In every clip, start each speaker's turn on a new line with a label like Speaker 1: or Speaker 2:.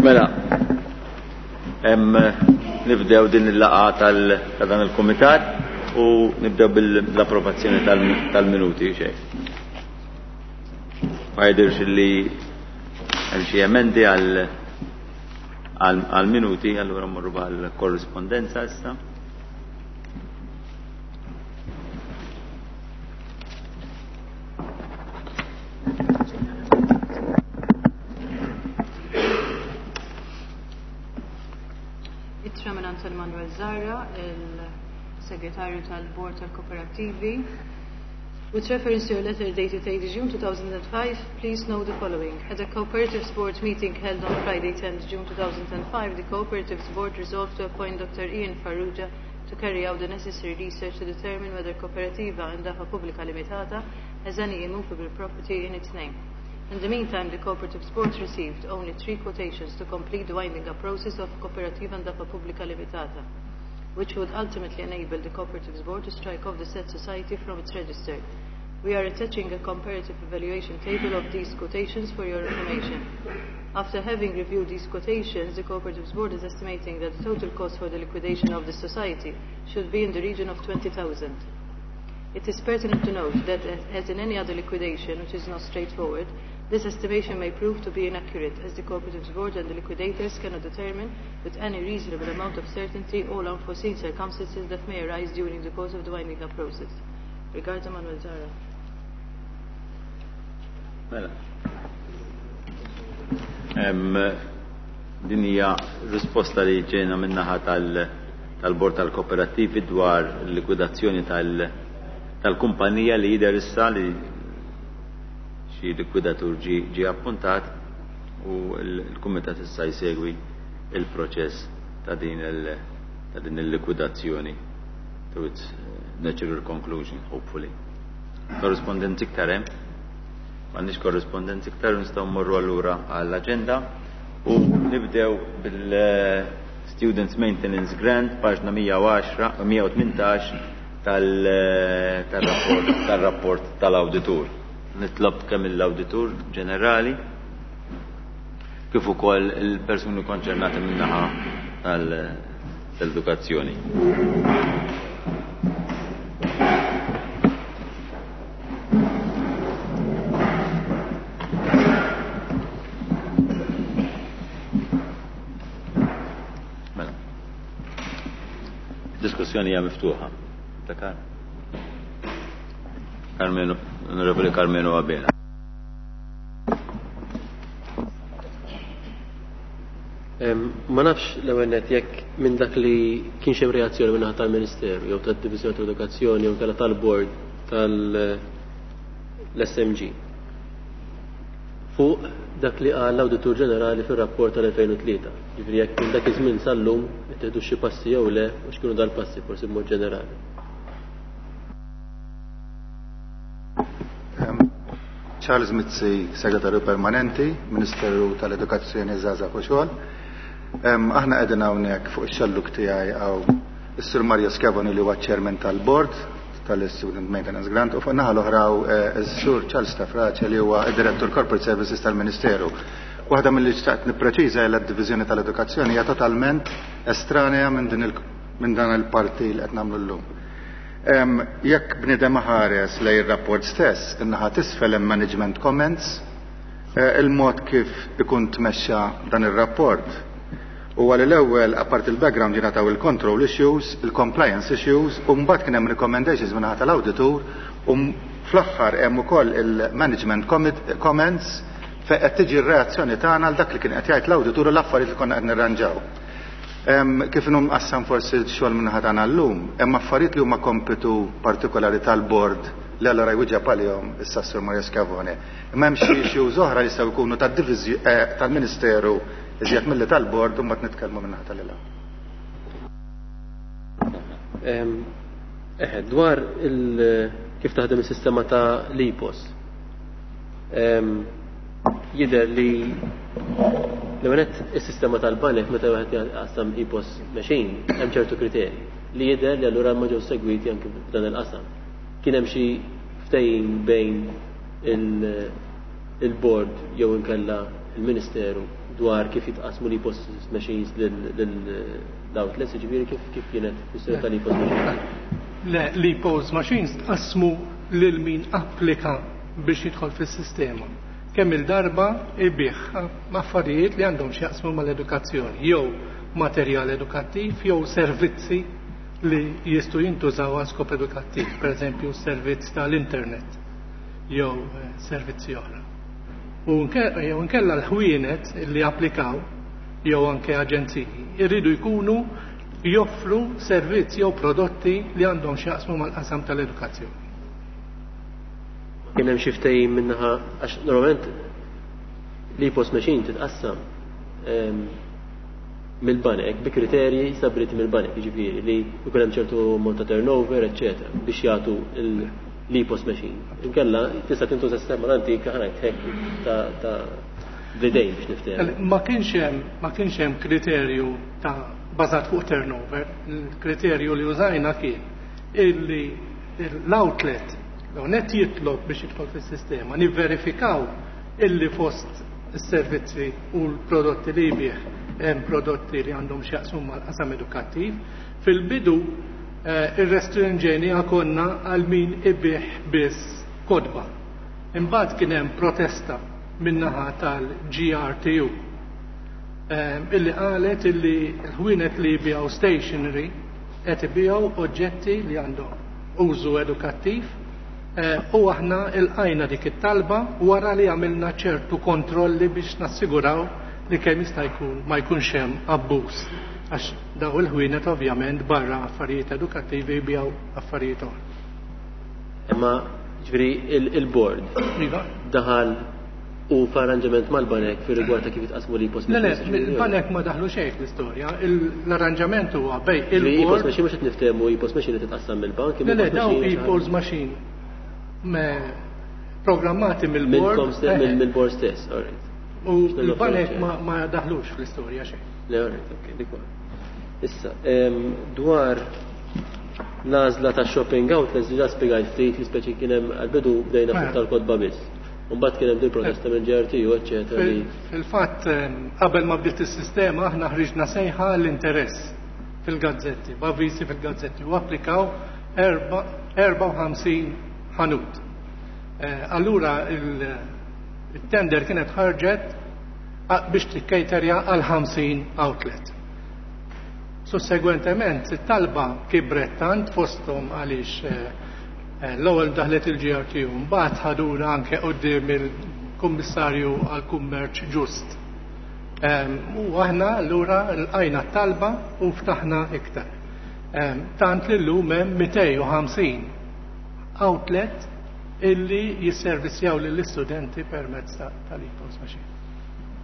Speaker 1: Mela, nibdew din il-laqa ta' dan il-kumitat u nibdew bil-approvazzjoni tal-minuti xejn. Ma jidirx li hemm xi emendi għal minuti, allura mmorru għal korrispondenza issa.
Speaker 2: Ittra minn Anton Manuel Zahra, il-segretarju tal-Bord tal-Kooperativi. With reference to your letter dated 8 June 2005, please note the following. At a Cooperatives Board meeting held on Friday 10 June 2005, the Cooperatives Board resolved to appoint Dr. Ian Farrugia to carry out the necessary research to determine whether Cooperativa Indafa Pubblica Limitata has any immovable property in its name. In the meantime, the Cooperatives Board received only three quotations to complete the winding up process of Cooperativa Indafa Pubblica Limitata, which would ultimately enable the Cooperatives Board to strike off the said society from its register. We are attaching a comparative evaluation table of these quotations for your information. After having reviewed these quotations, the Cooperatives Board is estimating that the total cost for the liquidation of the society should be in the region of 20,000. It is pertinent to note that, as in any other liquidation, which is not straightforward, this estimation may prove to be inaccurate, as the Cooperatives Board and the liquidators cannot determine with any reasonable amount of certainty all unforeseen circumstances that may arise during the course of the winding up process. Regards, Manuel Zahra.
Speaker 1: Mela. Din hija risposta li ġejna min-naħa tal-Bord tal-Kooperattivi dwar l-likwidazzjoni tal-kumpanija li jidher issa li xi likwidatur ġi appuntat u l-kumitat issa jsegwi il-proċess ta' din il-likwidazzjoni to its natural conclusion, hopefully. Korrespondenzi iktar hemm? M'għandniex korrespondenzi iktar, nistgħu mmorru allura għall-aġenda u nibdew bil-Students Maintenance Grant, paġna 110, 118 tal-rapport tal-awditur. Nitlob kemm l-awditur ġenerali kif ukoll il-persuni konċernati min-naħa tal-edukazzjoni. Mela. Diskussjoni hija miftuħa. Dakar. Carmenu, Onorevole Carmenu Abela.
Speaker 3: Ma nafx l-ewwel nett jekk minn dak li kienx hemm reazzjoni minn naħa tal-Ministeru jew tad-Diviżjoni tal-Edukazzjoni jew kellha tal-Bord tal-SMG fuq dak li qal l-Awditur Ġenerali fir-rapport tal-2003. Ġifieri jekk minn dak iż-żmien sal-lum ittieħdu xi passi jew le u x'kienu dal-passi forsi b'mod ġenerali.
Speaker 4: Charles Mizzi, Segretarju Permanenti, Ministeru tal-Edukazzjoni Żgħażagħ u Xogħol. Aħna qegħdin hawnhekk fuq ix-xelluk tiegħi hawn is-Sur Mario Schiavoni li huwa Chairman tal-Board tal-Student Maintenance Grant u fuq naħa l-oħra is-Sur Charles Stafrace li huwa id-Direttur Corporate Services tal-Ministeru. Waħda mill-li xtaqt nippreċiża hija d-Diviżjoni tal-Edukazzjoni hija totalment estranea minn dan il-parti li qed nagħmlu llum. Jekk bniedem ħares lejn ir-rapport stess, in-naħa t'isfel hemm management comments, il-mod kif ikun tmexxa dan ir-rapport. U għal l-ewwel, apart il-background jingħataw il-control issues, il-compliance issues, u mbagħad kien hemm recommendations min-naħa tal-awditur, u fl-aħħar hemm ukoll il-management comments fejn qed tiġi r-reazzjoni tagħna għal dak li kien qed jgħid l-awditur u l-affarijiet li konna qed nirranġaw. Kif inhu mqassam forsi x-xogħol min-naħa tagħna llum, hemm affarijiet li huma kompitu partikolari tal-bord li allura jwieġeb għalihom issa s-Sur Mario Schiavone. Imma hemm xi issues oħra li jistgħu jkunu tal-Ministeru iżjed milli tal-bord u mbagħad nitkellmu min-naħa tal-ila.
Speaker 3: Eħe, dwar il kif taħdem is-sistema ta' l-EPOS. Jidher li l-għonet is-sistema tal-banek meta wieħed jaqsam EPOS machine hemm ċertu kriterji li jidher li allura ma ġew segwiti anke f'dan il-qasam. Kien hemm xi ftehim bejn il-board jew inkella il-Ministeru dwar kif jitqasmu l-EPOS machines lill-outlets, jiġifieri kif kif kienet kwistjoni tal-EPOS machines?
Speaker 5: Le, l-EPOS machines tqassmu lil min applika biex jidħol fis-sistema. Kemm il-darba ibigħ affarijiet li għandhom x'jaqsmu mal-edukazzjoni, jew materjal edukattiv jew servizzi li jistgħu jintużaw għal skop edukattiv, pereżempju servizz tal-internet jew servizzi oħra. U jew inkella l-ħwienet li applikaw jew anke aġenziji irridu jkunu joffru servizz jew prodotti li għandhom x'jaqsmu mal-qasam tal-edukazzjoni.
Speaker 3: Kien hemm xi ftehim min-naħa għax normalment l-EPOS machine titqassam mill-banek bi kriterji stabbiliti mill-banek, jiġifieri li jkun hemm ċertu ammont ta' turnover, eċċetera, biex jagħtu l-EPOS machine. Inkella tista' tintuża sistema l-antika ħa ngħid hekk ta' bl-idejn biex niftehmu.
Speaker 5: Ma kienx hemm ma kienx hemm kriterju ta' bażat fuq turnover. Il-kriterju li użajna kien illi l-outlet l-net jitlob biex jidħol fis-sistema, nivverifikaw illi fost is-servizzi u l-prodotti li jbigħ hemm prodotti li għandhom x'jaqsmu mal-qasam edukattiv. Fil-bidu irrestrinġejniha konna għal min ibigħ biss kotba. Imbagħad kien hemm protesta min-naħa tal-GRTU illi qalet illi l-ħwienet li jbigħu stationery qed ibigħu oġġetti li għandhom użu edukattiv u aħna ilqajna dik it-talba wara li għamilna ċertu kontrolli biex nassiguraw li kemm jista' jkun ma jkunx hemm abbuż għax daw il-ħwienet ovvjament barra affarijiet edukattivi jbigħu affarijiet oħra.
Speaker 3: Imma ġifieri il-board daħal u f'arranġament mal-banek fir rigward ta' kif jitqasmu l-EPOS
Speaker 5: Le, le, il-banek ma daħlu xejn fl-istorja. L-arranġament huwa bejn
Speaker 3: il-board. E-POS machine mhux qed niftehmu e-POS machine li titqassam mill-bank.
Speaker 5: Le, le, daw e-POS machine programmati mill-board.
Speaker 3: Mill-board stess, all right.
Speaker 5: U l-banek ma daħlux fl-istorja xejn.
Speaker 3: Le, all right, ok, dik Issa, dwar l-għażla ta' shopping outlets diġà spjegajt ftit li speċi kien hemm għall-bidu bdejna fuq tal-kotba biss. Mbagħad kien hemm din protesta minn GRTU, eċċetera.
Speaker 5: Fil-fatt, qabel ma bdiet is-sistema aħna ħriġna sejħa l-interess fil-gazzetti, b'avviżi fil-gazzetti u applikaw 54 ħanut. Allura il-tender kienet ħarġet biex tikkejterja għal 50 outlet. Sussegwentement, it-talba kibret tant fosthom għaliex l-ewwel daħlet il-GRTU, mbagħad ħaduna anke quddiem il-Kummissarju għall-Kummerċ Ġust. U aħna allura lqajna t-talba u ftaħna iktar. Tant li llum hemm 250 outlet illi jisservissjaw lill-istudenti permezz tal-EPOS machine.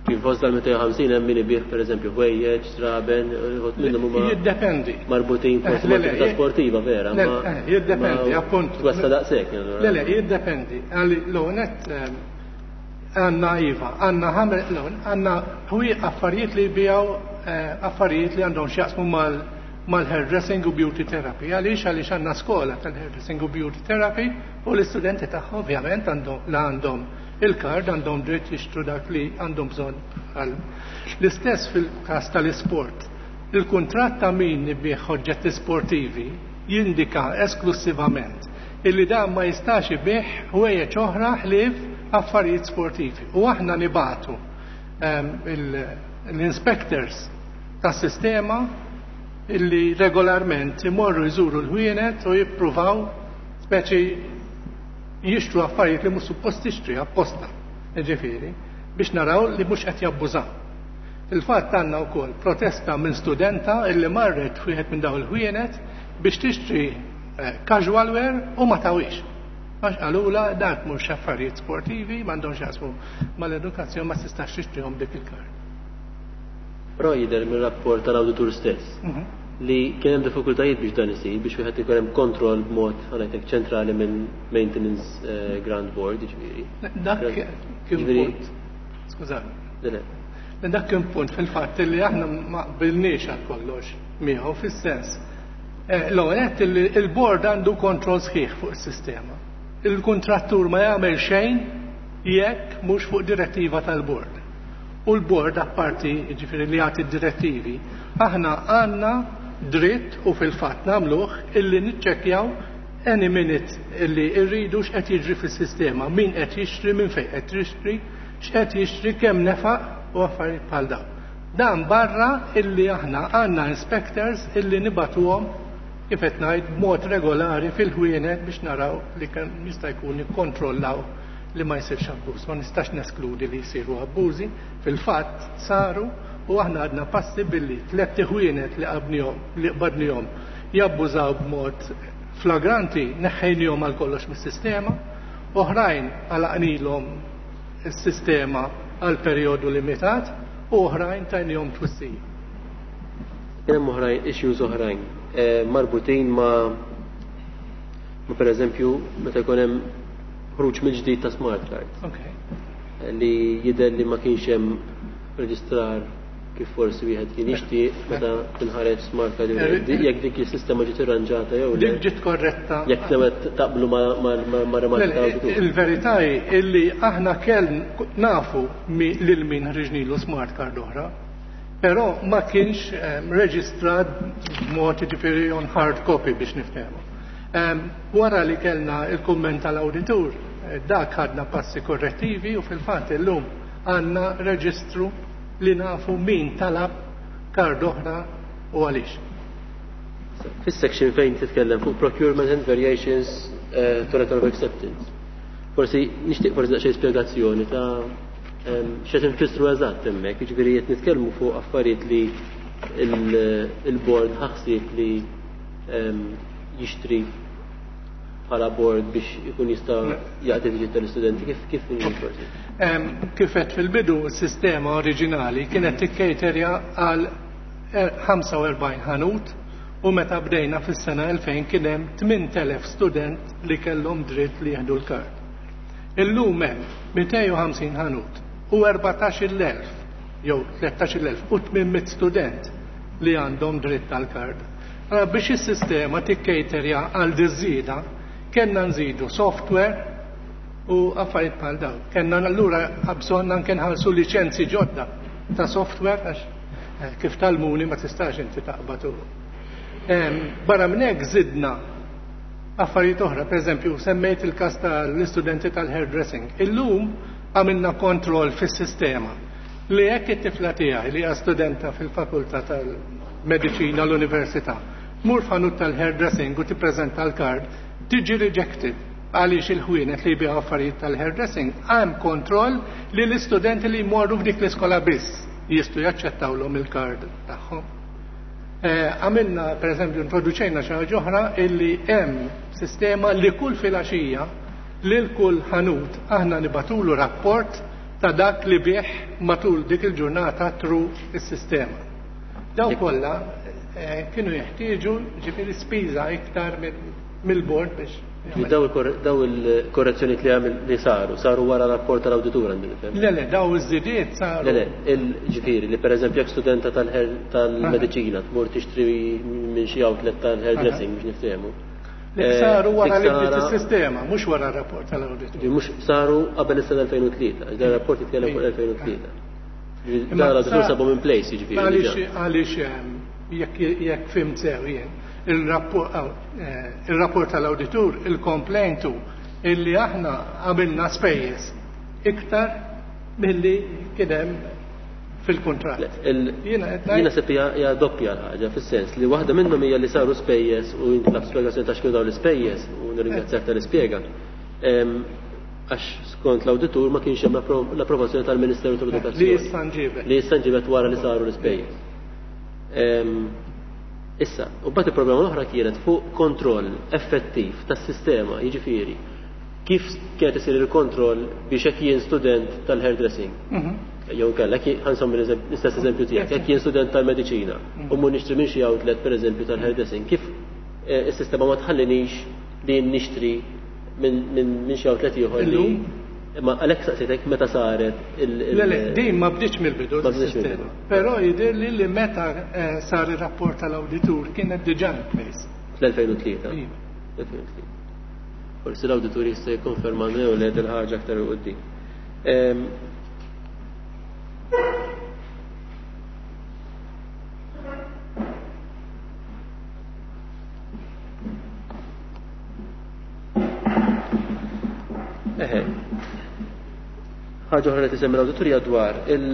Speaker 3: Kif fost dal-250 hemm min ibigħ pereżempju ħwejjeġ, żraben, uħud minnhom huma
Speaker 5: Jiddependi.
Speaker 3: marbutin forsi
Speaker 5: Le, le,
Speaker 3: mal-attività sportiva vera,
Speaker 5: Le,
Speaker 3: ma
Speaker 5: jiddependi,
Speaker 3: ma
Speaker 5: appunto.
Speaker 3: Twessa daqshekk, allura.
Speaker 5: Le, le, jiddependi. Għalli l-għonet għandna iva, għandna ħames, l għandna ħwi affarijiet li jbigħu affarijiet li għandhom x'jaqsmu mal-hairdressing u beauty therapy. Għaliex? Għaliex għandna skola tal-hairdressing u beauty therapy u l-istudenti tagħha ovvjament għandhom la għandhom il-kard għandhom dritt jixtru dak li għandhom bżonn għal. L-istess fil-każ tal-isport. Il-kuntratt ta' min ibigħ oġġetti sportivi jindika esklusivament illi dan ma jistax ibigħ ħwejjeġ oħra ħlief affarijiet sportivi. U aħna nibatu l-inspectors tas-sistema illi regolarment imorru jżuru l-ħwienet u jippruvaw speċi jixtru affarijiet li mhux suppost tixtri apposta, ġifieri, biex naraw li mhux qed jabbużaw. Fil-fatt għandna wkoll protesta minn studenta illi marret wieħed minn dawn il-ħwienet biex tixtri casual wear u ma tawix. Għax qalula dak mhux affarijiet sportivi, m'għandhomx jaqsmu mal-edukazzjoni, ma tistax tixtrihom dik il-kard.
Speaker 3: Però jidher mir-rapport tal-awditur stess li kien hemm diffikultajiet biex dan isir, biex wieħed ikun hemm kontroll b'mod ħanajtek ċentrali minn Maintenance Grant Board, jiġifieri.
Speaker 5: Dak kien punt. Skużani.
Speaker 3: Le, le.
Speaker 5: Dak kien punt fil-fatt li aħna ma qbilniex għal kollox miegħu fis-sens. L-ewwel nett li l-board għandu kontroll sħiħ fuq is-sistema. Il-kuntrattur ma jagħmel xejn jekk mhux fuq direttiva tal-board. U l-bord apparti jiġifieri li jagħti d-direttivi, aħna għandna dritt u fil-fatt nagħmluh illi niċċekkjaw any minute illi rridu x'qed jiġri fis-sistema, min qed jixtri, minn fejn qed jixtri, x'qed jixtri, kemm nefaq u affarijiet bħal dawn. Dan barra illi aħna għandna inspectors illi nibagħtuhom kif qed ngħid b'mod regolari fil-ħwienet biex naraw li kemm jista' jkun nikkontrollaw li ma jsirx abbuż. Ma nistax neskludi li jsiru abbużi, fil-fatt saru u aħna għadna passi billi tlett iħwienet li qabnihom li qbadnihom jabbużaw b'mod flagranti neħħejnihom għal kollox mis-sistema, oħrajn għalaqnilhom is-sistema għal perjodu limitat u oħrajn tajnihom twissija.
Speaker 3: Kien hemm oħrajn issues oħrajn eh, marbutin ma' ma pereżempju meta jkun hemm ħruġ mill-ġdid ta' smart card.
Speaker 5: Okay.
Speaker 3: Li jidher li ma kienx hemm reġistrar kif forsi wieħed kien jixtieq meta tinħareġ smart card eh, jekk dik is-sistema ġiet irranġata jew le.
Speaker 5: Dik ġiet korretta.
Speaker 3: Jekk tewet taqblu ma' rimarka
Speaker 5: ta' Il-verità hi illi aħna kell nafu lil min ħriġnilu smart card oħra, però ma kienx ehm, reġistrat b'mod jiġifieri on hard copy biex niftehmu. Ehm, wara li kellna il-kumment tal-awditur, eh, dak ħadna passi korrettivi u fil-fatt illum għandna reġistru li nafu min talab kard oħra u għaliex.
Speaker 3: Fis-section fejn titkellem fuq procurement and variations eh, to letter of acceptance. Forsi nixtieq forsi daqsxejn spjegazzjoni ta' ehm, x'qed infissru eżatt hemmhekk, jiġifieri qed nitkellmu fuq affarijiet li il-board ħaħsieb li ehm, jixtri bħala board biex ikun jista' jaqdi tiġi tal-istudenti kif kif forsi?
Speaker 5: Kif għedt fil-bidu, s-sistema oriġinali kienet tikkejterja għal 45 ħanut u meta bdejna fis-sena 2000 kien hemm 8,000 student li kellhom dritt li jieħdu l-kard. Illum hemm 250 ħanut u 14,000 jew 13,800 student li għandhom dritt għall-kard. Allura biex is-sistema tikkejterja għal diż-żieda kellna nżidu software u affarijiet bħal dawn. Kellna allura bżonn anke nħallsu liċenzji ġodda ta' software għax eh, kif talmuni ma tistax inti taqbad u. Barra minn hekk żidna affarijiet oħra, pereżempju semmejt il-każ tal-istudenti tal-hairdressing. Illum għamilna kontroll fis-sistema li jekk it-tifla tiegħi li hija studenta fil-fakultà tal-mediċina l-università tmur f'ħanut tal-hairdressing u tippreżenta l-kard, tiġi rejected għaliex il-ħwienet li jbigħu affarijiet tal-hairdressing hemm kontroll li l-istudenti li jmorru f'dik l-iskola biss jistgħu jaċċettawlhom il-kard tagħhom. Eh, għamilna, per eżempju, introduċejna xi ħaġa oħra illi hemm sistema li kull filgħaxija lil kull ħanut aħna nibatulu rapport ta' dak li biegħ matul dik il-ġurnata through is-sistema. Dawn kollha eh, kienu jeħtieġu ġifieri spiża iktar mill-bord biex.
Speaker 3: Daw il-korrezzjonijiet li għamil li saru, saru wara rapport tal-awditur għandi nifhem.
Speaker 5: Le, le, daw iż-żidiet saru.
Speaker 3: Le, le, ġifieri li pereżempju jekk studenta tal-mediċina tmur tixtri minn xi outlet tal-hairdressing biex niftehmu.
Speaker 5: Li eh, saru wara li bdiet is-sistema, mhux wara r-rapport tal-awditur.
Speaker 3: Mhux saru qabel is-sena 2003, għax dan rapport jitkellem fuq 2003. Dan l-awditur sabu minn place jiġifieri.
Speaker 5: Għaliex għaliex ehm, jekk fimt sew jien, eh, il-rapport tal-awditur il-komplejntu illi aħna għamilna spejjeż iktar milli kien hemm fil-kuntratt.
Speaker 3: Jiena sepp hija doppja l-ħaġa fis-sens li waħda minnhom hija li saru spejjeż u jintlab spjegazzjoni ta' x'kienu dawn l-ispejjeż u nirringrazzjak tal-ispjega. Għax skont l-awditur ma kienx hemm l-approvazzjoni tal-Ministeru tal-Edukazzjoni.
Speaker 5: Li issa nġibet.
Speaker 3: Li issa nġibet wara li saru l-ispejjeż. Issa, u bat il-problema l-oħra kienet fuq kontroll effettiv tas-sistema, jiġifieri kif kienet isir il-kontroll biex jekk jien student tal-hairdressing. Mhm. Jew inkella ħansom l-istess eżempju tiegħek, jekk jien student tal-mediċina u mur nixtri minn xi outlet pereżempju tal-hairdressing, kif eh, is-sistema ma tħallinix li nixtri minn xi outlet ieħor li Imma għalhekk saqsitek meta saret
Speaker 5: il- Le, le, din ma bdietx mill-bidu.
Speaker 3: Ma bdietx mill-bidu.
Speaker 5: Però jidher li li meta eh, sar ir-rapport tal-awditur kienet diġà in place.
Speaker 3: Fl-2003. 2003. Forsi l-awditur jista' jikkonferma jew le dil ħaġa aktar 'il quddiem. Ehm, Eħe. Ħaġa oħra li tisemmi l-awditurja dwar il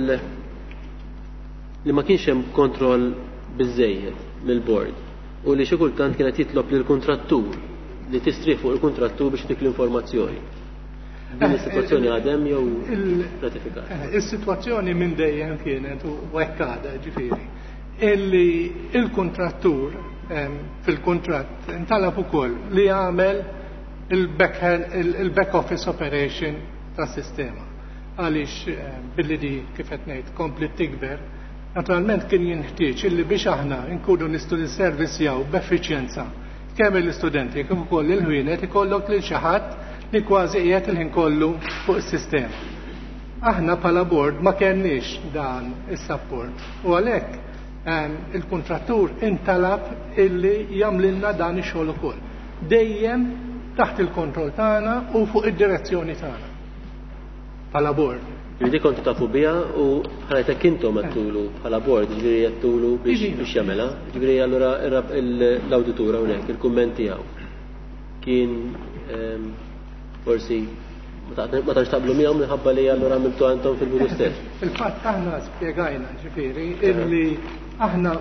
Speaker 3: li ma kienx hemm kontroll biżejjed mill-bord u li xi kultant kienet jitlob lil kuntrattur li tistrieħ fuq il-kuntrattur biex tik l-informazzjoni. Din is-sitwazzjoni għadem jew ratifikat?
Speaker 5: Is-sitwazzjoni minn dejjem kienet u hekk għadha ġifieri illi il-kuntrattur fil-kuntratt intalab ukoll li jagħmel il-back office operation tas-sistema. Għaliex billi di kif qed ngħid kompli tikber, naturalment kien jinħtieġ illi biex aħna nkunu nistgħu nisservisjaw b'effiċjenza kemm l-istudenti kif ukoll il-ħwienet ikollok lil xi ħadd li kważi qiegħed il-ħin kollu fuq is-sistema. Aħna bħala board ma kenniex dan is-support u għalhekk il-kuntrattur intalab illi jagħmlilna dan ix-xogħol ukoll. Dejjem taħt il-kontroll tagħna u fuq id-direzzjoni tagħna. Bħala board.
Speaker 3: Ġifieri kontu tafu biha u bħala jtek intom għedtulu bħala board, ġifieri għedtulu biex jagħmilha. Ġifieri allura l-awditur hawnhekk il-kumment tiegħu kien forsi ma tantx taqblu miegħu minħabba li allura għamiltu għandhom fil-bidu stess.
Speaker 5: Fil-fatt aħna spjegajna ġifieri illi aħna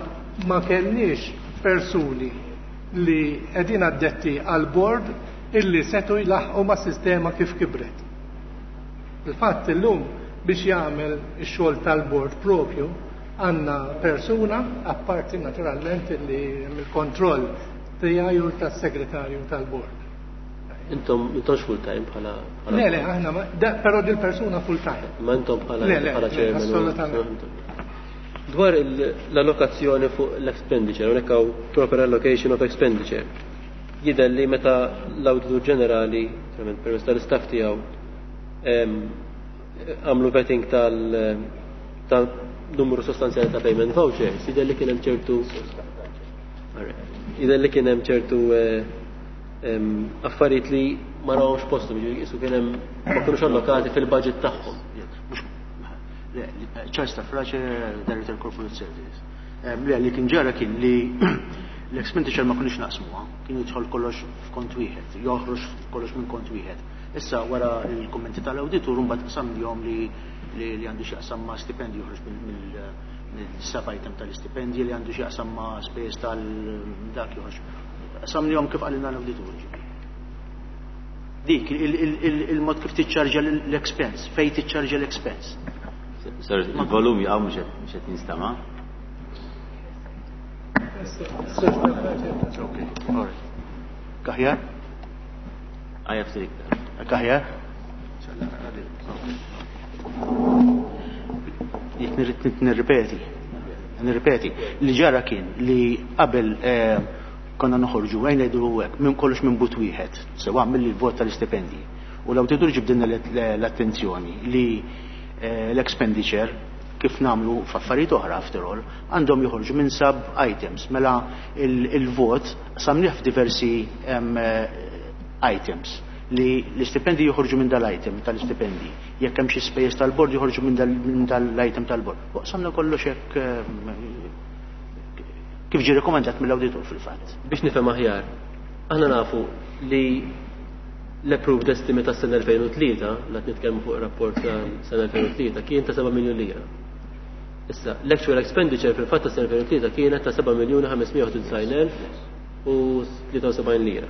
Speaker 5: ma kellniex persuni li qegħdin addetti għal board illi setu jlaħqu ma' sistema kif kibret. Il-fatt illum biex jagħmel ix-xogħol tal-bord propju għandna persuna apparti naturalment li il-kontroll tiegħi u tas-segretarju tal-bord.
Speaker 3: Intom intomx full time bħala
Speaker 5: Le, le, aħna però dil persuna full time.
Speaker 3: Ma intom bħala
Speaker 5: Le, le, bħala chairman. Assolutament.
Speaker 3: Dwar l-allokazzjoni fuq l-expenditure, hawnhekk hawn proper allocation of expenditure. Jidher li meta l-Awditur Ġenerali, permezz tal-istaff tiegħu, għamlu vetting tal-numru sostanzjali ta' payment vouchers, jidher li kien hemm ċertu jidher li kien hemm ċertu affarijiet li ma rawhomx postom, jiġifieri qisu kien hemm ma kinux allokati fil-budget tagħhom.
Speaker 6: Charles Stafrace, Director Corporate Services. Le, li kien ġara kien li l-expenditure ma kunix naqsmuha, kien jidħol kollox f'kont wieħed, joħroġ kollox minn kont wieħed. Issa wara l-kummenti tal-awditur mbagħad qsamnihom li li għandu x'jaqsam ma' stipendju joħroġ mill-sub item tal-istipendji li għandu x'jaqsam ma' spejjeż tal-dak joħroġ. Qsamnihom kif qalilna l-awditur. Dik il-mod kif tiċċarġa l-expense, fej tiċċarġa l-expense.
Speaker 1: Sir, il-volum jaqgħu mhux qed jinstama'.
Speaker 6: Okay, all right. Kaħjar?
Speaker 1: Għajja ftit iktar.
Speaker 6: Kaħjar? Jek nirripeti. Nirripeti. Li ġara kien li qabel konna noħorġu għajn ngħidu hekk minn kollox minn but wieħed, sewa mill-vot tal-istipendji. U l-awditur ġibdilna l-attenzjoni li l-expenditure kif namlu f'affarijiet oħra after all, għandhom joħorġu minn sub items. Mela il-vot samniħ f'diversi items li l-istipendi joħorġu minn dal-item tal-istipendi. Jekk hemm xi spejjeż tal-bord joħorġu minn dal-item tal-bord. U qsamna kollox hekk kif ġie rekomendat mill-awditur fil-fatt.
Speaker 3: Biex nifhem aħjar, aħna nafu li l-approved estimate tas-sena 2003, la nitkellmu fuq rapport tas-sena 2003, kien ta' 7 miljun lira. Issa, l-actual expenditure fil-fatt tas-sena 2003 kienet ta' 7 miljuni 591 u 73 lira.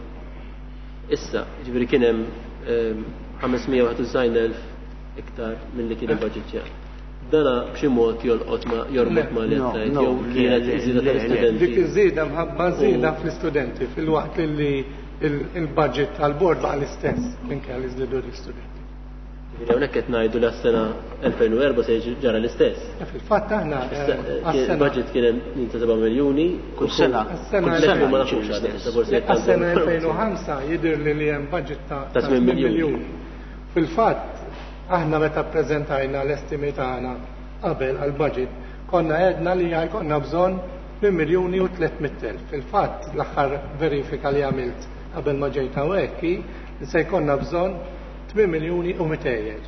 Speaker 3: Issa, ġifieri kien hemm 591,000 iktar milli kien il-budget. Dana b'xi mod jolqot ma jorbot ma li qed jew kienet iż-żieda tal-istudenti.
Speaker 5: Dik iż-żieda mħabba żieda fl-istudenti fil-waqt li il-budget tal-bord baqa' l-istess minkejja li żdiedu l-istudenti.
Speaker 3: Ġifieri hawnhekk qed ngħidu li għas-sena 2004 se ġara l-istess.
Speaker 5: Fil-fatt aħna
Speaker 3: il-budget kien hemm ta' 7 miljuni
Speaker 6: kull sena.
Speaker 3: Kull sena ma nafux
Speaker 5: għas-sena 2005 jidher li li hemm budget ta'
Speaker 3: 8 miljuni.
Speaker 5: Fil-fatt aħna meta ppreżentajna l-estimi tagħna qabel għall-budget konna għedna li jkollna bżonn 8 miljuni u 300,000. Fil-fatt l-aħħar verifika li għamilt qabel ma ġejt hawnhekk hi li se jkollna bżonn 8 miljuni u 200.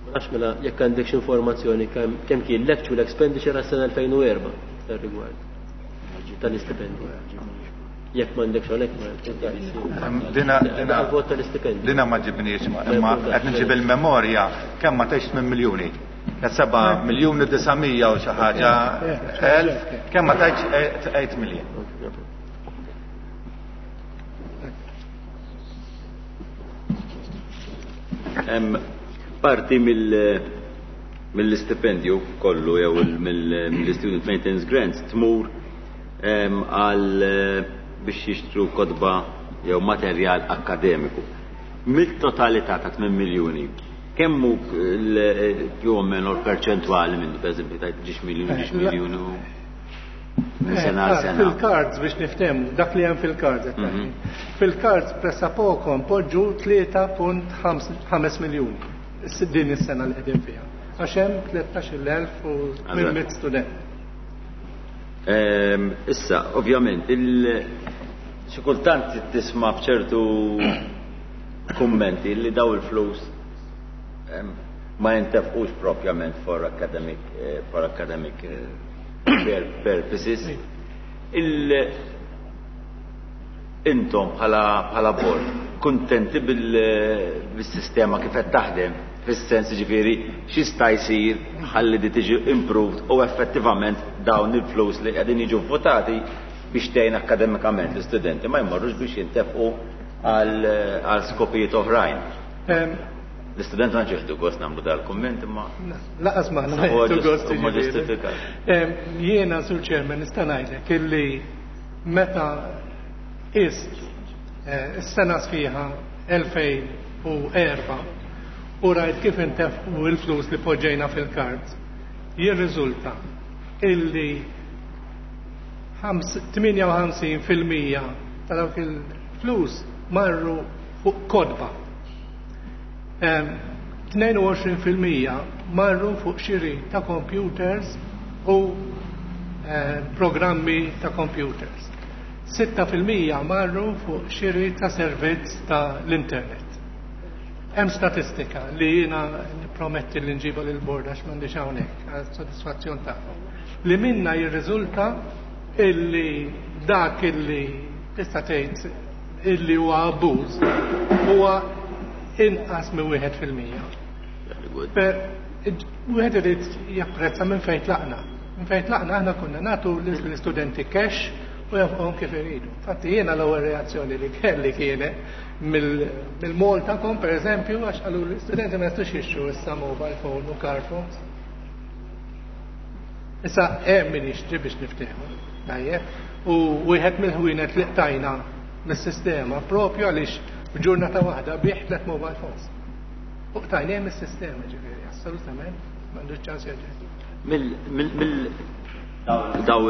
Speaker 3: Ma nafx mela jekk għandek xi informazzjoni kemm kien l-actual expenditure għas-sena 2004 f'dan rigward tal-istipendji. Jekk m'għandekx hawnhekk ma
Speaker 4: Dina dina
Speaker 3: vot tal-istipendju.
Speaker 4: Dina ma ġibniex imma qed nġib il-memorja kemm ma tgħix 8 miljuni. 7 miljuni 900 u xi ħaġa elf, kemm ma tgħidx 8 miljun.
Speaker 1: Parti mill-istipendju kollu jew mill-student maintenance grants tmur għal biex jixtru kotba jew materjal akkademiku. Mill-totalità ta' 8 miljuni, kemm hu più o meno l-perċentwali minnu, per eżempju, tajt ġiex miljuni, ġiex miljuni minn sena għal sena.
Speaker 5: Fil-cards biex niftehmu, dak li hemm fil-cards. Fil-cards pressapoko npoġġu 3.5 miljuni din is-sena li qegħdin fiha. Għax hemm 13,800 student.
Speaker 1: Issa, ovvjament, xi kultant tisma' b'ċertu kummenti li daw il-flus ma jintefqux propjament for academic, for academic purposes. Intom bħala board kuntenti bil-sistema kif qed taħdem, fis-sens ġifieri x'jista' jsir ħalli di tiġi improved u effettivament dawn il-flus li qegħdin jiġu votati biex tgħin akademikament l-istudenti ma jmorrux biex jintefqu għal skopijiet oħrajn. L-istudent ma ġieħdu gost nagħmlu dal-kumment imma
Speaker 5: Laqas ma
Speaker 1: Huwa
Speaker 5: ħdu gost
Speaker 1: huma
Speaker 5: jiġifieri.
Speaker 1: ġustifikat.
Speaker 5: Jiena Sur Chairman nista' ngħidlek illi meta ist is-sena sħiħa 2004 u rajt kif intefqu il-flus li poġġejna fil-kard, jirriżulta illi 58% ta' dawk il-flus marru fuq kotba. 22% marru fuq xiri ta' computers u programmi ta' computers. 6% marru fuq xiri ta' servizz ta' l-internet. Hemm statistika li jiena nipprometti li nġiba lil bord għax m'għandix hawnhekk għal sodisfazzjon tagħhom. Li minna jirriżulta illi dak illi tista' tgħid illi huwa abbuż huwa inqas minn 1%. Wieħed irid japprezza minn fejn tlaqna. Minn fejn tlaqna aħna konna nagħtu l-istudenti cash u jafqhom kif iridu. Infatti jiena l-ewwel reazzjoni li kelli kienet mill-Maltacom, per eżempju, għax qalu l-istudenti ma jistgħux jixtru issa mobile phone u car phones. Issa hemm min jixtri biex niftehmu. Tajjeb. U wieħed mill-ħwienet li qtajna mis-sistema propju għaliex f'ġurnata waħda bih tliet mobile phones. U qtajna mis-sistema ġifieri, assolutament m'għandux ċans jerġa'.
Speaker 1: Mill daw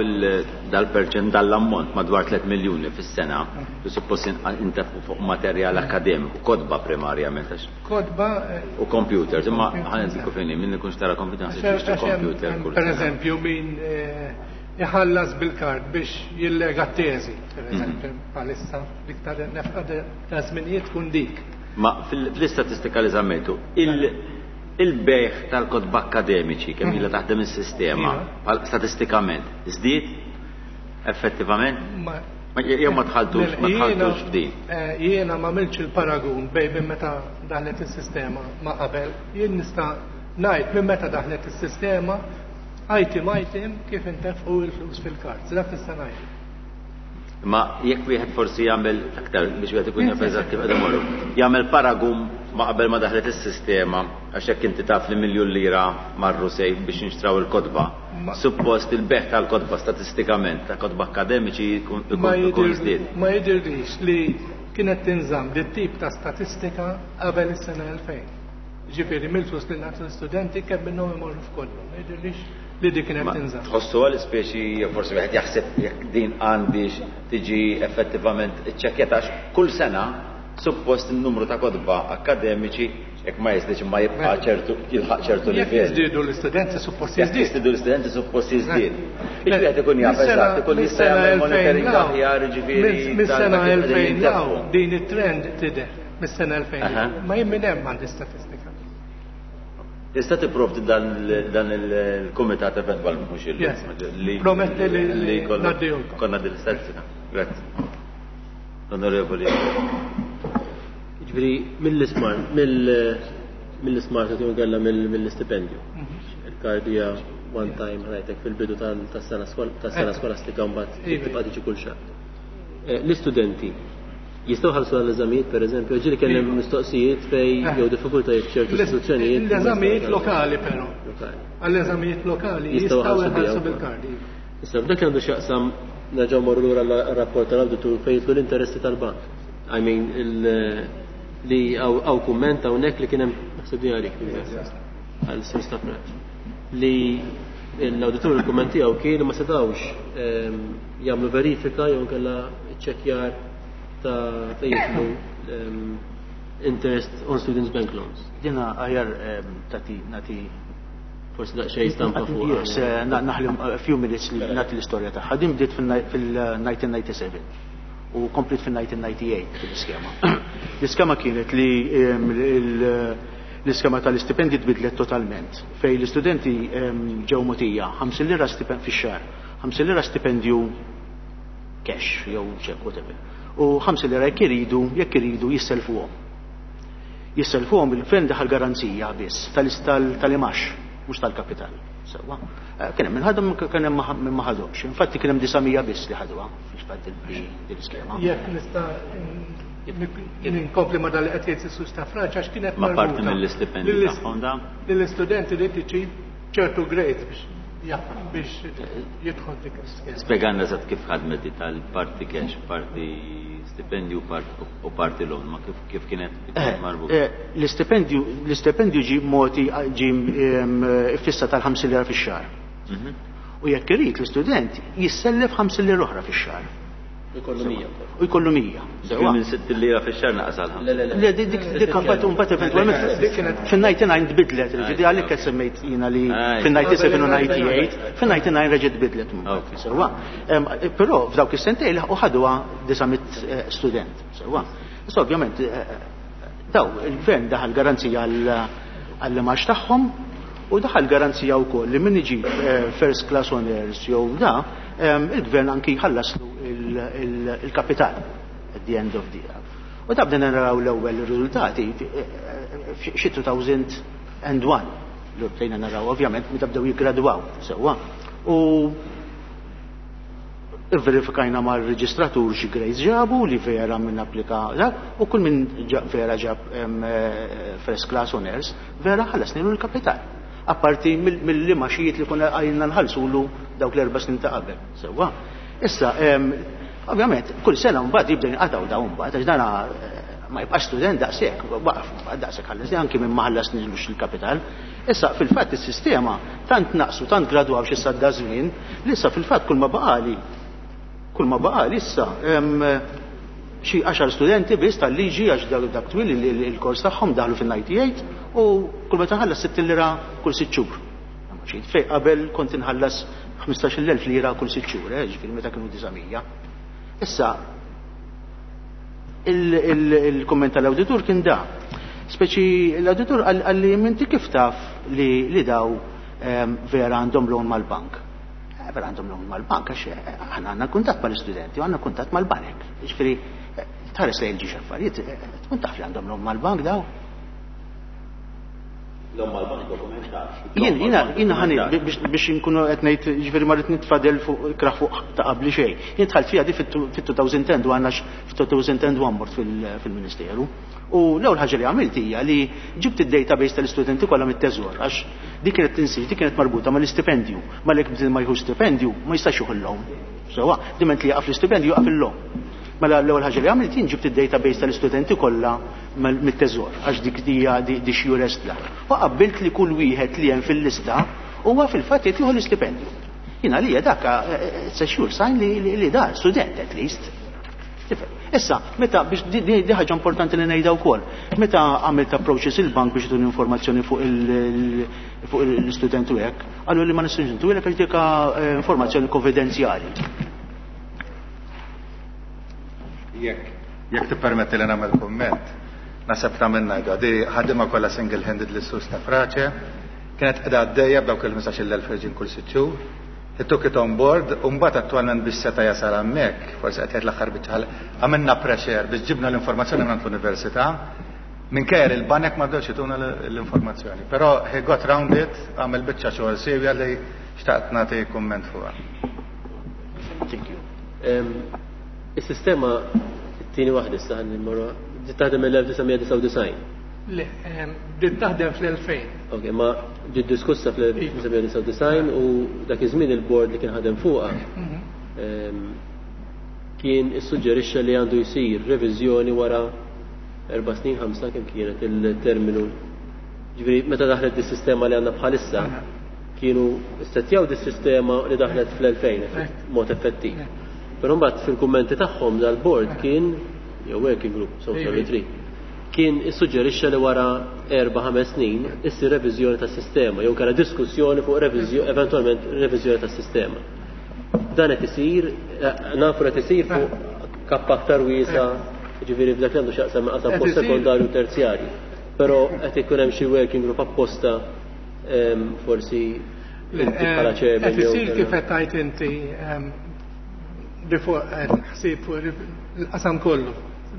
Speaker 1: dal-perċent dal-ammont madwar 3 miljuni fis-sena li suppost intefqu fuq materjal akademiku, kotba primarjament għax
Speaker 5: Kotba
Speaker 1: u computers, imma ħa ngħidilkom fejn min ikunx tara computer naħseb jixtri computer kull
Speaker 5: Per
Speaker 1: sena.
Speaker 5: eżempju, min iħallas bil-kard biex jillega teżi, per eżempju, bħalissa iktar nefqa ta' żminijiet tkun dik.
Speaker 1: Ma fl-istatistika li żammejtu, il-bejħ tal-kotba akademiċi kemm ilha taħdem is-sistema, statistikament, żdied effettivament? Ma jew ma tħalltux, ma tħalltux f'din.
Speaker 5: Jiena ma għamiltx il-paragun bejn minn meta daħlet is-sistema ma qabel. Jien nista' ngħid minn meta daħlet is-sistema item item kif intefqu il-flus fil-kard. Dak nista' ngħid.
Speaker 1: Ma jekk wieħed forsi jagħmel aktar biex wieħed ikun jaf eżatt kif qed imorru, jagħmel paragun ma qabel ma daħlet is-sistema, għax jekk inti taf li miljun lira marru sejf biex jinxtraw il-kotba. Suppost il-beħ tal-kotba statistikament ta' kotba akademiċi ikun żdied.
Speaker 5: Ma jidirlix li kienet tinżamm dit tip ta' statistika qabel is-sena 2000. Ġifieri mill-flus li nagħtu l-istudenti kemm minnhom imorru f'kollu. Ma jidirlix li dik kienet
Speaker 1: Ma
Speaker 5: tinżamm.
Speaker 1: Tħossu għal speċi jew forsi wieħed jaħseb jekk din għandix tiġi effettivament iċċekkjata għax kull sena suppost in-numru ta' kotba akademiċi jekk ma jiżdiedx imma jibqa' ċertu jilħaq ċertu
Speaker 5: Jekk
Speaker 1: livell.
Speaker 5: jiżdiedu l-istudenti suppost
Speaker 1: Jekk
Speaker 5: jiżdied.
Speaker 1: jiżdiedu l-istudenti suppost jiżdied. Iġifieri ikun jaf eżatt, ikun jista' jagħmel monitoring aħjar, jiġifieri
Speaker 5: Mis-sena
Speaker 1: tal-dak li qegħdin
Speaker 5: 2000
Speaker 1: jintefqu.
Speaker 5: law, din it-trend tidher mis-sena 2000. Ma jien minn hemm għandi statistika.
Speaker 1: Tista' tipprovdi dan il-kumitat eventwalment mhux illum.
Speaker 5: Yes. Prometti li
Speaker 1: li
Speaker 5: ngħaddihulkom.
Speaker 1: konna din l-istatistika. Grazzi. L-Onorevoli.
Speaker 3: Ġifieri mill-ismart mill-ismart jew inkella mill-istipendju. Il-card hija one time ħa ngħidlek fil-bidu tas-sena tas-sena skolastika mbagħad tibqa' tiġi kull xahar. L-istudenti jistgħu jħallsu għall-eżamijiet pereżempju, ġieli kien hemm mistoqsijiet fej jew diffikultajiet f'ċertu istituzzjonijiet.
Speaker 5: L-eżamijiet lokali però. Għall-eżamijiet lokali jistgħu jħallsu bil-card.
Speaker 3: Issa f'dak li għandu x'jaqsam nerġgħu mmorru lura għar-rapport tal-awditur fejn jidħlu l-interessi tal-bank. I mean li hawn kumment hawnhekk li kien hemm naħseb din għalik għal Sur Stafrace li l-awditur il-kumment tiegħu kien li ma setgħux jagħmlu verifika jew inkella ċċekkjar ta' fejn jidħlu interest on students bank loans.
Speaker 6: Dina aħjar tagħti nagħti
Speaker 3: Forsi daqsxejn stampa fuq.
Speaker 6: Yes, naħli a few minutes li nagħti l-istorja tagħha. Din bdiet fil-1997 u komplet fil-1998 fil-iskema. L-iskema kienet li l-iskema tal-istipendi tbidlet totalment fej l-istudenti ġew mogħtija 50 lira fix-xahar, 50 lira stipendju cash jew check whatever. U 50 lira jekk iridu, jekk iridu jisselfuhom. Jisselfuhom il-gvern daħal garanzija biss tal-imgħax, mhux tal-kapital. Sewwa. Kien hemm min ħadhom kien hemm min ma ħadhomx. Infatti kien hemm 900 biss li ħaduha fil-fatt din l-iskema.
Speaker 5: Jekk nista' ninkompli ma' dan li qed jgħid is-Sur Stafrace għax kienet
Speaker 1: Ma' parti mill-istipendju tagħhom da?
Speaker 5: Lill-istudenti li tiġi ċertu grades biex biex jidħol dik l-iskema.
Speaker 1: Spjegalna eżatt kif ħadmet di tal-parti cash, parti stipendju u parti loan, ma kif kif kienet marbuta?
Speaker 6: L-istipendju l-istipendju ġie mogħti ġie iffissat għal 50 lira fix-xahar. U jekk irid l-istudent jissellef 50 lira oħra fix-xahar.
Speaker 3: U jkollu 100.
Speaker 6: U jkollu 100.
Speaker 1: Ġifieri minn 60 lira fix-xahar naqas għal 50.
Speaker 3: Le, le, le.
Speaker 6: Le, dik dik imbagħad imbagħad eventwalment fin-99 tbidlet, ġifieri għalhekk qed semmejt jiena li fin-97 u 98, fin-99 reġgħet tbidlet mbagħad. Sewwa. Però f'dawk is-sentejn laħqu ħaduha 900 student. Sewwa. Issa ovvjament daw il-gvern daħal garanzija għall-imgħax tagħhom u daħal garanzija wkoll li min iġib first class honors jew da il-gvern anki jħallaslu il-kapital at the end of the year. U da bdejna naraw l-ewwel riżultati xi 2001 li bdejna naraw ovvjament meta bdew jiggradwaw sewwa. U verifikajna mar-reġistratur xi grades ġabu li vera minn applika dak u kull min vera ġab first class honors vera ħallasnilu l-kapital. Apparti mill-imgħaxijiet li konna għajna nħallsulu dawk l-4 snin ta' qabel. Sewwa. Issa, ovvjament, kull sena mbagħad jibda jinqatgħu dawn mbagħad għax dana ma jibqax student daqshekk, waqaf mbagħad daqshekk ħallasni anki minn ma ħallasnilux il-kapital. Issa fil-fatt is-sistema tant naqsu, tant gradwaw xi sadda żmien, li issa fil-fatt kull ma baqali, kull ma baqali issa xi 10 studenti biss tal-liġi għax dak twil il-kors tagħhom daħlu fin-98 u kull meta nħallas 60 lira kull 6 xhur. Fej qabel kont inħallas 15,000 lira kull 6 xhur, ġifieri meta kienu 900. Issa il-kumment tal-awditur kien da. Speċi l-awditur qalli inti kif taf li daw vera għandhom loan mal-bank. Vera għandhom loan mal-bank għax aħna għandna kuntatt mal-istudenti u għandna kuntatt mal-banek. Ġifieri tħares lejn ġiex affarijiet, tkun taf li għandhom loan mal-bank daw.
Speaker 1: Loan mal-bank dokumentat.
Speaker 6: Jien, jiena, jiena ħani, biex inkunu qed ngħid, ġifieri ma rrid nitfadel fuq ikrah fuq ta' qabli xejn. Jien dħalt fiha di fit-2010 u għandna fit-2001 mort fil-Ministeru. U l-ewwel ħaġa li għamilt hija li ġibt id-database tal-istudenti kollha mit-teżor għax dik kienet tinsiex, dik kienet marbuta mal-istipendju. Malek ma jieħu stipendju ma jistax jieħu l-loan. Sewwa, diment li jaqaf l-istipendju jaqaf il-loan. Mela l-ewwel ħaġa li għamilt jien ġibt id-database tal-istudenti kollha mit-teżor għax dik hija di xjurest la. U qabbilt li kull wieħed li hemm fil-lista huwa fil-fatt qed jieħu l-istipendju. Jien għalija dak it's a sure sign li da student at least. Tifhem. Issa, meta biex di ħaġa importanti li ngħidha wkoll, meta għamilt approaches il-bank biex jtuni informazzjoni fuq l-istudent u hekk, qalu li ma nistgħux ntuwilek għax dik informazzjoni konfidenzjali.
Speaker 4: Jekk tippermetti li nagħmel kumment, naħseb ta' minn ngħidu, di ħaddiema kollha single-handed lis-Sur Stafrace, kienet qiegħda għaddejja b'dawk il-15,000 ħerġin kull sitt xhur. He took it on board u mbagħad attwalment biex seta' jasal hemmhekk, forsi qed jgħid l-aħħar biċċa għamilna pressure biex ġibna l-informazzjoni minn l-università, minkejja li l-banek ma bdewx jtuna l-informazzjoni. Però he got round it, għamel biċċa xogħol siewja li xtaqt nagħti kumment fuqha.
Speaker 3: Thank you. Is-sistema t-tieni waħda issa ħalli mmorru bdiet taħdem mill-1999.
Speaker 5: Le, bdiet taħdem fl-2000.
Speaker 3: Ok, ma ġiet diskussa fl-1999 u dak iż-żmien il-bord li kien ħadem fuqha kien issuġġerixxa li għandu jsir reviżjoni wara 4 snin, 5 kemm kienet il-terminu. Ġifieri meta daħlet dis-sistema li għandna bħalissa kienu ssettjaw dis-sistema li daħlet fl-2000 mod effettiv. Però mbagħad fil-kummenti tagħhom dal-bord kien jew working group, so sorry, kien issuġġerixxa li wara 4-5 snin issir reviżjoni tas-sistema jew kellha diskussjoni fuq eventwalment reviżjoni tas-sistema. Dan qed isir, nafu qed isir fuq kappa aktar wiesa, ġifieri f'dak li għandu x'jaqsam qasam post sekondarju u terzjarju. Però qed ikun hemm xi working group apposta forsi inti bħala chairman.
Speaker 5: Qed isir kif qed tgħid inti ħsieb fuq il-qasam kollu,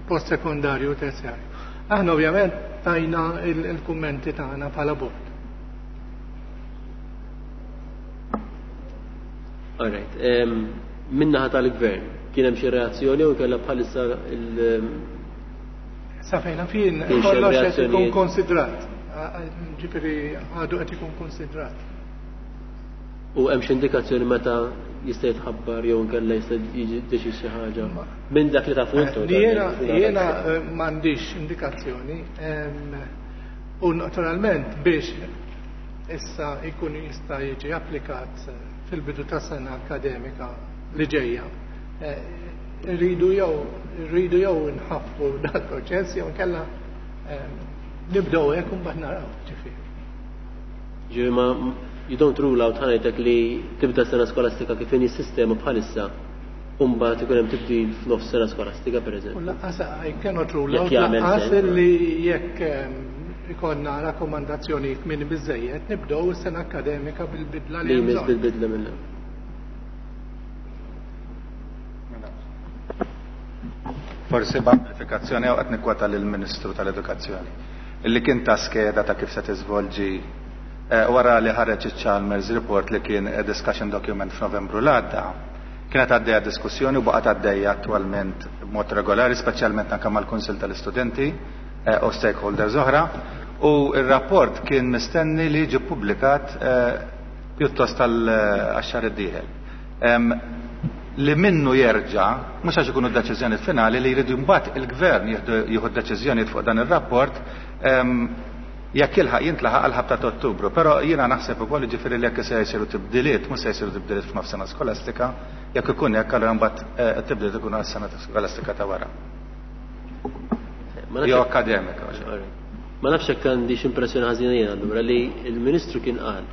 Speaker 5: post sekondarju u terzjarju. Aħna ovvjament tajna il-kummenti tagħna bħala bord.
Speaker 3: All right. Min-naħa tal-gvern, kien hemm xi reazzjoni u kellha bħalissa il-
Speaker 5: Sa fejna fin, kollox qed ikun konsidrat. Ġifieri għadu qed ikun konsidrat.
Speaker 3: U hemm xi indikazzjoni meta jista' jitħabbar jew inkella jista' jiġi deċiż xi ħaġa minn dak li tafu intom.
Speaker 5: Jiena jiena m'għandix indikazzjoni. U naturalment biex issa jkun jista' jiġi applikat fil-bidu ta' sena akademika li ġejja. Rridu jew rridu jew nħaffu dal-proċess jew inkella nibdew hekk u mbagħad naraw ġifieri.
Speaker 3: Ġifieri ma you don't rule out ħanajtek li tibda sena skolastika kif inhi s-sistema bħalissa u mbagħad ikun hemm tibdil f'nofs sena skolastika pereżempju.
Speaker 5: U lanqas I cannot rule out lanqas li jekk ikollna rakkomandazzjoni kmieni biżejjed nibdew is-sena akademika bil-bidla
Speaker 3: li jmiss bil-bidla minnha.
Speaker 4: Forsi b'amplifikazzjoni hawn qed nikkwota lill-Ministru tal-Edukazzjoni illi kien ta skeda ta' kif se tiżvolġi wara li ħareġ iċ-Chalmers report li kien a discussion document f'Novembru l-għadda. Kienet għaddejja diskussjoni u baqgħet għaddejja attwalment b'mod regolari, speċjalment anke mal-Kunsill tal-Istudenti u stakeholders oħra, u r-rapport kien mistenni li jiġi ppubblikat pjuttost għax-xahar id-dieħel. Li minnu jerġa', mhux għax ikunu d-deċiżjonijiet finali, li jridu mbagħad il-Gvern jieħu d-deċiżjonijiet fuq dan ir-rapport jekk jilħaq jintlaħaq għall-ħabta ta' Ottubru. Però jiena naħseb ukoll jiġifieri li jekk se jsiru tibdiliet, mhux se jsiru tibdiliet f'nofs sena skolastika, jekk ikun hekk allura mbagħad it-tibdiliet ikunu għas-sena skolastika ta' wara. Jew akademika.
Speaker 3: Ma nafx jekk għandix impressjoni ħażina jien allura li l-Ministru kien qal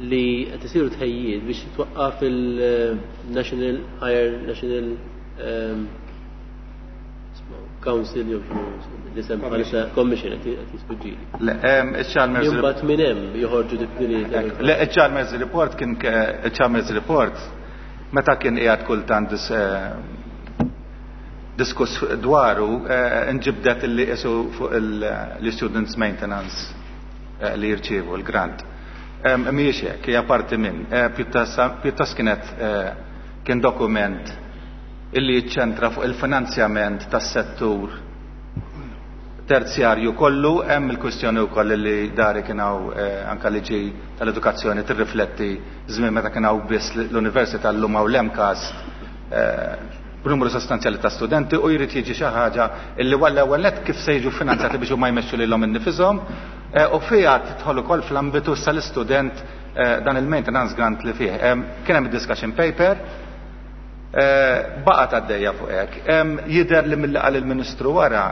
Speaker 3: li qed isiru tħejjiet biex titwaqqaf il-National Higher National Council jew l-isem bħalissa Commission qed jisfuġġili.
Speaker 4: Le, iċ-Chalmers
Speaker 3: Imbagħad minn hemm joħorġu tibdiliet.
Speaker 4: Le, iċ-Chalmers Report kien iċ-Chalmers Report meta kien qiegħed kultant diskuss dwaru nġibdet illi qisu fuq l-students maintenance li jirċievu l-grant. Mhijiex hekk, hija parti minn. Pjuttost kienet kien dokument illi jiċċentra fuq il-finanzjament tas-settur terzjarju kollu, hemm il-kwistjoni wkoll li dari kien hawn anke liġi tal-edukazzjoni tirrifletti żmien meta kien hawn biss l-università llum hawn l-MCAST b'numru sostanzjali ta' studenti u jrid jiġi xi ħaġa illi wara l-ewwel nett kif se jiġu finanzjati biex huma jmexxu lilhom innifishom u fiha tidħol ukoll fl-ambitu sa l-istudent dan il-maintenance grant li fih. Kien hemm discussion paper baqgħet għaddejja fuq hekk. Jidher li milli qal il-Ministru wara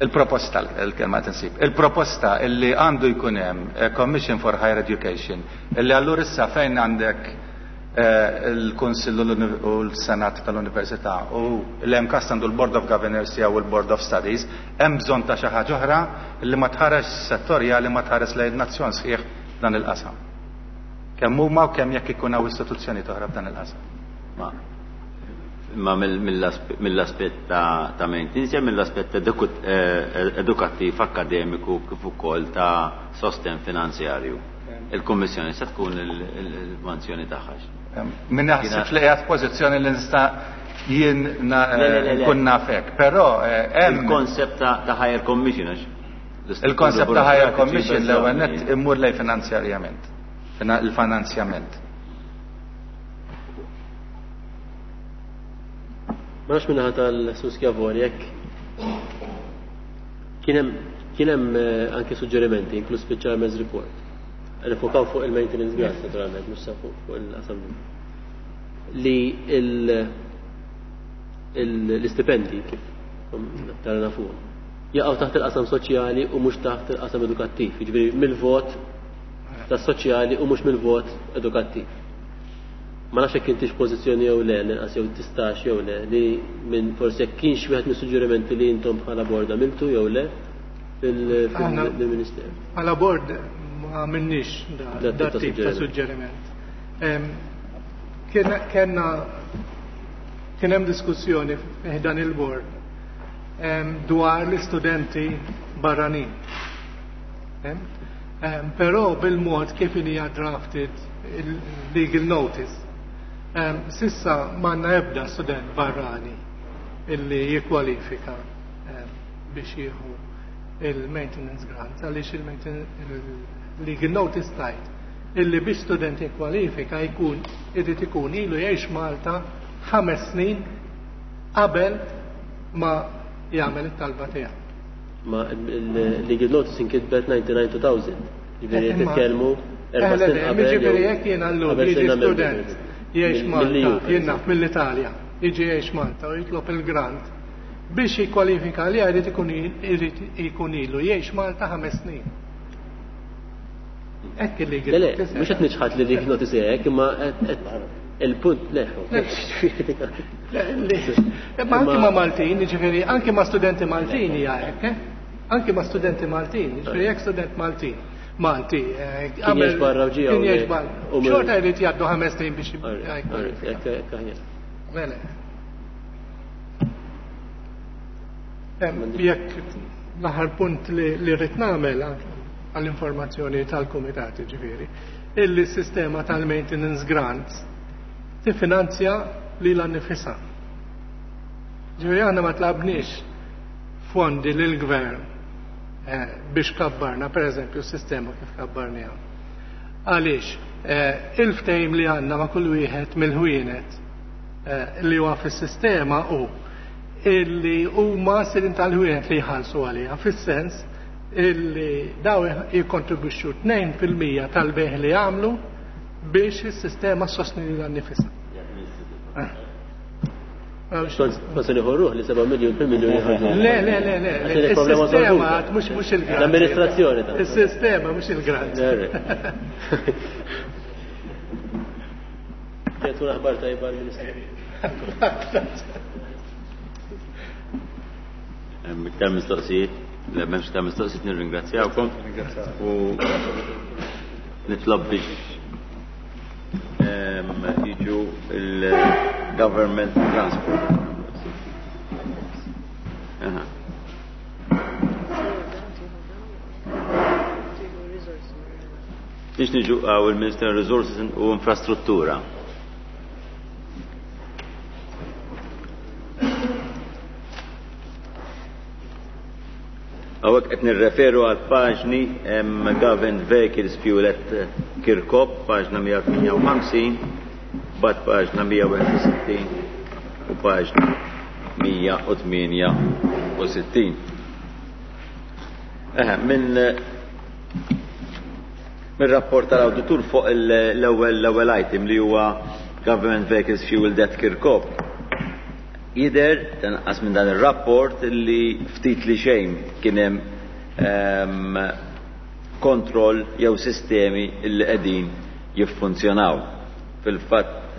Speaker 4: il-proposta, il-kelma tinsib, il-proposta illi għandu jkun hemm Commission for Higher Education, illi allura issa fejn għandek Il-Kunsill u l-Senat tal-Università u l-MCAST għandu l-Board of Governors tiegħu u l-Board of Studies, hemm bżonn ta' xi ħaġa oħra li ma tħares settorjali ma tħares lejn nazzjon sħiħ f'dan il-qasam. Kemm huma u kemm jekk ikun hawn istituzzjonijiet oħra f'dan il-qasam.
Speaker 1: Ma imma mill-aspett ta' maintenance jew mill-aspett edukattiv, akkademiku kif ukoll ta' sostenn finanzjarju. Il-Kummissjoni se tkun il-manzjoni tagħha.
Speaker 4: Min naħsibx li qiegħed f'pożizzjoni li nista' jien nkun naf hekk, però hemm
Speaker 1: il-konsept ta' higher commission għax
Speaker 4: Il-konsept ta' higher commission l-ewwel nett immur lejn finanzjarjament. Il-finanzjament.
Speaker 3: Ma nafx minnaħa tal-Sur Schiavone jekk kien hemm kien hemm anke suġġerimenti inkluż fiċ-Chairman's Report. Nifokaw fuq il-maintenance grant naturalment, mhux sa fuq il-qasam. Li l-istipendi kif tara nafuhom jaqgħu taħt il-qasam soċjali u mhux taħt il-qasam edukattiv, jiġifieri mill-vot tas-soċjali u mhux mill-vot edukattiv. Ma nafx jekk intix pożizzjoni jew le, l-inqas jew tistax jew le, li minn forsi jekk kienx wieħed mis-suġġerimenti li intom bħala bord għamiltu jew le fil-Ministeru.
Speaker 5: Bħala bord ma għamilniex da tip ta' suġġeriment. Kenna kien hemm diskussjoni dan il-bord dwar l-istudenti barranin. Però bil-mod kif hija drafted il-legal notice, sissa m'għandna ebda student barrani illi jikkwalifika biex jieħu il-maintenance grant, għaliex il-legal notice tajt illi biex student jikkwalifika jkun irid ikun ilu jgħix Malta 5 snin qabel ma jagħmel it-talba tiegħu.
Speaker 3: Ma il-legal notice inkitbet 99-2000. Ġifieri qed titkellmu erba' snin qabel.
Speaker 5: Ġifieri jekk jiena llum jiġi student jgħix Malta, jien naf mill-Italja, jiġi jgħix Malta u jitlob il-grant biex jikkwalifika li jrid ikun irid ikun ilu jgħix Malta 5 snin. Hekk il-legal
Speaker 3: Le, le,
Speaker 5: notice.
Speaker 3: mhux qed niċħad li legal notice hekk, imma il-punt le.
Speaker 5: Ma anki ma' Maltin, ġifieri, anki ma' studenti Maltin hija hekk, eh? Anki ma' studenti Maltin, ġifieri jekk student Maltin, Malti,
Speaker 3: Kien jgħix barra u ġie
Speaker 5: kien
Speaker 3: hawnhekk.
Speaker 5: jgħix barra.
Speaker 3: U minn-
Speaker 5: Xorta jrid jgħaddu 5 snin biex
Speaker 3: Alright,
Speaker 5: jgħid.
Speaker 3: alright, hekk, hekk aħjar.
Speaker 5: Mela. Jekk l-aħħar punt li rrid nagħmel għall-informazzjoni tal-kumitat, ġifieri, illi s-sistema tal-maintenance grants tiffinanzja lilha nnifisha. Ġifieri aħna ma tlabniex fondi lill-gvern biex kabbarna, per eżempju, s-sistema kif kabbarniha. Għaliex, il-ftehim li għandna ma' kull wieħed mill-ħwienet li huwa fis-sistema hu illi huma sidin tal-ħwienet li jħallsu għaliha, fis-sens illi daw jikkontribwixxu tnejn fil-mija tal-bejħ li jagħmlu biex is-sistema ssostni lilha nnifisha.
Speaker 3: Ma se nieħu ruħ li 7 miljun per miljun jħarġu.
Speaker 5: Le, le, le, le.
Speaker 3: Għax il-problema
Speaker 5: Is-sistema
Speaker 3: solvuta.
Speaker 5: għad mhux il-grant.
Speaker 3: L-amministrazzjoni ta'
Speaker 5: Is-sistema mhux il-grant.
Speaker 3: Kienet tkun aħbar tajba l-Ministru.
Speaker 1: Hemm iktar mistoqsijiet? Le, m'hemmx iktar mistoqsijiet, nirringrazzjawkom. U nitlob biex jiġu il-government transport. Aha. Biex niġu għaw il-Minister Resources u Infrastruttura. Għawek qed nirreferu għal paġni Government Vehicles Fuel at Kirkop, paġna 158, bat paġna 161 u paġna 168. Eħe, minn rapport tal-awditur fuq l-ewwel item li huwa Government Vehicles Fuel Debt Kirkop. Jidher tanqas minn dan ir-rapport li ftit li xejn kien hemm kontroll jew sistemi li qegħdin jiffunzjonaw. Fil-fatt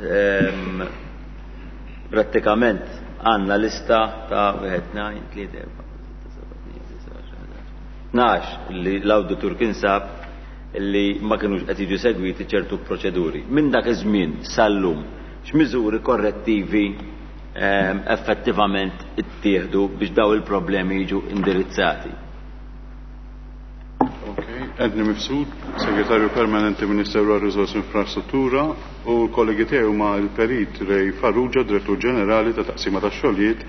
Speaker 1: Prattikament għandna lista ta' 1, 2, 3, 4, 6, 7, 8, 9, 10, 12 li l-awditur kien sab li ma kinux qed jiġu segwiti ċertu proċeduri. Minn dak iż-żmien sal-lum, x'miżuri korrettivi effettivament ittieħdu biex daw il-problemi jiġu indirizzati?
Speaker 7: Anthony Mifsud, Segretarju Permanenti Ministeru għar-Riżorsi Infrastruttura, u l-kollegi tiegħi huma l-Perit Ray Farrugia, Direttur Ġenerali ta' Taqsima tax-Xogħlijiet,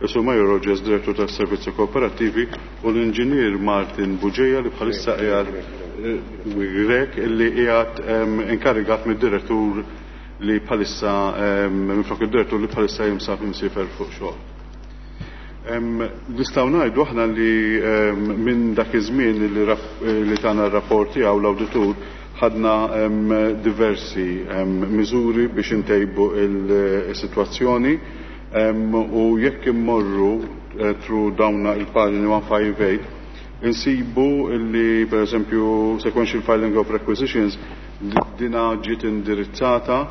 Speaker 7: is-Sur Mario Rogers, Direttur tas-Servizzi Kooperattivi, u l-Inġinier Martin Bugeja li bħalissa qiegħed Grech li qiegħed inkarigat mid-direttur li bħalissa minflok id-direttur li bħalissa jinsab imsiefer fuq xogħol. Nistgħu ngħidu aħna li minn dak iż-żmien li tana r-rapport tiegħu l-awditur ħadna diversi miżuri biex intejbu il-sitwazzjoni u jekk immorru through dawn il-paġni 158 insibu li per eżempju sequential filing of requisitions dina ġiet indirizzata.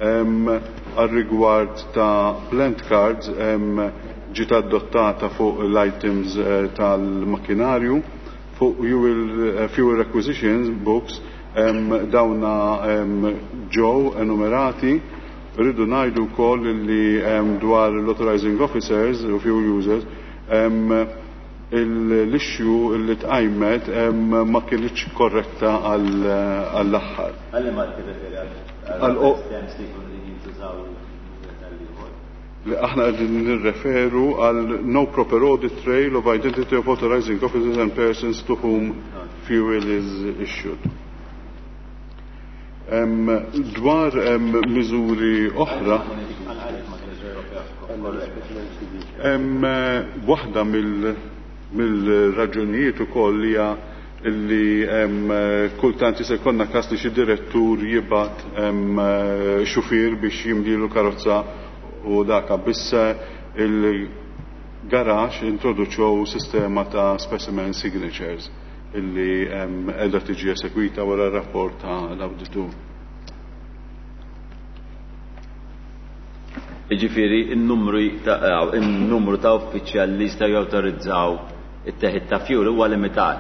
Speaker 7: Għal rigward ta' plant cards ġiet adottata fuq l-items tal-makkinarju. Fuq fuel requisitions books dawna ġew enumerati. Rridu ngħidu wkoll li dwar l-authorizing officers u fuel users l-issue li tqajmet ma kinitx korretta għall-aħħar.
Speaker 1: Għalli ma tirreferi għal systems li jkunu li jintużaw?
Speaker 7: Li aħna qegħdin nirreferu għal no proper audit trail of identity of authorizing officers and persons to whom fuel is issued. Dwar miżuri oħra, waħda mill-raġunijiet ukoll hija illi kultant jista' jkollna każ li xi direttur jibgħat xufier biex jimlilu karozza u daka, biss il-garax introduċew sistema ta' specimen signatures illi qiegħda tiġi esegwita wara r-rapport ta' l-awditur.
Speaker 1: Jiġifieri n-numru ta' uffiċjali li jistgħu jawtorizzaw it-teħid ta' fuel huwa limitat.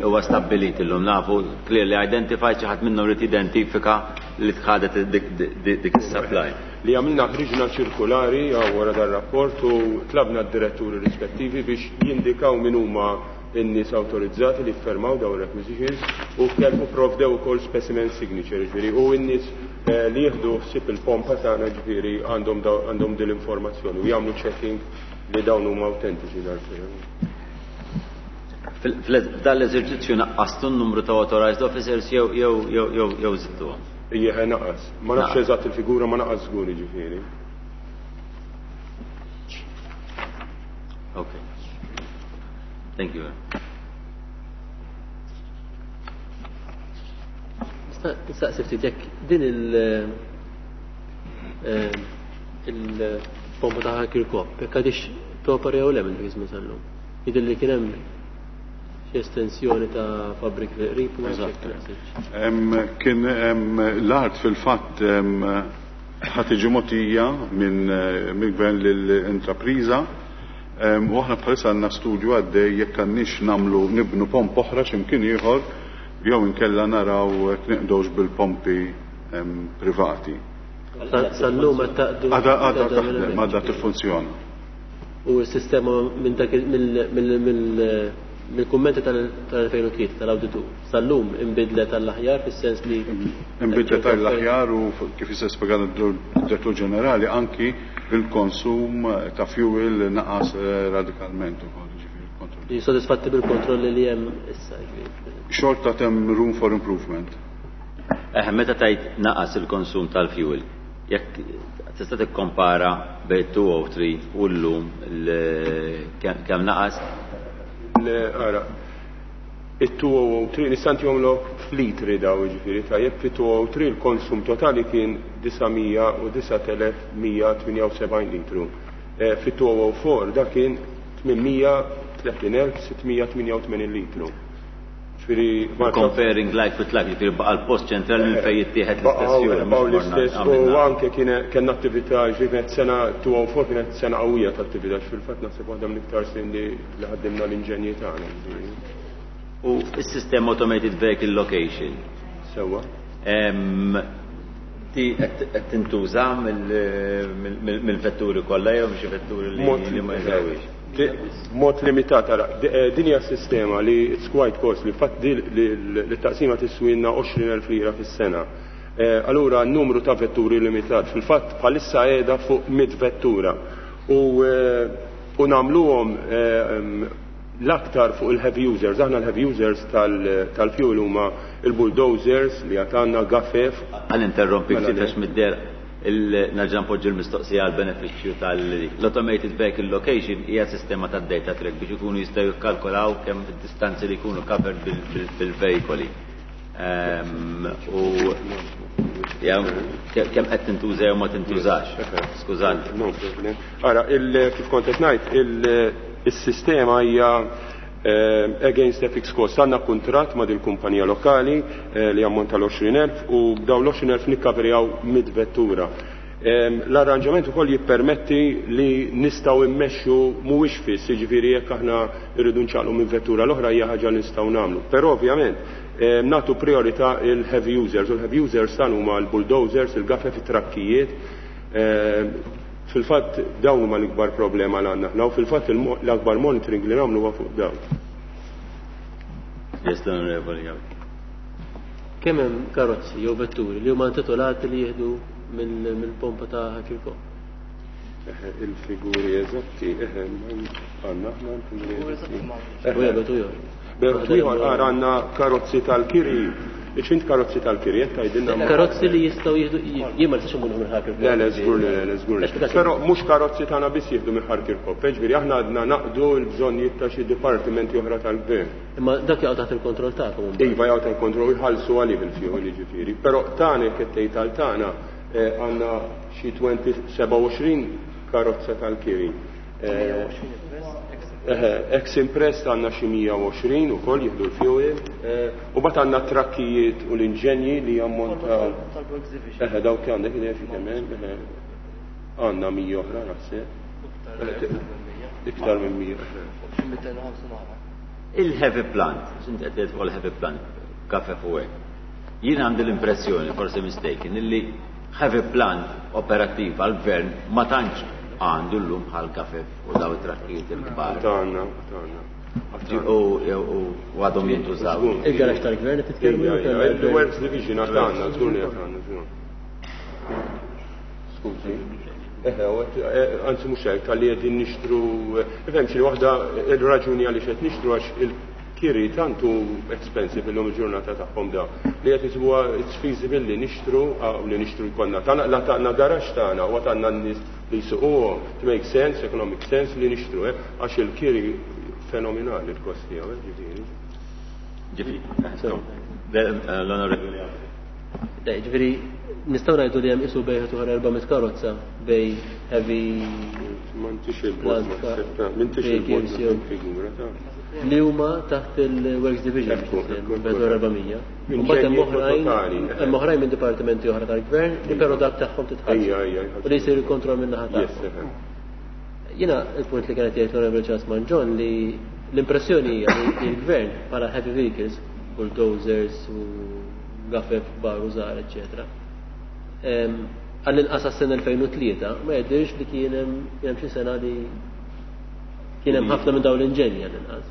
Speaker 1: Huwa stabbilit illum, nafu clearly identified, xi ħadd minnhom irid jidentifika li tħadet dik is-supply.
Speaker 8: Li għamilna, ħriġna ċirkulari wara dar-rapport u tlabna d-diretturi rispettivi biex jindikaw min huma n-nies awtorizzati li fermaw dawn requisitions u kellu provdew ukoll specimen signature, ġifieri, u n-nies li jieħdu ħsieb il-pompa tagħna, ġifieri, għandhom din l-informazzjoni u jagħmlu checking li dawn huma autentiċi dal-firm.
Speaker 1: F'dan l-eżerċizzju naqqastu n-numru ta' authorized officers jew żidtuhom?
Speaker 8: Ija, naqas. Ma nafx eżatt il-figura, ma naqas żgur, ġifieri.
Speaker 1: Okay. Thank you.
Speaker 3: Nistaqsi ftit jekk din il-pompa ta' Kirkop, jekk għadix topera jew le minn dik iż-żmien sal-lum. Jidher li kien hemm xi estensjoni ta' fabbriki fil-qrib u ma nafx jekk naqsitx.
Speaker 7: Kien l-art fil-fatt ħa tiġi mogħtija minn gvern lill-intrapriża u aħna bħalissa għandna studju għaddej jekk għandniex nagħmlu nibnu pomp oħra x'imkien ieħor jew inkella naraw jekk niqdewx bil-pompi privati.
Speaker 3: Sal-lum qed taqdu?
Speaker 7: Għadha taħdem, għadha tiffunzjona.
Speaker 3: U s-sistema minn dak mill-kummenti tal-2003 tal-awditur sal-lum imbidlet għall-aħjar fis-sens li
Speaker 7: Imbidlet għall-aħjar u kif jista' spjegat id-Direttur Ġenerali, anki il-konsum ta' fuel naqas radikalment ukoll, ġifieri kontroll.
Speaker 3: Sodisfatti bil-kontrolli li hemm issa, ġifieri?
Speaker 7: Xorta hemm room for improvement.
Speaker 1: Meta tajt naqas il-konsum tal-fuel, jekk tista' tikkompara bejn 203 u llum kemm naqas?
Speaker 8: Ara, it-203 nista' ntihomlok f'litri daw, ġifieri, tajjeb, fi 203 il-konsum totali kien 909,178 litru. Fi 204 da kien 830,688 litru. Ġifieri
Speaker 1: Comparing like with like, ġifieri baqa' l-post ċentrali minn fejn jittieħed l-istess fuel.
Speaker 8: Baqgħu l-istess u anke kien kellna attività, ġifieri kienet sena 2004 kienet sena qawwija ta' attività, fil-fatt naħseb waħda mill-iktar snin li ħaddimna l-inġenji tagħna.
Speaker 1: U s-sistema Automated Vehicle Location.
Speaker 8: Sewwa.
Speaker 1: Di qed tintuża mill-vetturi kollha jew xi vetturi li ma jużawhiex?
Speaker 8: Mod limitat, ara, din hija sistema li it's quite costly, fatt li taqsima tiswilna 20,000 lira fis-sena. Allura n-numru ta' vetturi limitat, fil-fatt bħalissa qiegħda fuq 100 vettura u u nagħmluhom l-aktar fuq il-heavy users. Aħna l-heavy users tal-fuel huma il-bulldozers li għatanna gafef.
Speaker 1: Għal interrompi ftit għax mid-der nerġa' npoġġi l-mistoqsija għal benefiċċju tal-Automated Vehicle Location hija sistema ta' data track biex ikunu jistgħu jikkalkolaw kemm id-distanzi li jkunu covered bil-veikoli. U kemm qed tintuża jew ma tintużax. Skużani.
Speaker 8: No problem. Ara, kif kont qed ngħid, is-sistema hija against a fixed cost. Għandna kuntratt ma' dil-kumpanija lokali li jammonta l-20,000 u b'daw l-20,000 nikkaverjaw 100 vettura. L-arranġament ukoll jippermetti li nistgħu immexxu mhuwiex fiss, jiġifieri jekk aħna rridu nċaqlu minn vettura l-oħra hija ħaġa li nistgħu nagħmlu. Però ovvjament nagħtu priorità il-heavy users u l-heavy users tan huma l-bulldozers, il-gafef, it-trakkijiet. Fil-fatt dawn huma l-ikbar problema li għandna aħna u fil-fatt l-akbar monitoring li nagħmlu huwa fuq dawn.
Speaker 1: Yes, l-Onorevoli Gawdi.
Speaker 3: Kemm hemm karozzi jew vetturi li huma intitolati li jieħdu mill-pompa ta' Ħal Kirkop?
Speaker 8: Il-figuri eżatti, għandna aħna l-figuri eżatti.
Speaker 3: U jgħidu ieħor.
Speaker 8: Bejn ieħor għandna karozzi tal-kiri. Iċint karozzi tal-kiri, qed tgħidilna.
Speaker 3: Karozzi li jistgħu jieħdu, jien ma nistax imur minn Ħal Kirkop.
Speaker 8: Le, le, żgur li, le, żgur li. Però mhux karozzi tagħna biss jieħdu minn Ħal Kirkop, ġifieri aħna għadna naqdu l-bżonnijiet ta' xi dipartimenti oħra tal-gvern.
Speaker 3: Imma dak jaqgħu taħt il-kontroll tagħkom.
Speaker 8: Iva, jaqgħu taħt il-kontroll jħallsu għalih il-fuel, jiġifieri. Però tagħna jekk qed tgħid għal tagħna għandna xi 27 karozza tal-kiri. Ex imprest għandna xi 120 ukoll jieħdu l-fuel. U bat għandna trakkijiet u l-inġenji li jammontaw. Dawk għandek idea xi kemm hemm. Għandna 100 oħra naħseb. Iktar minn 100.
Speaker 1: Il-heavy plant, x'inti qed tgħid fuq il-heavy plant, kafe fuq hekk. Jien għandi l-impressjoni, forsi mistaken, illi heavy plant operattiv għall-gvern ma tantx għandu llum bħal kafe u daw it-trakkijiet il-kbar.
Speaker 8: Tagħna, tagħna.
Speaker 1: U għadhom jintużaw.
Speaker 3: Il-garax tal-gvern qed titkellmu?
Speaker 8: Il-Works Division għandna, żgur li għandna, żgur. Skużi. Anzi mhux hekk, tal-li qegħdin nixtru, ifhem xi waħda il-raġuni għaliex qed nixtru għax il-kiri tantu expensive illum il-ġurnata tagħhom da. Li qed isibuha it's feasible li nixtru, u li nixtru jkollna tagħna, la tagħna garax tagħna, u għandna n-nies li jsuquhom, to make sense, economic sense li nixtru, għax il-kiri fenomenali l-kost tiegħu, ġifieri.
Speaker 1: Ġifieri, l-onorevoli.
Speaker 3: Ġifieri, nistgħu ngħidu li hemm isu bejn uħra 400 karozza bej heavy
Speaker 8: M'intix il-bot, m'intix il-bot figura ta'
Speaker 3: li huma taħt il-Works Division, bejn 400. U mbagħad hemm oħrajn, hemm oħrajn minn dipartimenti oħra tal-gvern li però dak tagħhom titħallsu. U li jsir il-kontroll minn naħa tagħhom. Jiena il-punt li kienet jgħid l-Onorevoli Charles Mangion li l-impressjoni hija li l-gvern bħala heavy vehicles, bulldozers u gafef kbar u żgħar, eċċetera. Għall-inqas għas-sena 2003 ma jidhirx li kien hemm xi sena li kien hemm ħafna minn dawn l-inġenji għall-inqas.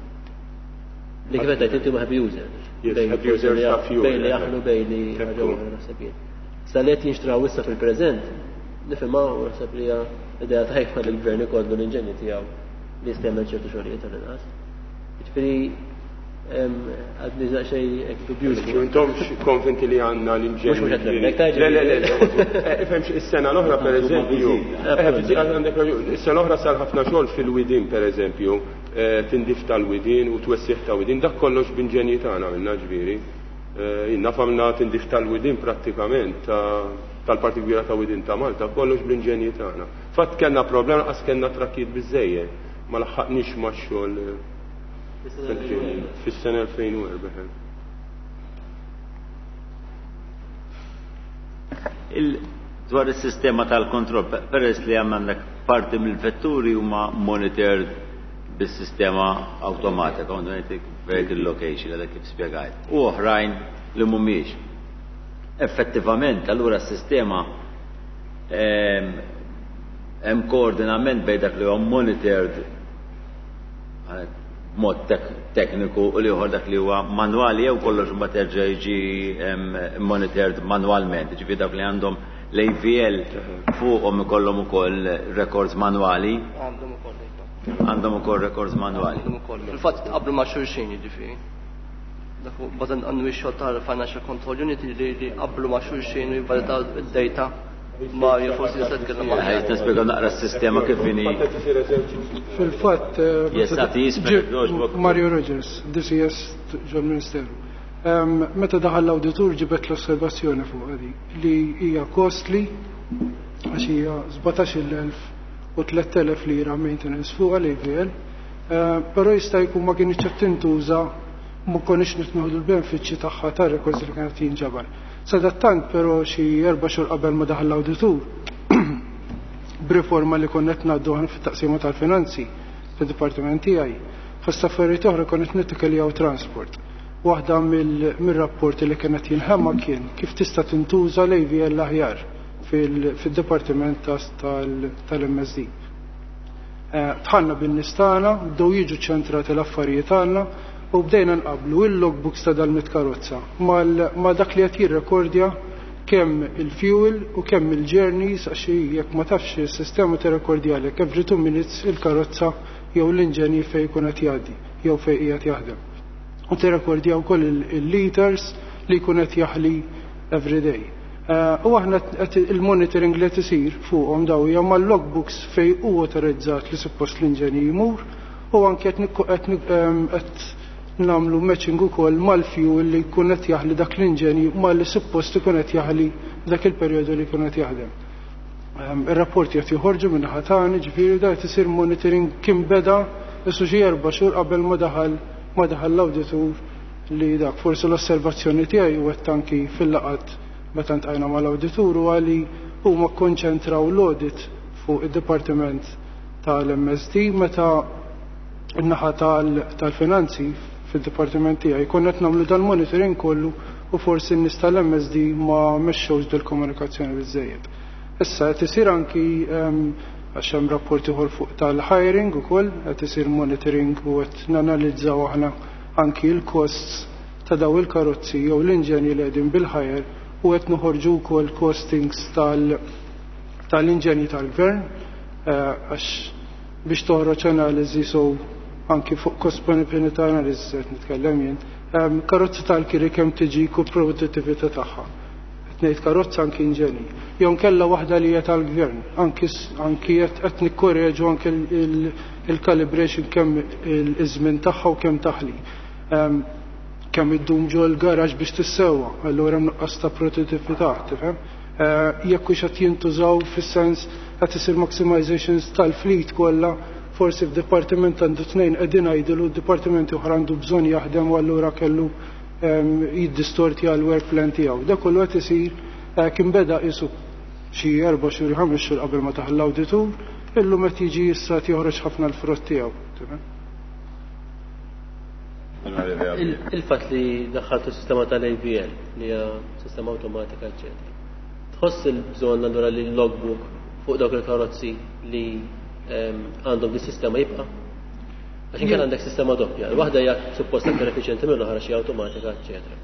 Speaker 3: Li kif qed inti ma heavy users.
Speaker 8: Heavy users ta' fuel.
Speaker 3: Bejn li jaħlu bejn li ħaġa oħra naħseb jien. Sa li qed jinxtraw issa fil-preżent, nifhimha u naħseb li hija idea tajba li l-gvern ikollu l-inġenji tiegħu li jista' jagħmel ċertu xogħlijiet għall-inqas. Jiġifieri għadni daqsxejn hekk dubjuż.
Speaker 8: Intomx konvinti li għandna l-inġenji.
Speaker 3: Mhux qed nemmnek, tajġ.
Speaker 8: Le, le, le, le. Ifhem is-sena l-oħra pereżempju. Għandek raġun, is-sena l-oħra sar ħafna xogħol fil-widien pereżempju, tindif tal-widien u twessiħ ta' widien, dak kollox b'inġenji tagħna għamilna ġifieri. Jiena famna tindif tal-widien prattikament tal-parti kbira ta' widien ta' Malta, kollox bl-inġenji tagħna. Fatt kellna problema qas kellna trakkijiet biżejjed, ma laħħaqniex max-xogħol. Fis-sena 2004.
Speaker 1: Dwar is-sistema tal-kontroll, peress li għandek parti mill-vetturi huma monitored bis-sistema awtomatika, automatic vehicle location, għadha kif spjegajt, u oħrajn li mhumiex. Effettivament, allura s-sistema hemm koordinament bejn dak li huwa monitored b'mod tekniku u l-ieħor dak li huwa manwali jew kollox imbagħad terġa' jiġi monitored manwalment, jiġifieri dawk li għandhom l-AVL fuqhom ikollhom ukoll records manwali.
Speaker 9: Għandhom ukoll.
Speaker 1: Għandhom ukoll records manwali.
Speaker 9: Għandhom ukoll. Fil-fatt tqabblu ma' xulxin jiġifieri. Dak bażan għandu x-xogħol tal-Financial Control Unit li qablu ma' xulxin u jivvalitaw id-data. Mario, forsi nista' titkellem ma'
Speaker 1: Ħajt nispjega naqra s-sistema kif inhi.
Speaker 10: Fil-fatt,
Speaker 1: Yes, għati jismek, jogħġbok.
Speaker 10: Mario Rogers, DCS ġol-Ministeru. Meta daħal l-awditur ġibet l-osservazzjoni fuq għadi li hija costly għax hija 17,000 u 3,000 lira maintenance fuq l-AVL, però jista' jkun ma kienx qed tintuża, ma konniex nitnieħdu l-benefiċċji tagħha ta' records li kienet jinġabar. Sadattant però xi 4 xhur qabel ma daħal l-awditur, b'riforma li konna qed ngħaddu aħna fit-taqsima tal-finanzi fid-dipartiment tiegħi, fost affarijiet oħra konna qed nittikiljaw transport. Waħda mir-rapporti li kienet jinħema kien kif tista' tintuża l-AVL aħjar fil-dipartiment tal-MSD. Tħanna bin-nies tagħna, bdew jiġu ċentrati l-affarijiet tagħna u bdejna nqablu il-logbooks ta' dal-mit karozza ma' dak li qed jirrekordja kemm il-fuel u kemm il-journeys, għax jekk ma tafx is-sistema tirrekordjalek every 2 minutes il-karozza jew l-inġenji fejn jkun qed jgħaddi jew fejn qiegħed jaħdem. U tirrekordja wkoll il-liters li jkun qed jaħli every day. U aħna qed il-monitoring li qed isir fuqhom daw hija mal-logbooks fejn hu autorizzat li suppost l-inġenji jmur, u anke qed nagħmlu matching ukoll mal-fuel li jkun qed jaħli dak l-inġenji mal li suppost ikun qed jaħli dak il-perjodu li jkun qed jaħdem. Ir-rapporti qed joħorġu minn naħa tagħna, ġifieri da qed isir monitoring kien beda isu xi 4 xhur qabel ma daħal l-awditur li dak forsi l-osservazzjoni tiegħi u qed anki fil-laqgħat meta ntqajna mal-awditur huwa li huma kkonċentraw l-audit fuq id-dipartiment tal-MSD meta n-naħa tal-finanzi fid-dipartiment tiegħi konna qed nagħmlu dal-monitoring kollu u forsi n-nies tal-MSD ma mexxewx dil-komunikazzjoni biżżejjed. Issa qed isir anki għax hemm rapport ieħor fuq tal-hiring ukoll, qed isir monitoring u qed nanalizzaw aħna anki l-costs ta' daw il-karozzi jew l-inġenji li qegħdin bil-hire u qed noħorġu wkoll costings tal-inġenji tal-gvern għax biex toħroġ analiżi so anki fuq cost benefit analysis qed nitkellem jien. Karozzi tal-kiri kemm tiġi ku produttività tagħha. Qed ngħid karozza anki inġenji. Jew kellha waħda li hija tal-gvern, anki qed nikkoreġu anki il-calibration kemm iż-żmien tagħha u kemm taħli. Kemm iddum ġo l-garaġ biex tissewwa, allura hemm nuqqas ta' produttività, tifhem? Jekk hux qed jintużaw fis-sens qed isir maximizations tal-fleet kollha, forsi f'dipartiment għandu 2 qegħdin jgħidu d-dipartimenti oħra għandu bżonn jaħdem u allura kellu jiddistorti għal work plan tiegħu. Dak kollu qed isir kien beda qisu xi 4 xhur 5 xhur qabel ma taħal l-awditur, illum qed jiġi issa qed joħroġ ħafna l-frott tiegħu. Tifhem?
Speaker 3: Il-fatt li daħħaltu s-sistema tal-AVL li hija sistema awtomatika, eċċetera. Tħoss il-bżonn allura li l-logbook fuq dawk il-karozzi li għandhom di sistema jibqa'? Għax inkella għandek sistema doppja, waħda hija suppost aktar effiċjenti mill-oħra xi awtomatika, eċċetera.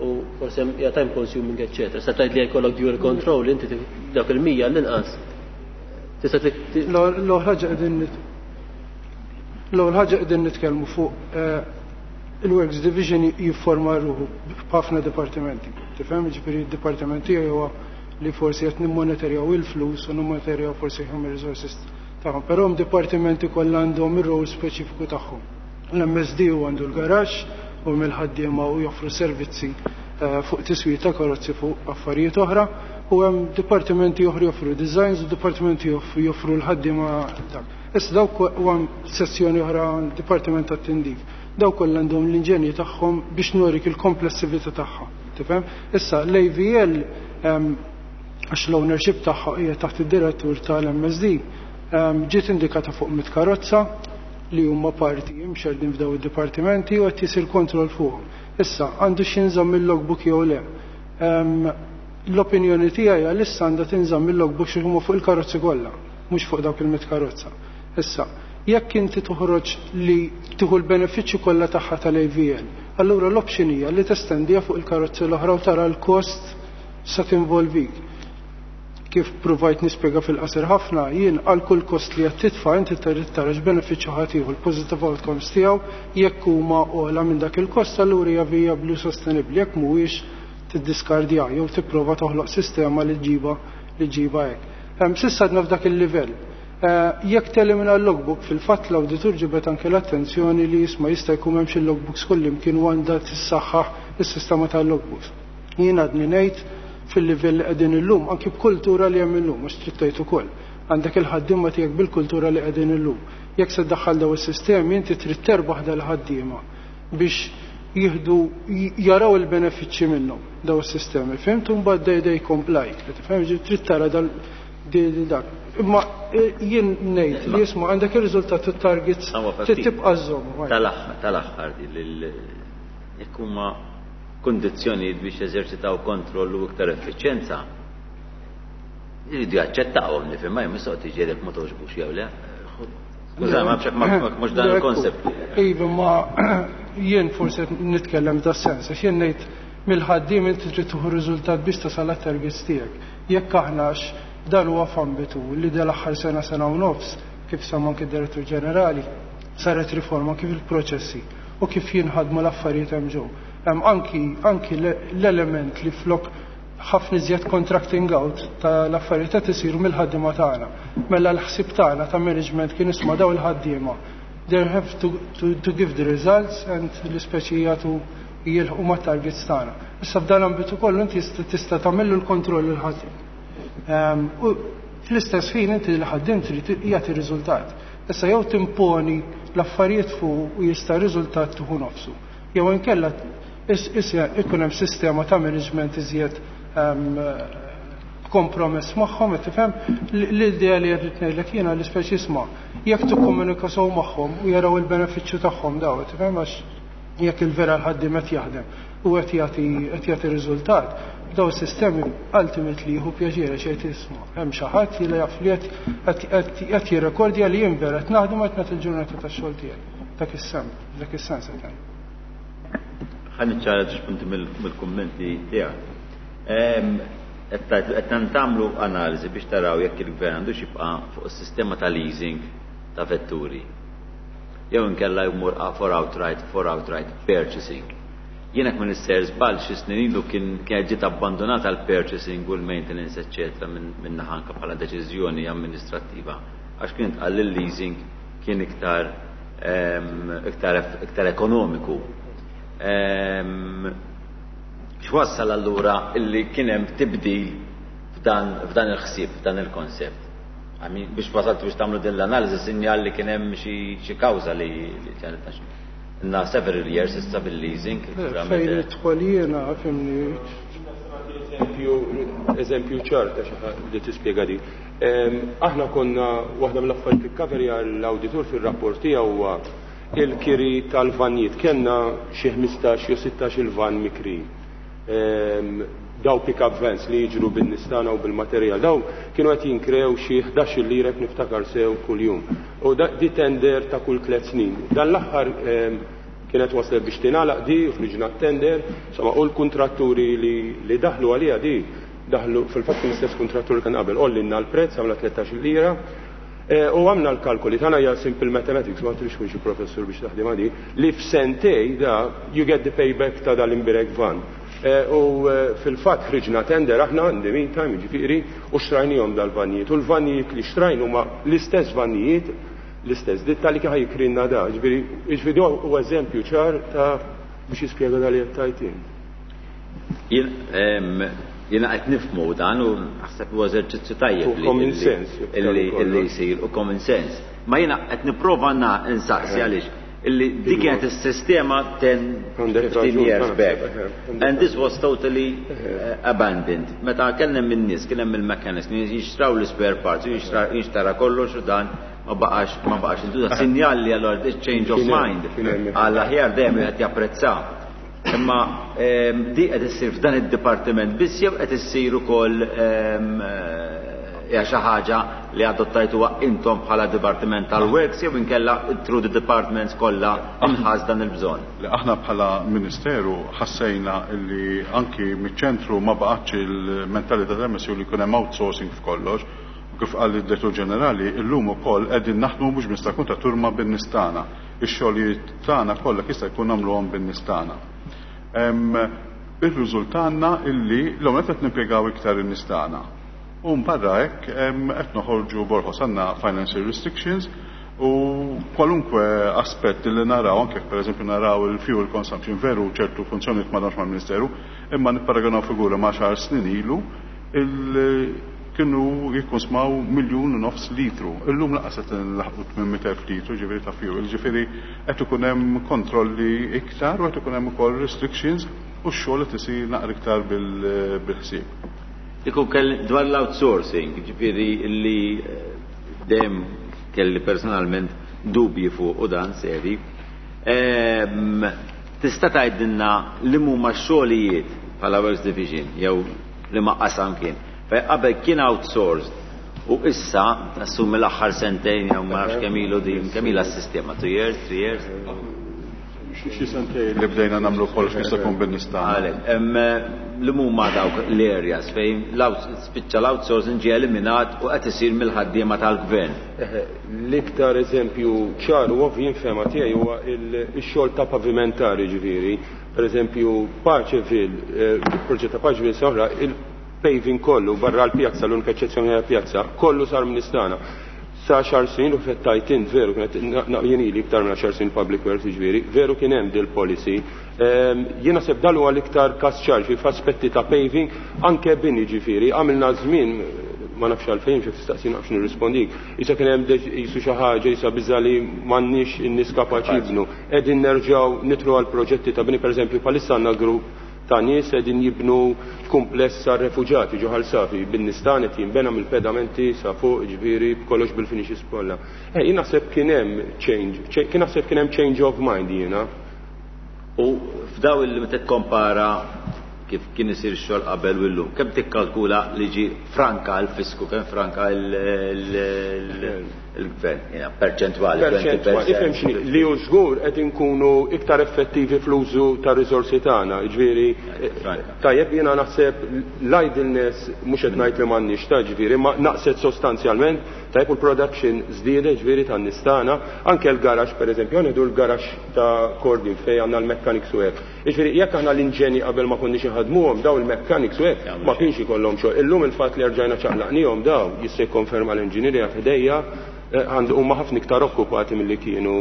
Speaker 3: U forsi hemm hija time consuming, eċċetera. Se tgħid li jkollok dual control, inti dawk il-100 l-inqas. Tista'
Speaker 10: L-ewwel ħaġa qegħdin l-ewwel ħaġa qegħdin nitkellmu fuq il-Works Division jifforma ruħu b'ħafna dipartimenti. Tifhem? Ġifieri d-dipartiment tiegħi huwa li forsi qed nimmonitorjaw il-flus u nimmonitorjaw forsi human resources tagħhom. Però hemm dipartimenti kollha għandhom ir-rol speċifiku tagħhom. L-MSD u għandu l-garaxx u mill-ħaddiema u joffru servizzi fuq tiswir ta' karozzi fuq affarijiet oħra, u hemm dipartimenti oħra joffru designs u dipartimenti joffru l-ħaddiema dak. Issa dawk u hemm sezzjoni oħra dipartiment tat-tindif. Daw kollha għandhom l-inġenji tagħhom biex nurik il-komplessività tagħha. Tifhem? Issa l-AVL għax l-ownership tagħha hija taħt id-direttur tal-MSD ġiet indikata fuq mit karozza li huma parti imxerdin f'daw id-dipartimenti u qed jisir kontroll fuqhom. Issa għandu x'inżamm il-logbook jew le. L-opinjoni tiegħi għalissa għandha tinżamm il-logbook xi huma fuq il-karozzi kollha, mhux fuq dawk il-mit karozza. Issa, jekk inti toħroġ li tieħu l-benefiċċju kollha tagħha tal-AVL, allura l-option hija li testendiha fuq il-karozzi l-oħra u tara l-kost sa tinvolvik. Kif provajt nispjega fil-qasir ħafna, jien għal kull kost li qed titfa' inti trid tara x'benefiċċju ħadd jieħu l-positive outcomes tiegħu jekk huma ogħla minn dak il-kost allura hija vijabbli u sostenibbli jekk mhuwiex tiddiskardja jew tipprova toħloq sistema li ġiba li ġiba hekk. S'issa għadna f'dak il-livell. Jekk telimina l-logbook, fil-fatt l-awditur ġibet anke l-attenzjoni li jisma' jista' jkun hemm xi logbooks kullimkien u għandha tissaħħaħ is-sistema tal-logbooks. Jien għadni ngħid fil-livell li qegħdin illum, anki b'kultura li hemm illum, mhux trid tgħid ukoll. Għandek il-ħaddiema tiegħek bil-kultura li qegħdin illum. Jekk se ddaħħal daw is-sistemi, inti trid terbaħ dal-ħaddiema biex jieħdu jaraw il-benefiċċji minnhom daw is-sistemi. Fhimt? U mbagħad they comply. Tifhem? Trid tara dal dak. Imma jien ngħid li jisma' għandek ir-riżultat u targets trid tibqa' żżomm.
Speaker 1: Tal-aħħar jekk huma kundizzjonijiet biex jeżerċitaw kontroll u iktar effiċjenza, jridu jaċċettawhom nifhem ma jmissoq tiġi jekk ma toġbux jew le. Skuża, ma mhux dan il-konsept.
Speaker 10: Iva, ma jien forsi nitkellem da sens, għax jien ngħid mill-ħaddiem inti trid tieħu riżultat biex tasal għat-targets tiegħek. Jekk aħna dan huwa f'ambitu li dal-aħħar sena sena u nofs, kif semma anke d-Direttur Ġenerali, saret riforma kif il-proċessi u kif jinħadmu l-affarijiet hemm ġew. Hemm anki anki l-element li flok ħafna iżjed contracting out tal-affarijiet qed isiru mill-ħaddiema tagħna. Mela l-ħsieb tagħna ta' management kien isma' daw il-ħaddiema. They have to give the results and l-ispeċi jagħtu jilħqu ma' targets tagħna. Issa f'dan l-ambitu kollu inti tista' tagħmillu l-kontroll il-ħaddiem. U fl-istess ħin inti l-ħaddiem trid jagħti riżultat. Issa jew timponi l-affarijiet fuq u jista' riżultat tieħu nofsu. Jew inkella ikun hemm sistema ta' management iżjed kompromess magħhom, qed tifhem l-idea li qed ngħidlek jiena l-ispeċi isma' jekk tikkomunika sew magħhom u jaraw il-benefiċċju tagħhom daw, tifhem għax jekk il-vera l-ħaddiem qed jaħdem u qed jagħti qed jagħti riżultat, daw is-sistemi ultimately jieħu pjaċir għax jgħid isma' hemm xi ħadd li jaf li qed jirrekordja li jien vera qed naħdem qed nagħti l-ġurnata tax-xogħol tiegħi. Dak is-sem, dak is-sens qed ngħid.
Speaker 1: Ħa niċċara żewġ punti mill-kummenti tiegħek. Qed tagħmlu analiżi biex taraw jekk il-gvern għandux jibqa' fuq is-sistema ta' leasing ta' vetturi. Jew inkella jmur for outright for outright purchasing. Jiena jekk minister żball xi snin ilu kien kienet ġiet abbandonata l-purchasing u l-maintenance eċċetera minn naħa anke bħala deċiżjoni amministrattiva għax kien tqal li l-leasing kien iktar iktar iktar ekonomiku. X'wassal allura illi kien hemm tibdil f'dan f'dan il-ħsieb, f'dan il-konsept? I mean, biex wasalt biex tagħmlu din l-analiżi sinjal li kien hemm xi kawża li ġaret Na several years issa bil-leasing.
Speaker 10: Fejn nidħol jiena, fimni.
Speaker 8: Eżempju, eżempju ċar ta' xi ħadd li tispjega din. Aħna konna waħda mill-affarijiet li kkaverja l-awditur fir-rapport tiegħu huwa il-kiri tal-vannijiet. Kellna xi 15 jew 16 il-van mikri. Daw pick-up vans li jiġru bin-nies tagħna u bil-materjal. Daw kienu qed jinkrew xi 11 lira jekk niftakar sew kuljum. U di tender ta' kull tliet snin. Dan l-aħħar kienet waslet biex tingħalaq di u ħriġna t-tender, insomma, u l-kuntratturi li daħlu għaliha di daħlu fil-fatt kien l-istess kuntrattur li kien qabel, għollinna l-prezz għamla 13 lira. U għamna l-kalkoli tagħna hija simple mathematics, ma trix tkun xi professur biex taħdem di, li f'sentej da you get the payback ta' dal-imbirek van. U fil-fatt ħriġna tender aħna in the meantime, jiġifieri, u xtrajnihom dal-vannijiet. U l-vannijiet li xtrajn huma l-istess vannijiet, l-istess ditta li kien jikrinna da. Ġifieri, jiġifieri huwa eżempju ċar ta' biex jispjega dal qed tgħid int.
Speaker 1: Jiena qed nifhmu dan u naħseb huwa eżerċizzju tajjeb li
Speaker 8: common sense
Speaker 1: illi jsir u common sense. Ma jiena qed nipprova nsaqsi għaliex. Illi dik kienet is-sistema 10, 15 years back. And this was totally abandoned. Meta kien hemm in-nies, kien hemm il-mechanics, kienu jixtraw l-spare parts, jinxtara kollox u dan ma baqax ma baqax intuża. Sinjal li allura this change of mind għall aħjar dejjem wieħed japprezza. Imma di qed issir f'dan id-dipartiment biss jew qed issir ukoll hija xi ħaġa li adottajtuha intom bħala Dipartiment tal-Works jew inkella through the departments kollha inħass dan il-bżonn?
Speaker 7: Le, aħna bħala Ministeru ħassejna li anki miċ-ċentru ma baqgħetx il-mentalità tal-MSU li jkun hemm outsourcing f'kollox u kif qal id-Direttur Ġenerali illum ukoll qegħdin naħdmu mhux biss tal-kuntrattur imma bin-nies tagħna. Ix-xogħlijiet tagħna kollha jista' jkun nagħmluhom bin-nies tagħna. Irriżultalna illi l-ewwel nett qed nimpjegaw iktar in-nies tagħna. U barra hekk qed noħorġu borħos, għandna financial restrictions u kwalunkwe aspett li naraw, anke jekk pereżempju naraw il-fuel consumption, veru ċertu funzjonijiet m'għadhomx mal-Ministeru, imma nipparagonaw figura ma' xahar snin ilu, kienu jikkonsmaw 1.5 miljun litru. Illum lanqas qed nlaħqu 800,000 litru ġifieri ta' fuel, ġifieri qed ikun hemm kontrolli iktar u qed ikun hemm ukoll restrictions u x-xogħol qed isir naqra iktar bil-ħsieb.
Speaker 1: Kieku kell dwar l-outsourcing, ġifieri li dejjem kelli personalment dubji fuq u dan seri. Tista' tgħidilna li huma x-xogħlijiet bħala Works Division jew li ma qasam kien. Fej qabel kien outsourced u issa nassumi l-aħħar sentejn jew ma nafx kemm ilu din kemm ilha s-sistema, 2 years, 3 years.
Speaker 7: Xi sentejn li bdejna nagħmlu kollox jista' jkun bin-nies tagħna.
Speaker 1: Għalhekk, li huma dawk l-areas fejn spiċċa l-outsourcing ġie eliminat u qed isir mill-ħaddiema tal-gvern.
Speaker 8: L-iktar eżempju ċar u ovvju fil-fehma tiegħi huwa il-xogħol ta' pavimentari ġifieri. Per eżempju, Paceville, il-proġett ta' Paceville soħra, il-paving kollu barra l-pjazza, l-unika eċċezzjoni għal pjazza, kollu sar minn istana. Sa 10 snin u fettajt int veru kienet jien ili iktar minn 10 snin public works ġifieri, veru kien hemm dil-policy. Jiena seb dal huwa l-iktar kas ċar f'aspetti ta' paving, anke bini ġifieri, għamilna żmien ma nafx għalfejn xi tistaqsi nafx nirrispondik. Issa kien hemm jisu xi ħaġa jisa biża li m'għandniex in-nies kapaċi jibnu. Qegħdin nerġgħu nitru għal proġetti ta' bini, pereżempju bħalissa għandna grupp ta' nies qegħdin jibnu kumpless għar refuġati ġo Ħal Safi bin-nies tagħna qed jinbena mill-pedamenti sa fuq ġifieri b'kollox bil-finishes kollha. Jien naħseb kien hemm change, kien naħseb kien hemm change of mind jiena.
Speaker 1: U f'daw il meta tikkompara kif kien isir xogħol qabel u llum, kemm tikkalkula li ġi franka l-fisku, kemm franka il-gvern, jiena, perċentwali,
Speaker 8: Perċentwali,
Speaker 1: 20%.
Speaker 8: Ifhem x'inhi, li hu żgur qed inkunu iktar effettivi fl-użu ta' riżorsi tagħna, ġifieri
Speaker 1: Franka.
Speaker 8: Tajjeb, jiena naħseb l-idleness mhux qed ngħid li m'għandniex ta' ġifieri, ma naqset sostanzjalment, tajjeb, u l-production żdiedet ġifieri tan-nies tagħna, anke l-garax pereżempju, ngħidu l-garax ta' Kordin fejn għandna l-mechanics u hekk. Ġifieri jekk aħna l-inġeni qabel ma konniex inħadmuhom daw il-mechanics u hekk ma kienx ikollhom xogħol. Illum il-fatt li rġajna ċaqlaqnihom daw jista' jikkonferma l-inġinierja f'idejja għandu huma ħafna iktar okkupati milli kienu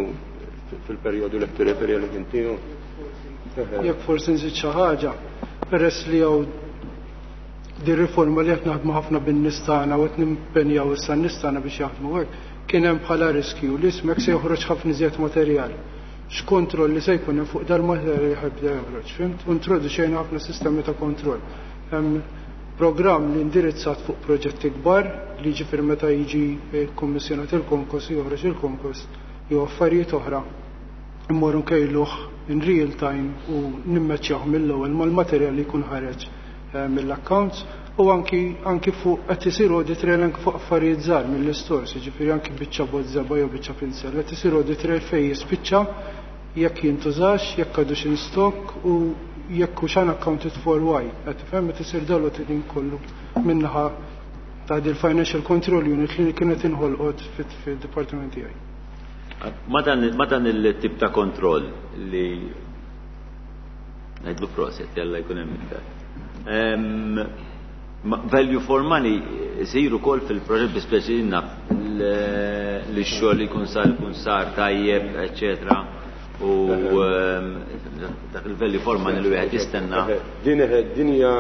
Speaker 8: fil-perjodu li tirreferi li kien tiegħu.
Speaker 10: Jekk forsi nżid xi ħaġa, peress li hawn di riforma li qed naħdmu ħafna bin-nies tagħna u qed nimpenjaw issa n-nies tagħna biex jaħdmu hekk, kien hemm bħala riskju li ismek se joħroġ ħafna iżjed materjal. X'kontroll li se jkun hemm fuq dal-materjal li ħajbda joħroġ, fhimt? U introduċejna ħafna sistemi ta' kontroll. Hemm programm li indirizzat fuq proġetti kbar li ġifier meta jiġi kommissjonat il-konkos joħroġ il-konkos jew affarijiet oħra immorru nkejluh in real time u nimmeċjaw mill-ewwel mal-materjal li jkun ħareġ mill-accounts u anki fuq qed isir audit trail anki fuq affarijiet żgħar mill-istores, jiġifieri anki biċċa bozza jew biċċa pinsel, qed isir audit trail fejn jispiċċa jekk jintużax, jekk għadux in stock u jekk hux unaccounted for why. Qed tifhem qed isir dal auditing kollu minnaħa ta' dil Financial Control Unit li kienet inħolqot fid-dipartiment tiegħi.
Speaker 1: Ma dan il-tip ta' kontroll li ngħidlu proset, jalla jkun hemm iktar. Value for money isiru kol fil-proġett bi speċi naf li x-xogħol jkun sar jkun sar tajjeb, eċetera. U dak il-value for money li wieħed jistenna.
Speaker 8: Din hija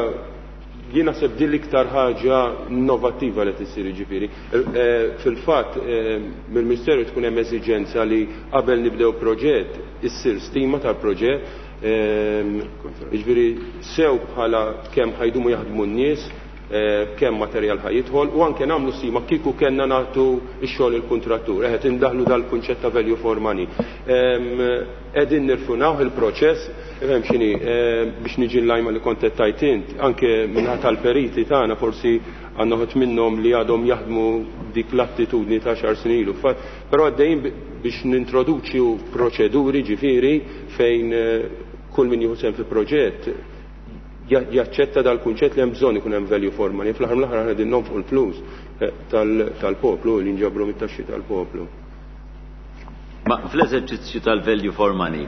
Speaker 8: Jien naħseb din l-iktar ħaġa innovattiva li tisir ġifieri. Fil-fatt mill-Ministeru tkun hemm eżiġenza li qabel nibdew proġett issir stima tal-proġett, jiġifieri sew bħala kemm ħajdumu jaħdmu n-nies, kemm materjal ħa jidħol u anke nagħmlu stima kieku kellna nagħtu x-xogħol il-kuntrattur. Eħe indaħlu dal-kunċett ta' value for money. Qegħdin nirfunawh il-proċess, ifhem x'inhi, biex niġi l-lajma li kont qed tgħid int, anke minħa tal-periti tagħna forsi għandna ħut minnhom li għadhom jaħdmu dik l-attitudni ta' xar snin ilu. Però għaddejjin biex nintroduċu proċeduri ġifieri fejn kull min jieħu sehem fi proġett jaċċetta dal-kunċett li hemm bżonn ikun hemm value for money. Fl-aħħar mill-aħħar aħna qegħdin nonfqu l-flus tal-poplu li nġabru mit-taxxi tal-poplu.
Speaker 1: Ma fl-eżerċizzju tal-value for money,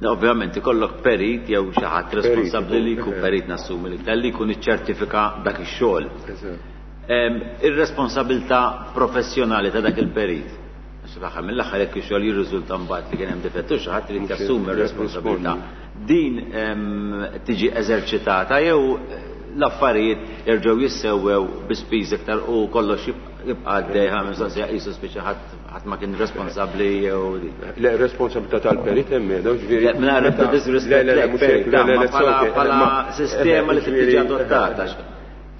Speaker 1: ovvjament ikollok perit jew xi ħadd responsabbli li jkun perit nassumi li li jkun iċċertifika dak ix-xogħol. Ir-responsabilità professjonali ta' dak il-perit. Għax fl-aħħar mill-aħħar jekk ix-xogħol jirriżulta mbagħad li kien hemm difettu xi ħadd irid jassumi r-responsabilità. Din tiġi eżerċitata jew l-affarijiet jerġgħu jissewwew bi spiż iktar u kollox jibqa' għaddej ħa mistoqsija qisu spiċċa ħadd ma kien responsabbli jew di.
Speaker 8: Le, responsabilità tal-perit hemm qiegħda, ġifieri.
Speaker 1: Le, mingħajr ebda disrispett
Speaker 8: Le, le, le, mhux hekk, le, le, le,
Speaker 1: bħala sistema li trid tiġi adottata.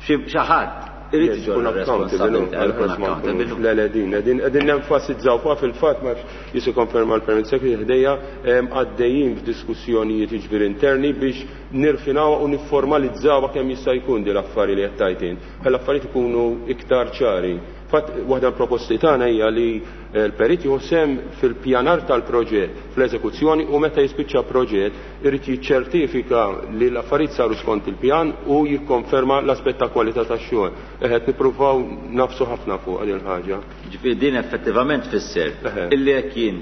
Speaker 1: Xi ħadd irid
Speaker 8: iġorr
Speaker 1: ir-responsabilità, jkun accountable.
Speaker 8: Le, le, din, qegħdin, qegħdin nenfasizzaw fuqha fil-fatt ma nafx jikkonferma l-Permanent Secretary ħdejja għaddejjin f'diskussjonijiet jiġifieri interni biex nirfinawha u nifformalizzawha kemm jista' jkun din l-affari li qed tgħid int. Ħalli l-affarijiet ikunu iktar ċari. Fatt, waħda mill-proposti tagħna hija li l-perit jieħu sehem fil-pjanar tal-proġett, fl-eżekuzzjoni u meta jispiċċa proġett irid jiċċertifika li l-affarijiet saru skont il-pjan u jikkonferma l-aspett ta' kwalità tax-xogħol. Qed nippruvaw nagħfsu ħafna fuq din il-ħaġa.
Speaker 1: Ġifieri din effettivament tfisser illi jekk jien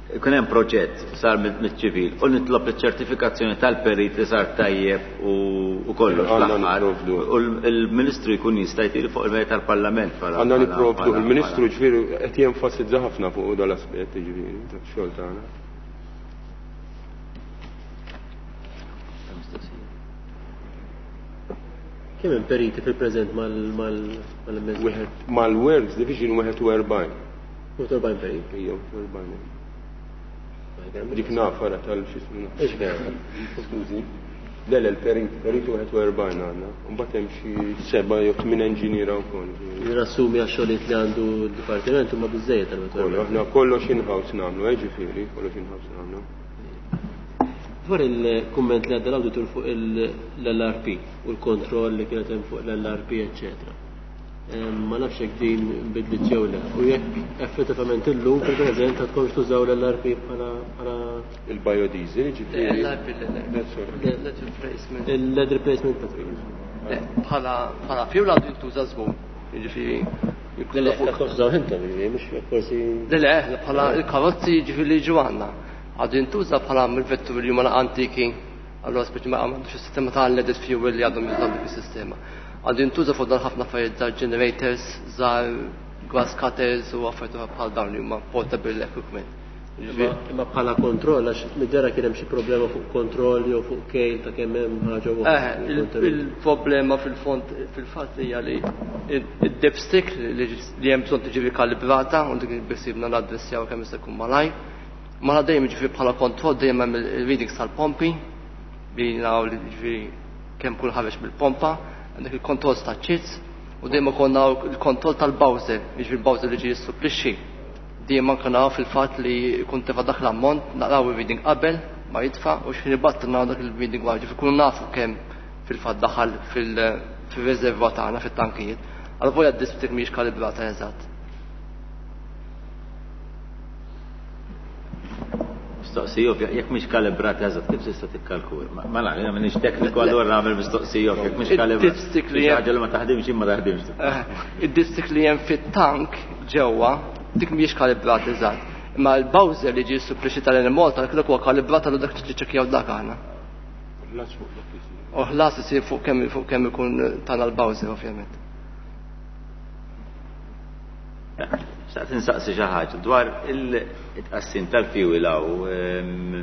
Speaker 1: ikun hemm proġett sar miċ-ċivil u nitlob iċ-ċertifikazzjoni tal-perit li sar tajjeb u kollox fl-aħħar u l-Ministru jkun jista' jtiri fuq il-mejda tal-Parlament bħala
Speaker 8: Għandna nipprovdu, il-Ministru ġifieri qed jenfasizza ħafna fuq dal-aspett ġifieri tax-xogħol tagħna.
Speaker 3: Kemm hemm periti fil-preżent mal-MSD?
Speaker 8: Wieħed mal-Works Division 41.
Speaker 3: 41 perit?
Speaker 8: Ejja, 41. Dik naf ara tal-xismu.
Speaker 3: Ix vera.
Speaker 8: Skużi. Le, le, l-perit, perit 41 għandna. Mbagħad hemm xi 7 jew 8 enġiniera wkoll.
Speaker 3: Nassumi għax-xogħlijiet li għandu d-dipartiment huma biżejjed għal
Speaker 8: Kollu, aħna kollox in-house nagħmlu, ġifieri, kollox in-house nagħmlu.
Speaker 3: Dwar il-kumment li għadda l-awditur fuq l-LRP u l-kontroll li kienet hemm fuq l-LRP, eċċetera. Ma nafx jekk din bidlit jew le. U jekk effettivament illum fil-preżent ta' tkomx tużaw l-LRP bħala
Speaker 8: il-biodiesel, ġifieri.
Speaker 9: L-LRP, le, replacement.
Speaker 3: Il-lead replacement petrol.
Speaker 9: Le, bħala fuel għandu jintuża żgur. Jiġifieri
Speaker 3: Le, le, ta' tkomx tużaw intom, jiġifieri, mhux forsi.
Speaker 9: Le, le, bħala il-karozzi jiġifieri li jiġu għandna. Għadu jintuża bħala mill-vetturi li huma antiki, allura speċi ma għandux is-sistema ta' leaded fuel li għadhom jużaw dik is-sistema. Għadu jintuża fuq dan ħafna affarijiet żgħar generators, żgħar grass cutters u affarijiet oħra bħal dawn li huma portable equipment.
Speaker 3: Imma bħala kontroll, għax mid-dera kien hemm xi problema fuq kontroll jew fuq kejl ta' kemm hemm ħaġa waħda.
Speaker 9: Il-problema fil-fond fil-fatt hija li id-dipstick li hemm bżonn tiġi rikalibrata u dik biksibna naddressjaw kemm jista' jkun malajr. Ma dejjem jiġifieri bħala kontroll dejjem hemm il-readings tal-pompi li naraw li jiġifieri kemm kull ħareġ mill-pompa, għandek il-kontroll ta' ċits u dejjem ukoll naraw il-kontroll tal-bowser, jiġifieri il-bowser li ġie jissupplixxi. Dejjem anke naraw fil-fatt li jkun tefa' dak l-ammont, naraw ir-reading qabel ma jitfa' u x'ħin ibattu naraw dak il-reading wara, jiġifieri nkunu nafu kemm fil-fatt daħal fil-riserva tagħna fit-tankijiet. Għal volja d-dipstick mhijiex kalibrata eżatt.
Speaker 1: Mistoqsija ovvja, jekk mhix kalibrata eżatt, kif tista' tikkalkula? Ma nafx, jiena m'iniex tekniku allura nagħmel mistoqsija ovvja, jekk mhix kalibrata.
Speaker 9: Id-dipstick li hemm
Speaker 1: ħaġa li ma taħdimx ma taħdimx.
Speaker 9: Id-dipstick li hemm fit-tank ġewwa, dik mhijiex kalibrata eżatt. Imma l-bowser li ġie supplixxi tal-Enemalta dak huwa kalibrat għal dak li ċekkjaw dak aħna.
Speaker 8: Ħlas fuq dak isir.
Speaker 9: U ħlas isir fuq kemm ikun tagħna l-bowser ovvjament.
Speaker 1: Xtaqt insaqsi xi ħaġa dwar il-tqassim tal-fuel hawn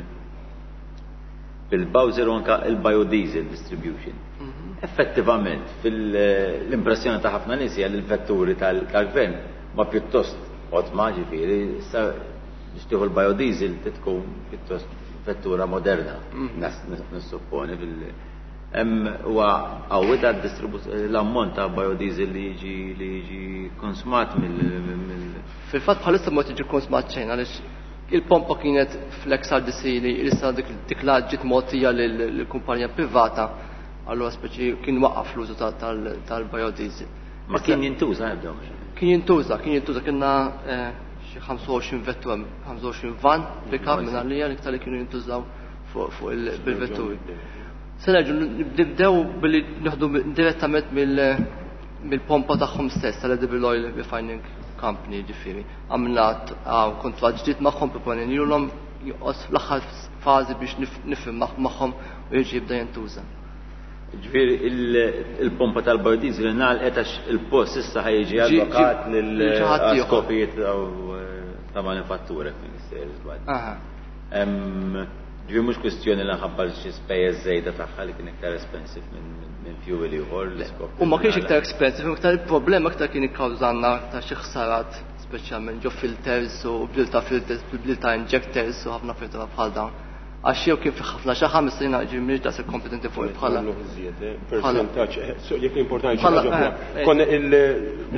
Speaker 1: bil-bowser u anke il-biodiesel distribution. Effettivament, fil-impressjoni ta' ħafna nies hija li l-vetturi tal-gvern ma pjuttost qodma, ġifieri, issa biex tieħu l-biodiesel tkun pjuttost vettura moderna, nissupponi fil- Hemm huwa qawwi ta' l-ammont ta' biodiesel li jiġi li jiġi konsmat mill
Speaker 9: Fil-fatt bħalissa ma tiġi konsmat xejn għaliex il-pompa kienet fl-XRDC li issa dik l ġiet mogħtija lill-kumpanija privata, allura speċi kien waqaf l-użu tal-biodiesel.
Speaker 1: Ma kien jintuża ebda?
Speaker 9: Kien jintuża, kien jintuża, kienna xi 25 vettura, 25 van pick-up minn għalija l-iktar li kienu jintużaw fuq bil-vetturi. Se nerġgħu nibdew billi nieħdu direttament mill-pompa tagħhom stess tal-Edible Oil Refining Company, ġifieri. Għamilna kuntratt ġdid magħhom, proponejnielhom, joqgħod fl-aħħar fażi biex nifhem magħhom u jiġi jibda jintuża.
Speaker 1: Ġifieri il-pompa tal-biodiesel ingħalqet għax il-post issa ħa jiġi allokat lil skopijiet ta' manifattura kif nistgħu żball. Ġifieri mhux kwistjoni li nħabba xi spejjeż żejda tagħha li kien iktar expensive minn fuel ieħor l-iskop.
Speaker 9: U ma kienx iktar expensive, iktar il-problema iktar kien ikkawżanna ta' xi ħsarat, speċjalment ġo filters u bdil ta' filters, bdil ta' injectors u ħafna affarijiet bħal dawn. Għax jew kien fi ħafna xi ħames snin ġi mhix daqshekk kompetenti fuq il-bħala.
Speaker 8: Percentaġġ, jekk importanti xi ħaġa. Konna il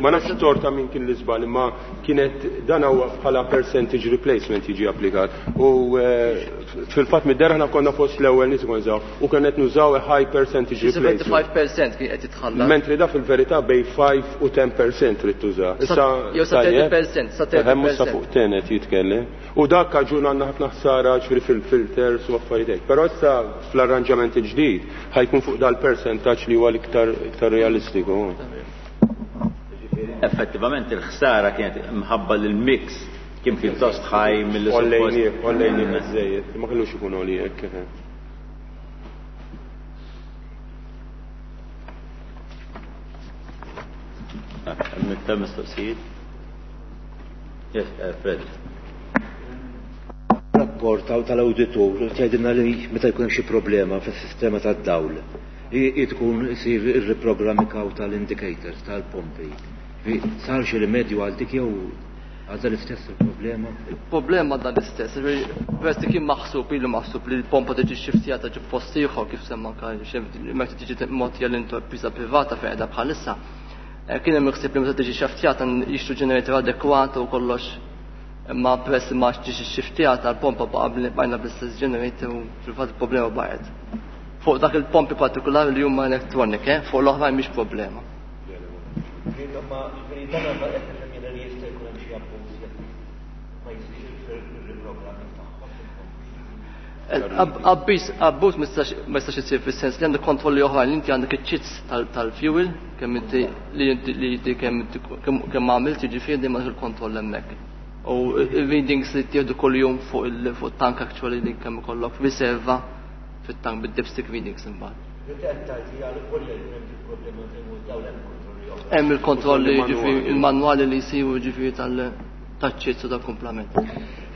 Speaker 8: ma nafx torta minn kien l-iżbal, imma kienet dan huwa bħala percentage replacement jiġi applikat. U fil-fatt mid-dera aħna konna fost l-ewwel nies ikun nużaw u kien qed nużaw a high percentage replacement.
Speaker 9: 75% kien qed jitħallas.
Speaker 8: Mentri da fil-verità bej 5 u 10% trid tuża.
Speaker 9: Issa jew sa 30%, sa 30%.
Speaker 8: Hemm sa fuq 10 qed jitkellem. U dak kaġun għandna ħafna ħsara ġifieri fil-filters u affarijiet hekk. Però issa fl-arranġament il-ġdid ħajkun fuq dal-percentaġġ li huwa l-iktar iktar realistiku.
Speaker 1: Effettivament il-ħsara kienet mħabba li l-mix kien pjuttost ħaj mill
Speaker 8: Ollejni, ollejni biżejjed, ma kellux ikun għoli hekk.
Speaker 1: Hemm mistoqsijiet? Yes, Fred.
Speaker 11: Rapport tal-awditur tgħidilna li meta jkun hemm xi problema fis-sistema tad-dawl, tkun isir ir-riprogramming tal-indicators tal-pompi. Sar xi rimedju għal dik jew għadha l-istess il-problema?
Speaker 9: Il-problema għadha l-istess, peress li kien maħsub, ilu maħsub li l-pompa tiġi xiftjata ġi post ieħor kif semma anke meta tiġi mogħtija l-intrapriża privata fejn qiegħda bħalissa. Kien hemm ħsieb li meta tiġi xaftjata jixtru ġenerator adekwat u kollox, imma peress li ma ġiex xiftjata l-pompa bajna bl-istess generator u fil-fatt il-problema baqgħet. Fuq dak il-pompi partikolari li huma electronic, fuq l-oħrajn mhix problema.
Speaker 11: Ma dan qed nifhem jiena li jista' jkun hemm xi abbuż jekk ma jsirx il-riprogramming tagħhom.
Speaker 9: Abbuż ma jistax isir fis-sens li għandek kontrolli oħrajn, inti għandek iċ-ċits tal-fuel, kemm inti li inti li inti kemm inti kemm għamilt, jiġifieri dejjem għandek il-kontroll hemmhekk. U il-readings li tieħdu kuljum fuq il-tank actually li kemm ikollok riserva fit-tank bid-dipstick readings imbagħad.
Speaker 11: Li qed tgħid hija li kollu jkun hemm problemi fejn hu dawn hemm kontrolli oħra.
Speaker 9: Hemm il-kontrolli jiġifieri il-manwali li jsiru jiġifieri tal-ċits u tal-kumplament.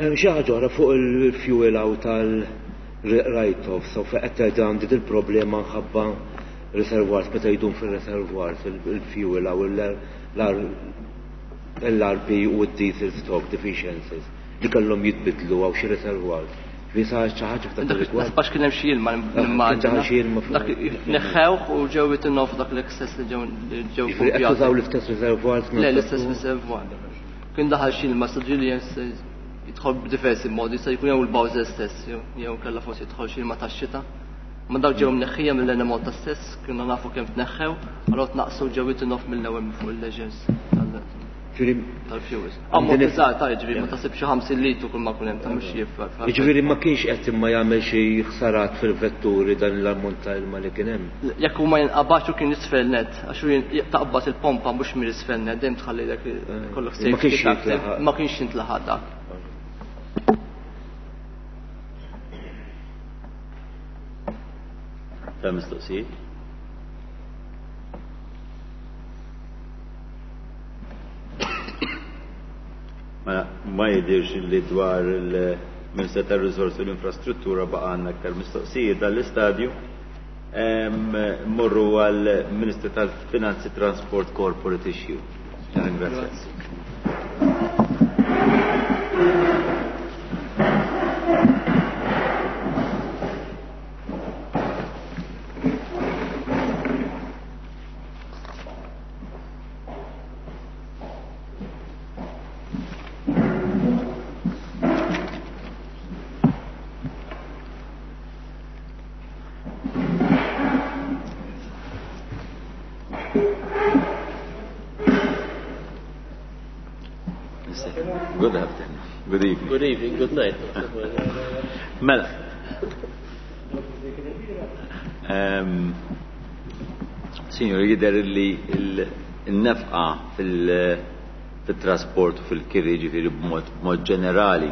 Speaker 11: Hemm xi ħaġa oħra fuq il-fuel out tal-write-off, so fejn qed tgħid għandi il-problema nħabba reservoirs meta jdum fil-reservoirs il-fuel aw l-RP u d-diesel stock deficiencies li kellhom jitbidlu għaw xi reservoirs. Fi sa xi ħaġa f'dak
Speaker 9: il-rigward. Għax kien hemm xi ilma nimmaġina.
Speaker 11: Kien xi ilma
Speaker 9: Dak neħħewh u ġew jitinnew f'dak l-excess li ġew ġew
Speaker 11: Jiġifieri qed tużaw l-istess reservoirs?
Speaker 9: Le, l-istess reservoir. Kien daħal xi ilma ġieli jidħol b'diversi modi, se jkun jew il-bowser stess, jew kellha forsi jidħol xi ilma tax-xita. Ma dawk ġew mneħħija mill-Enemalta stess, kienna nafu kemm tneħħew, allura tnaqsu ġew jitinnew mill-ewwel minn fuq il-leisures tal-fuels. Ammont iżgħar ta' jiġifieri ma tasib xi 50 litru kull ma kun hemm ta' mhux jifra.
Speaker 11: Jiġifieri ma kienx qed imma jagħmel xi ħsarat fil-vetturi dan l-ammont ta' ilma li kien hemm.
Speaker 9: Jekk huma jinqabax u kien isfel net, għax hu taqbad il-pompa mhux mill-isfel net, dejjem tħalli dak kollok
Speaker 11: Ma kienx jintlaħaq.
Speaker 9: Ma kienx jintlaħaq dak.
Speaker 1: Ta' mistoqsijiet? Mela, ma jidirx li dwar il-Ministru tar-Riżorsi u l-Infrastruttura baqa' għandna aktar mistoqsijiet dal-istadju. Mmorru għal Ministru tal-Finanzi Transport Corporate Issue. Ringrazzjak. Good afternoon. Good evening.
Speaker 3: Good evening, good night.
Speaker 1: Mela. Um, Signor, jider li l-nefqa fil-trasport u fil-kiri ġifiri b'mod ġenerali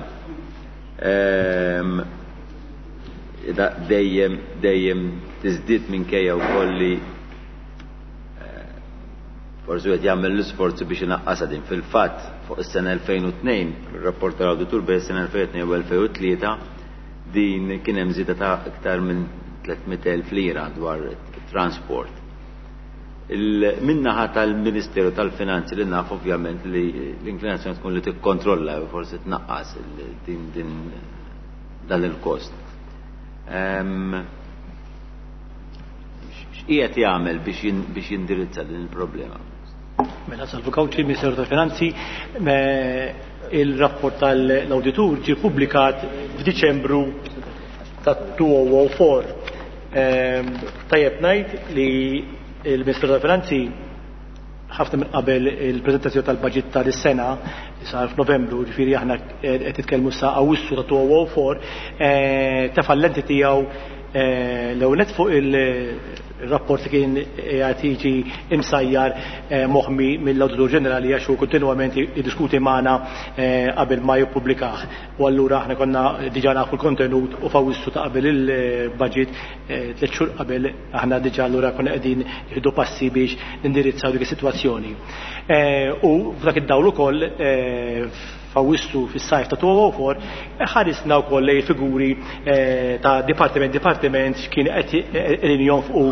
Speaker 1: dejjem dejjem tiżdied minkejja wkoll li eh, forsi qed jagħmel l-isforzi biex inaqqasha din. Fil-fatt fuq is-sena 2002, ir-rapport tal-awditur bejn is-sena 2002 u 2003 din kien hemm żieda ta' iktar minn 300,000 lira dwar transport. Min-naħa tal-Ministeru tal-Finanzi li naf ovvjament li l-inklinazzjoni tkun li tikkontrolla u forsi tnaqqas din din dan il-kost. X'qiegħed jagħmel biex jindirizza din il-problema?
Speaker 12: Mela Salvu Cauchi, Ministeru tal-Finanzi, il-rapport tal-awditur ġie pubblikat f'Diċembru ta' 2004. Tajjeb ngħid li il-Ministeru tal-Finanzi ħafna minn qabel il-preżentazzjoni tal-budget ta' dis-sena li sar f'Novembru, ġifieri aħna qed nitkellmu sa Awwissu ta' 2004, tefa' l-lenti tiegħu l-ewwel nett fuq il-rapport li kien qiegħed jiġi imsajjar moħmi mill-Awditur Ġenerali għax hu kontinwament jiddiskuti magħna qabel ma jippubblikah. U allura aħna konna diġà nafu l-kontenut u f'Awwissu ta' qabel il-budget tliet xhur qabel aħna diġà allura konna qegħdin nieħdu passi biex nindirizzaw dik is-sitwazzjoni. U f'dak id-dawl ukoll f'Awwissu fis-sajf ta' 2004 ħarisna wkoll lejn figuri ta' dipartiment dipartiment x'kien qed qegħdin jonfqu.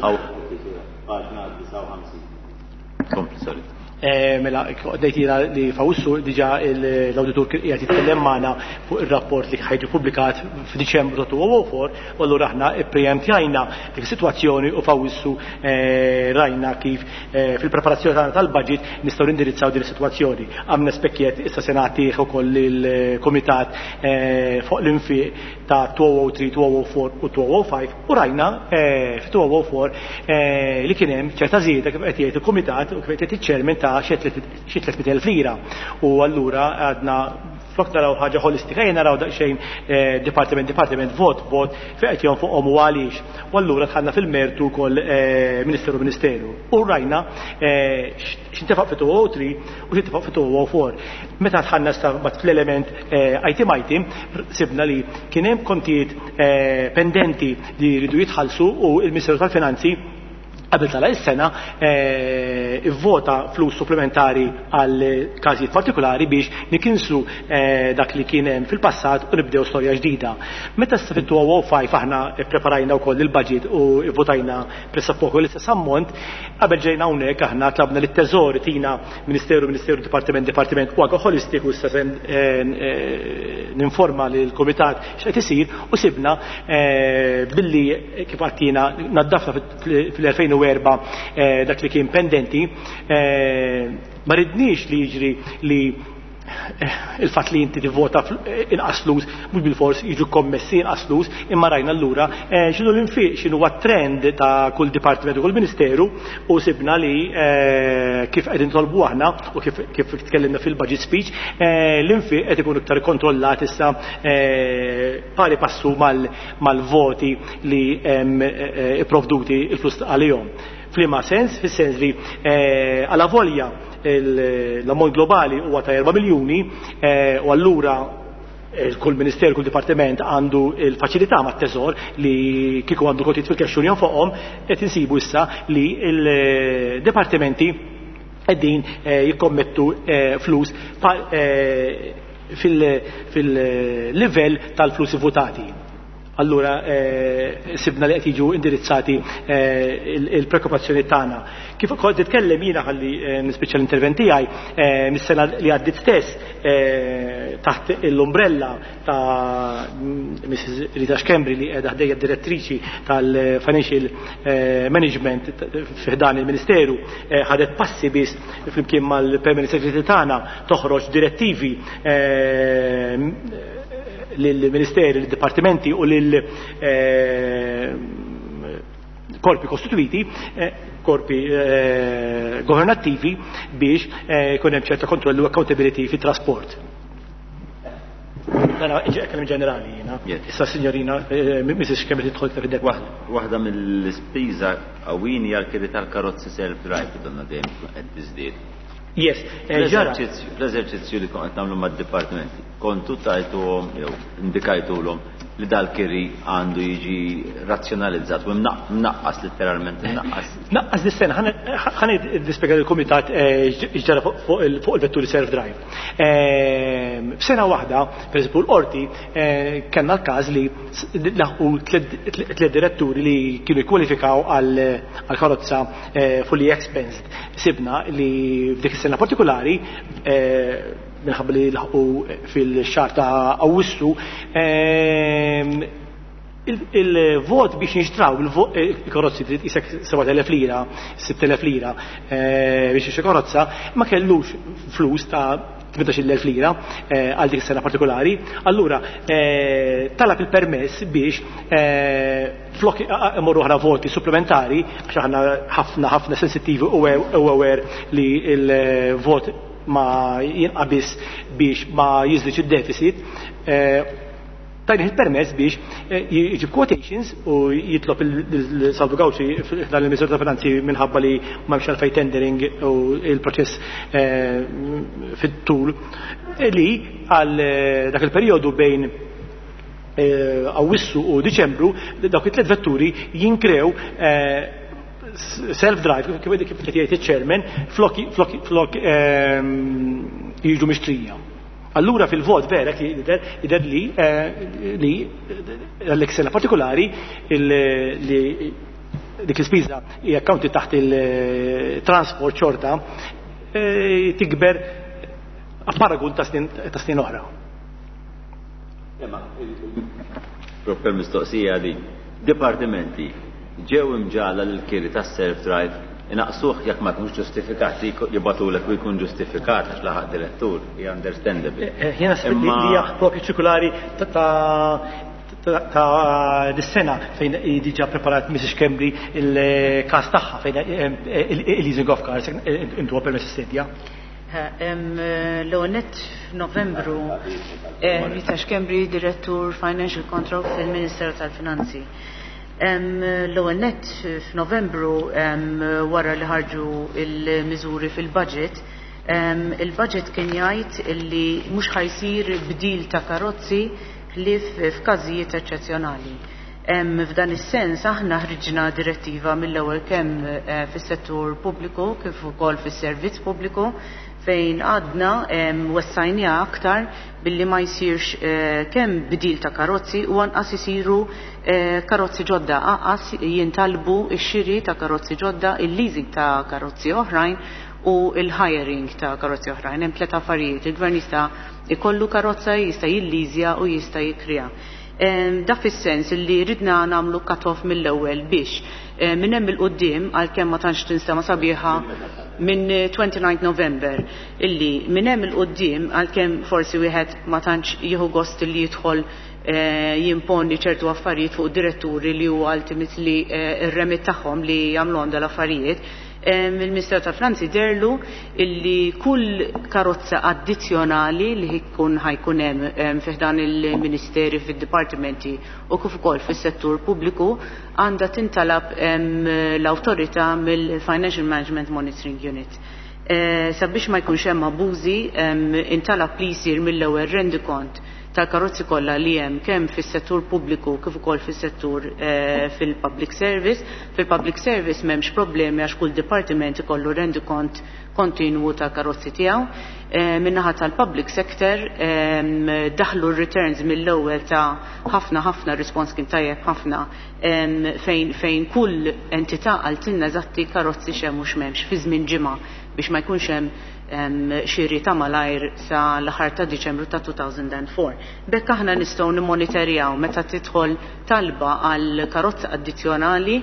Speaker 1: Paġna 59. Kompli, sorry.
Speaker 12: Mela, għoddejt jiena li f'Awwissu diġà l-awditur kien qiegħed jitkellem magħna fuq ir-rapport li ħajġi pubblikat f'Diċembru ta' 2004, u allura aħna ppreempjajna dik is-sitwazzjoni u f'Awwissu rajna kif fil-preparazzjoni tagħna tal-budget nistgħu nindirizzaw din is-sitwazzjoni. Għamna spekkiet issa se nagħtih ukoll lill-kumitat fuq l-infiq ta' 2003, 2004 u 2005 u rajna fi 2004 li kien hemm ċerta żieda kif qed jgħid il-kumitat u kif qed jgħid iċ-chairman ta' xi 300,000 lira. U allura għadna flok naraw ħaġa ħolistika, ejja naraw daqsxejn dipartiment dipartiment, vot vot, fejn qed jonfoqhom u għaliex. U allura dħalna fil-mertu wkoll ministeru ministeru. U rajna x'intefaq fi 2003 u x'intefaq fi 2004. Meta dħalna issa mbagħad fl-element item item, sibna li kien hemm kontijiet pendenti li jridu jitħallsu u l-Ministeru tal-Finanzi qabel tala is-sena ivvota flus supplementari għal każijiet partikolari biex nikinsu dak li kien hemm fil-passat u nibdew storja ġdida. Meta issa fit-2005 aħna ppreparajna wkoll il-budget u ivvotajna pressappoco l-istess ammont, qabel ġejna hawnhekk aħna tlabna lit-Teżor tina Ministeru, Ministeru, Dipartiment, Dipartiment u anke holistiku issa se ninforma lill-Kumitat x'qed isir u sibna billi kif għattina naddafna fil-2004 dak li kien pendenti, ma ridniex li jiġri li il-fatt li inti tivvota inqas flus mhux bilfors jiġu kommessi inqas flus, imma rajna allura x'inhu l-infiq, x'inhu huwa trend ta' kull dipartiment u kull ministeru u sibna li kif qegħdin nitolbu aħna u kif tkellimna fil-budget speech, l-infiq qed ikun iktar kontrollat issa pari passu mal-voti li hemm ipprovduti il-flus għalihom. F'liema sens? Fis-sens li għala volja l-ammont globali huwa ta' 4 miljuni u allura kull ministeru, kull dipartiment għandu il-faċilità mat-teżor li kieku għandu kontijiet fil-cash u jonfoqhom, qed insibu issa li l-dipartimenti qegħdin jikkommettu flus fil-livell tal-flus votati. Allura sibna li qed jiġu indirizzati il-preokkupazzjoni tagħna. Kif kont titkellem jiena ħalli nispiċċa l-intervent tiegħi mis-sena li għaddiet stess taħt l-umbrella ta' Mrs. Rita Schembri li qiegħda ħdejja direttriċi tal-Financial Management fi ħdan il-Ministeru ħadet passi biss flimkien mal-Permanent Secretary tagħna toħroġ direttivi lill-Ministeri, lill-Dipartimenti u lil korpi kostituiti, korpi governattivi biex jkun hemm ċerta kontrollu u accountability fit-trasport. Dana kemm ġenerali jiena. Issa signorina Mrs. Kemm tidħol iktar fid-dettall.
Speaker 1: Waħda mill-ispiża qawwin hija l-kiri tal-karozzi self-drive donna dejjem qed tiżdied.
Speaker 12: Yes, ġara.
Speaker 1: Fl-eżerċizzju li kont nagħmlu mad-dipartimenti, kontu tajtuhom jew indikajtulhom li dal-kiri għandu jiġi razzjonalizzat u mnaqqas letteralment mnaqqas.
Speaker 12: Naqqas dis-sena, ħa nispjega lill-kumitat x'ġara fuq il-vetturi self-drive. F'sena waħda, per eżempju l-qorti, kellna l-każ li laħqu tliet diretturi li kienu jkwalifikaw għal karozza fully expensed. Sibna li f'dik is-sena partikolari, minħabba li laħqu fil-xahar ta' Awwissu, il-vot biex nixtraw il-karozzi trid isek 7,000 lira, 6,000 lira biex jixtri karozza, ma kellux flus ta' 18,000 lira għal dik is-sena partikolari. Allura talab il-permess biex flok imorru ħra voti supplementari, għax aħna ħafna ħafna sensittivi u aware li il-vot ma jinqabis biex ma jiżdiedx id-deficit, tajni il-permess biex jġib quotations u jitlob il-Salvu Gauci dan il-Ministeru ta' Finanzi minħabba li ma hemmx għalfejn tendering u il-proċess fit-tul li għal dak il-perjodu bejn Awwissu u Diċembru dawk it-tliet vetturi jinkrew self-drive kif qed jgħid iċ-chairman flok jiġu mixtrija. Allura fil-vot vera jidher li għal sena partikolari li dik l-ispiża hija accounted taħt il-transport xorta tikber a paragun ta' snin oħra.
Speaker 1: Imma proprio mistoqsija li dipartimenti ġew imġala l-kiri tas self-drive inaqsuh jekk ma jkunx ġustifikat li jibgħatulek u jkun ġustifikat għax laħaq direttur, hija understandable.
Speaker 12: Jiena li hija propju ċirkulari ta' dis-sena fejn diġà preparat Mrs. Schembri il-każ tagħha fejn il-leasing of cars intu permess is-sedja.
Speaker 13: L-ewwel nett f'Novembru Rita Schembri, Direttur Financial Control fil-Ministeru tal-Finanzi. L-ewwel nett f'Novembru wara li ħarġu il-miżuri fil-budget, il-budget kien jgħid li mhux ħajsir bdil ta' karozzi ħlief f'każijiet eċċezzjonali. F'dan is-sens aħna ħriġna direttiva mill-ewwel kemm fis-settur pubbliku kif ukoll fis-servizz pubbliku fejn għadna wessajniha aktar billi ma jsirx kemm bdil ta' karozzi u anqas isiru karozzi ġodda, anqas jintalbu x-xiri ta' karozzi ġodda, il-leasing ta' karozzi oħrajn u il-hiring ta' karozzi oħrajn. Hemm tliet affarijiet, il-gvern jista' ikollu karozza, jista' jilliżja u jista' jikrija. Da fis-sens li ridna nagħmlu cut-off mill-ewwel biex minn hemm il-quddiem, għalkemm ma tantx tinstema' sabiħa minn 29 November, illi minn hemm il-quddiem għalkemm forsi wieħed ma tantx jieħu gost li jidħol jimponi ċertu affarijiet fuq diretturi li huwa ultimately ir-remit tagħhom li jagħmluhom dal-affarijiet. Il-Ministeru tal-Finanzi derlu illi kull karozza addizzjonali li jkun ħajkun hemm fi ħdan il-ministeri fid-dipartimenti u kif ukoll fis-settur pubbliku għandha tintalab l-awtorità mill-Financial Management Monitoring Unit. Sabiex ma jkunx hemm abużi, intalab li jsir mill-ewwel rendikont tal-karozzi kollha li hemm kemm fis-settur pubbliku kif ukoll fis-settur fil-public service. Fil-public service m'hemmx problemi għax kull dipartiment ikollu rendikont kontinwu tal-karozzi tiegħu. Min-naħa tal-public sector daħlu r-returns mill-ewwel ta' ħafna ħafna rispons kien tajjeb ħafna fejn fejn kull entità qaltilna eżatti karozzi x'hemm u x'm'hemmx fi żmien ġimgħa biex ma jkunx hemm xiri ta' malajr sa l-aħħar ta' Diċembru ta' 2004. B'hekk aħna nistgħu nimmoniterjaw meta tidħol talba għal karozza addizzjonali,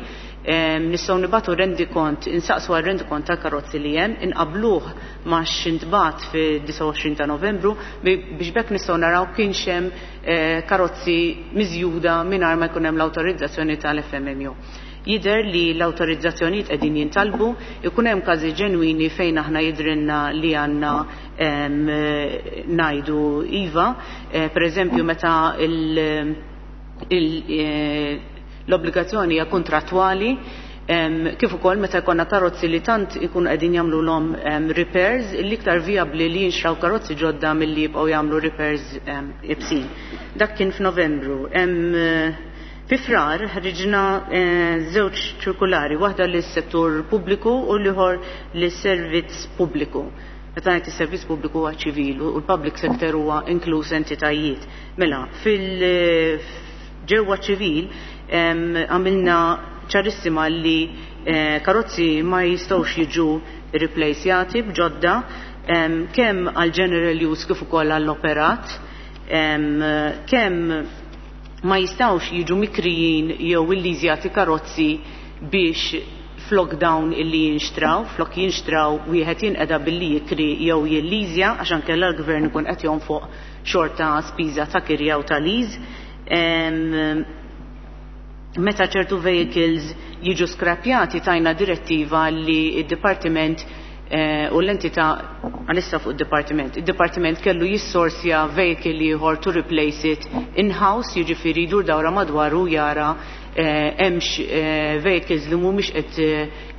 Speaker 13: nistgħu nibagħtu rendikont, insaqsu għal rendikont tal-karozzi li hemm, inqabbluh ma' x'intbagħat fid-29 ta' Novembru biex b'hekk nistgħu naraw kienx hemm karozzi miżjuda mingħajr ma jkun hemm l-awtorizzazzjoni tal-FMMU. Jidher li l-awtorizzazzjonijiet qegħdin jintalbu, ikun hemm każi ġenwini fejn aħna jidhrilna li għandna ngħidu iva, pereżempju meta l-obbligazzjoni hija kuntrattwali, kif ukoll meta jkollna karozzi li tant ikunu qegħdin jagħmlulhom repairs li iktar vijabbli li jinxtraw karozzi ġodda milli jibqgħu jagħmlu repairs ibsin. Dak kien f'Novembru. Fi Frar ħriġna żewġ ċirkulari, waħda lis-settur pubbliku u l-ieħor lis-servizz pubbliku. Meta ngħid is-servizz pubbliku huwa ċivil u l-public sector huwa inkluż entitajiet. Mela, fil ġewwa ċivil għamilna ċarissima li karozzi ma jistgħux jiġu replacjati b'ġodda kemm għal general use kif ukoll għall-operat, kemm ma jistgħux jiġu mikrijin jew illiżjati karozzi biex flok dawn illi jinxtraw, flok jinxtraw wieħed jinqeda billi jikri jew jilliżja għax ankella l-gvern ikun qed jonfoq xorta spiża ta' kirja u ta' lease. Meta ċertu vehicles jiġu skrapjati tajna direttiva li d-dipartiment u l-entità għalissa fuq id-dipartiment. Id-dipartiment kellu jissorsja vehicle ieħor to replace it in-house, jiġifieri jdur dawra madwaru jara hemmx vehicles li mhumiex qed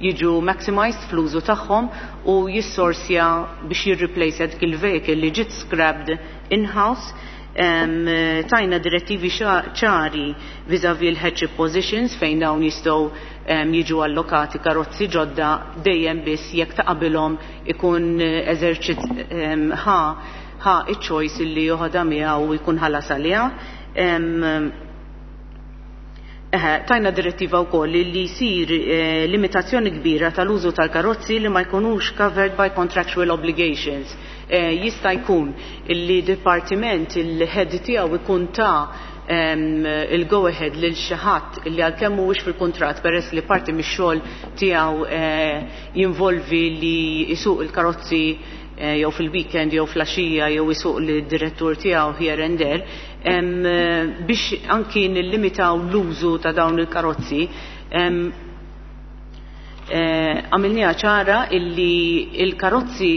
Speaker 13: jiġu maximized fl-użu tagħhom u jissorsja biex jirreplace dik il-vehicle li ġiet scrapped in-house. Tajna direttivi ċari vis-a-vis l-headship positions fejn dawn jistgħu jiġu allokati karozzi ġodda dejjem biss jekk ta' qabilhom ikun eżerċit ħa ħa iċ-choice li joħodha miegħu u jkun ħallas għaliha. Tajna direttiva wkoll li jsir limitazzjoni kbira tal-użu tal-karozzi li ma jkunux covered by contractual obligations. Jista' jkun li dipartiment il-head tiegħu ikun ta' il-go ahead lil xi ħadd li għalkemm mhuwiex fil-kuntratt peress li parti mix-xogħol tiegħu jinvolvi li jsuq il-karozzi jew fil-weekend jew fl-għaxija jew isuq lid-direttur tiegħu here and there, biex anki nillimitaw l-użu ta' dawn il-karozzi. Għamilniha ċara illi il-karozzi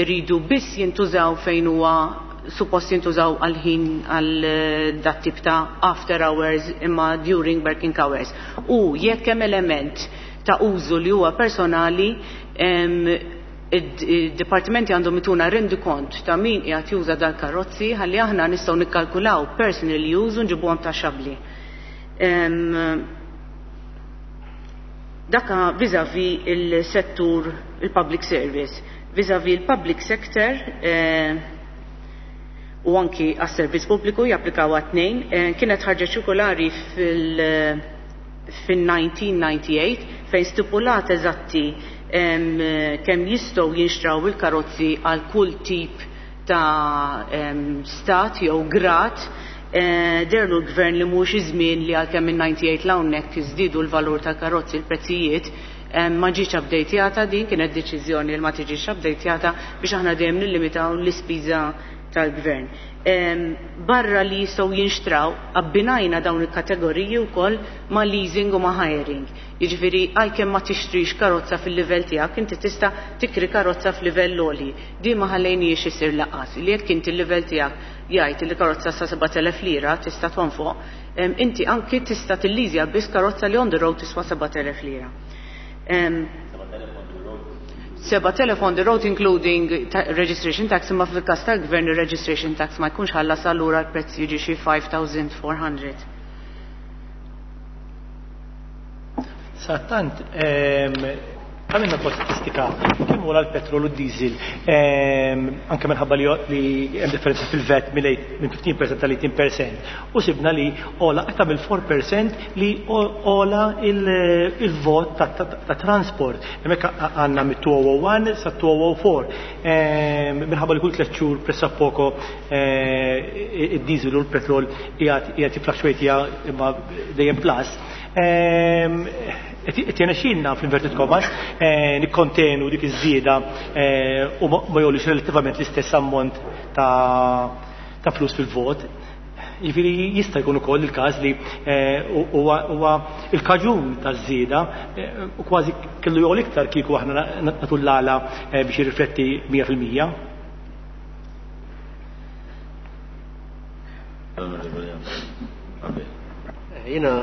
Speaker 13: iridu biss jintużaw fejn huwa suppost jintużaw għal-ħin għal dat tip ta' after hours imma during working hours. U jekk hemm element ta' użu li huwa personali, id-dipartimenti għandhom ituna rendikont ta' min qiegħed juża dal-karozzi ħalli aħna nistgħu nikkalkulaw personal use u nġibuhom taxxabbli. Daka vis-a-vis il-settur il-public service. Vis-a-vis il-public sector u anki għas-servizz pubbliku japplikaw għat-tnejn, kienet ħarġet ċirkolari fil-1998 fejn stipulat eżatti kemm jistgħu jinxtraw il-karozzi għal kull tip ta' stat jew grad. Deherlu l-gvern li mhux iż-żmien li għalkemm minn 98 l hawnhekk iżdiedu l-valur tal-karozzi, l-prezzijiet ma ġietx updatejata. Din kienet deċiżjoni li ma tiġix updatejata biex aħna dejjem nillimitaw l-ispiża tal-gvern. Barra li jistgħu jinxtraw, abbinajna dawn il-kategoriji wkoll ma' leasing u ma' hiring. Jiġifieri għalkemm ma tixtrix karozza fil-livell tiegħek, inti tista' tikri karozza f'livell għoli. Din ma ħallejniex isir lanqas. Li jekk inti l-livell tiegħek jgħid li karozza sa 7000 lira tista' tonfoq, inti anki tista' tilliżja biss karozza li on the road tiswa 7000 lira. 7,000 on the road including registration tax, imma fil-każ tal-gvern ir-registration tax ma jkunx ħallas, allura l-prezz jiġi xi 5,400.
Speaker 12: Sattant, għamilna kol statistika kemm huwa l-petrol u d-diesel, anke minħabba li hemm differenza fil-VAT minn 15% tal-18%, u sibna li ola aktar mill-4% li ola il-vot ta' transport. Hemmhekk għandna mit-2001 sa 2004. Minħabba li kull 3 xhur pressappoco id-diesel u l-petrol qiegħed jiffluctuate imma dejjem plus. Qed jirnexxielna fl-inverted commas nikkontenu dik iż-żieda u ma jgħolix relattivament l-istess ammont ta' flus fil-vot. Jiġifieri jista' jkun ukoll il-każ li huwa il-kaġun taż-żieda u kważi kellu jogħol iktar kieku aħna nagħtu l-għala biex jirrifletti 100%.
Speaker 3: Jiena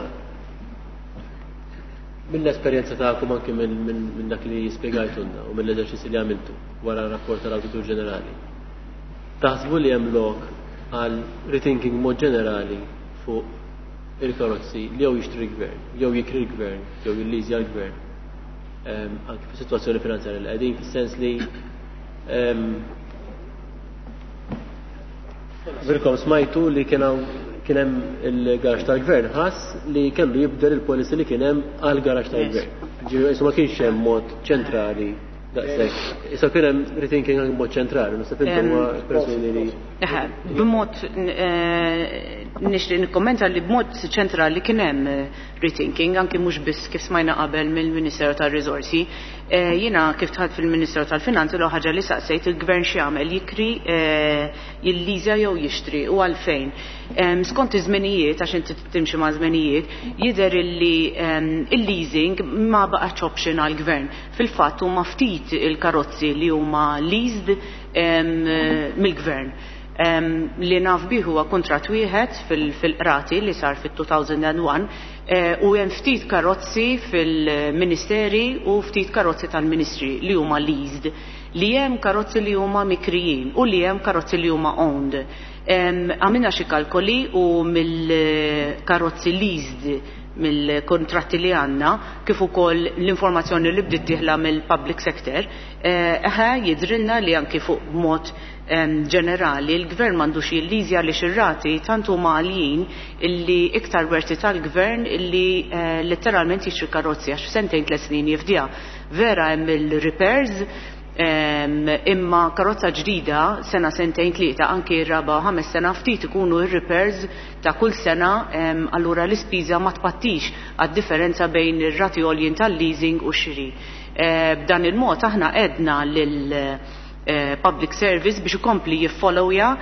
Speaker 3: mill-esperjenza tagħkom, anke minn dak li spjegajtulna u mill-eżerċizzi li għamiltu wara r-rapport tal-Awditur Ġenerali, taħsbu li hemm lok għal rethinking mod ġenerali fuq il-karozzi li jew jixtri l-gvern, jew jikri l-gvern, jew jilliżja l-gvern, anke fis-sitwazzjoni finanzjarja li qegħdin, fis-sens li Birkom smajtu li kien hemm il-garaxx tal-gvern ħass li kellu jibdel il-policy li kien hemm għal garaxx tal-gvern. Ġifieri ma kienx hemm mod ċentrali daqshekk. Issa kien hemm rethinking anke mod ċentrali, naħseb intom huma persuni li.
Speaker 13: B'mod nixtieq nikkommenta li b'mod ċentrali kien hemm rethinking, anke mhux biss kif smajna qabel mill-Ministeru tar-Riżorsi. Jiena kif dħalt fil-Ministeru tal-Finanzi, l ħaġa li saqsejt il-gvern x'jagħmel, jikri, jilliżja jew jixtri u għalfejn. Skont iż-żmenijiet, għax inti timxi ma' żmenijiet, jidher illi il-leasing ma baqgħetx option għall-gvern. Fil-fatt huma ftit il-karozzi li huma leased mill-gvern. Li naf bih huwa kuntratt wieħed fil-qrati li sar fit-2001, u hemm ftit karozzi fil-ministeri u ftit karozzi tal-ministri li huma leased, li hemm karozzi li huma mikrijin u li hemm karozzi li huma owned. Għamilna xi kalkoli u mill-karozzi leased, mill-kontratti li għandna, kif ukoll l-informazzjoni li bdiet dieħla mill-public sector, eħe jidrilna li anki fuq mod ġenerali l-gvern m'għandux jilliżja li ir-rati tant huma għaljin illi iktar worth it tal-gvern illi letteralment jixtri karozzi għax f'sentejn 3 snin jifdiha. Vera hemm il-repairs, imma karozza ġdida sena, sentejn, tlieta, anki raba, 5 sena, ftit ikunu ir-repairs ta' kull sena, allura l-ispiża ma tpattix għad-differenza bejn ir-rati għoljin tal-leasing u x-xiri. B'dan il-mod aħna għedna lil public service biex ikompli jiffollowja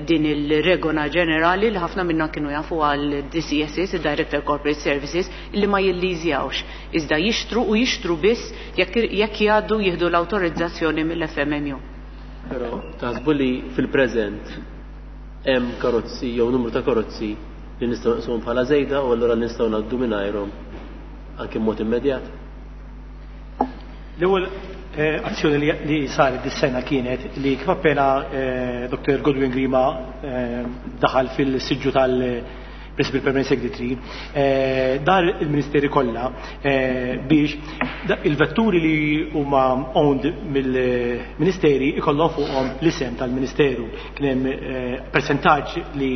Speaker 13: din il-regola ġenerali li ħafna minna kienu jafu għal DCSS, il-Director Corporate Services, li ma jilliżjawx. Iżda jixtru u jixtru biss jekk jgħaddu jieħdu l-autorizzazzjoni mill-FMMU.
Speaker 3: Però taħsbu li fil-preżent hemm karozzi jew numru ta' karozzi li nistgħu nqisuhom bħala żejda u allura nistgħu ngħaddu mingħajrhom anke mod immedjat?
Speaker 12: L-ewwel azzjoni li saret dis-sena kienet li kif appena Dr. Godwin Grima daħal fil-siġġu tal-Principal Permanent Secretary, dar il-Ministeri kollha biex il-vetturi li huma owned mill-Ministeri ikollhom fuqhom l-isem tal-Ministeru. Kien hemm percentaġġ li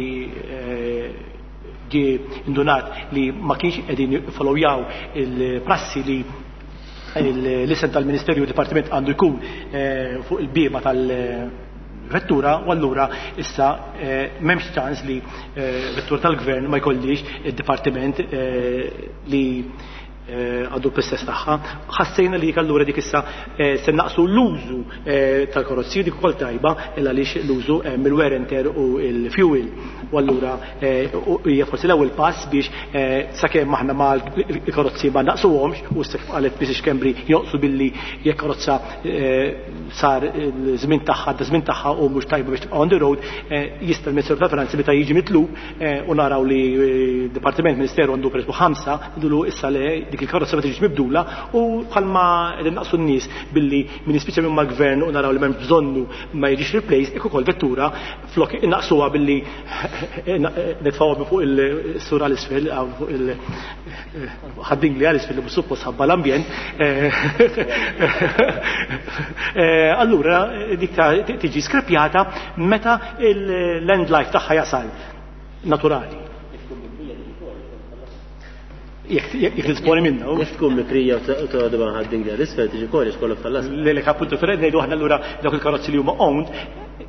Speaker 12: ġie indunat li ma kienx qegħdin followjaw il-prassi li l-isem tal-Ministerju u Dipartiment għandu jkun fuq il-bieba tal-vettura, u allura issa m'hemmx ċans li vettura tal-gvern ma jkollix id-dipartiment li għandu l-istess tagħha. Ħassejna li allura dik issa se naqsu l-użu tal-karozzi, dik ukoll tajba illa għaliex l-użu mill-wear and tear u l-fuel. U allura hija forsi l-ewwel pass biex sakemm aħna ma l-karozzi ma naqsuhomx, u s qalet Mrs. Schembri joqsu billi jekk karozza sar żmien tagħha, da żmien tagħha u mhux tajba biex tibqa' on the road, jista' l-Ministeru tal-Finanzi meta jiġi mitlub u naraw li Dipartiment Ministeru għandu pereżempju 5, ngħidulu issa le. dik il-karozza ma tiġix mibdula u bħalma qegħdin naqsu n-nies billi min jispiċċa minn mal-gvern u naraw li m'hemmx bżonnu ma jiġix replaced, hekk ukoll vettura flok innaqsuha billi nitfgħuha minn fuq il-sur għal isfel fuq il ħaddingli għal isfel li mhux suppost ħabba l-ambjent. Allura dik tiġi skrepjata meta l-end life tagħha jasal naturali. Jekk tisponi minna.
Speaker 3: Jekk tkun mikrija u toqgħod ma' ħaddingli għal isfel tiġi kollox kollok tal-las.
Speaker 12: Le le appuntu fred ngħidu aħna allura dawk il-karozzi li huma owned,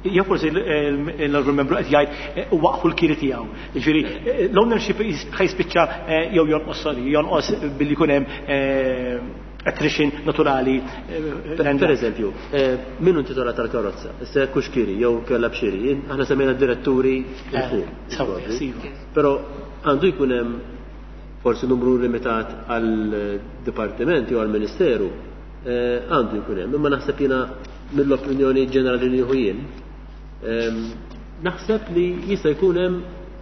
Speaker 12: jew forsi l-honorable membru qed jgħid waqfu l-kiri tiegħu. Jiġifieri l-ownership ħajspiċċa jew jonqos sorry, jonqos billi jkun hemm attrition naturali.
Speaker 3: Per eżempju, min hu intitolat tal-karozza? Issa jekk hux kiri jew kellha b'xiri, aħna semmejna d-diretturi il fuq. Però għandu jkun hemm forsi numru limitat għal dipartiment jew għal ministeru, għandu jkun hemm, imma naħseb jiena mill-opinjoni ġenerali li nieħu jien, naħseb li jista' jkun hemm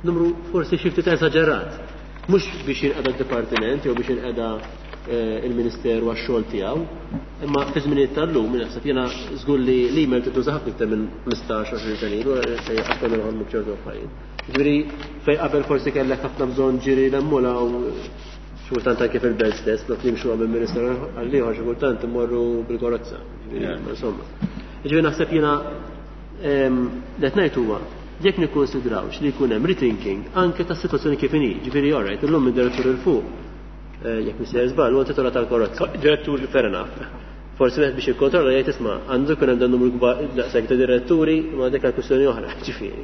Speaker 3: numru forsi xi ftit eżaġerat. Mhux biex jinqeda d-dipartiment jew biex jinqeda il-ministeru għax-xogħol tiegħu, imma fi żminijiet tal-lum naħseb jiena żgur li l-email tituża ħafna iktar minn 15-20 sena ilu fejn qatt konna noħolmu b'ċertu affarijiet. Ġifieri fejn qabel forsi kellek ħafna bżonn ġiri l-emmula u xi kultant anke fil-belt stess, flok nimxu minn ministeru għal ieħor xi kultant immorru bil-karozza. Ġifieri, insomma. Ġifieri naħseb jiena qed ngħid huwa jekk nikkonsidrawx li jkun hemm rethinking anke tas-sitwazzjoni kif inhi. Ġifieri all right, illum id-direttur il fuq jekk mhux żball, huwa intitolat tal-karozza.
Speaker 12: Direttur
Speaker 3: fair enough. Forsi wieħed biex jikkontrolla jgħid isma' għandu jkun hemm dan numru kbar daqshekk ta' diretturi, ma dik kwistjoni oħra, ġifieri.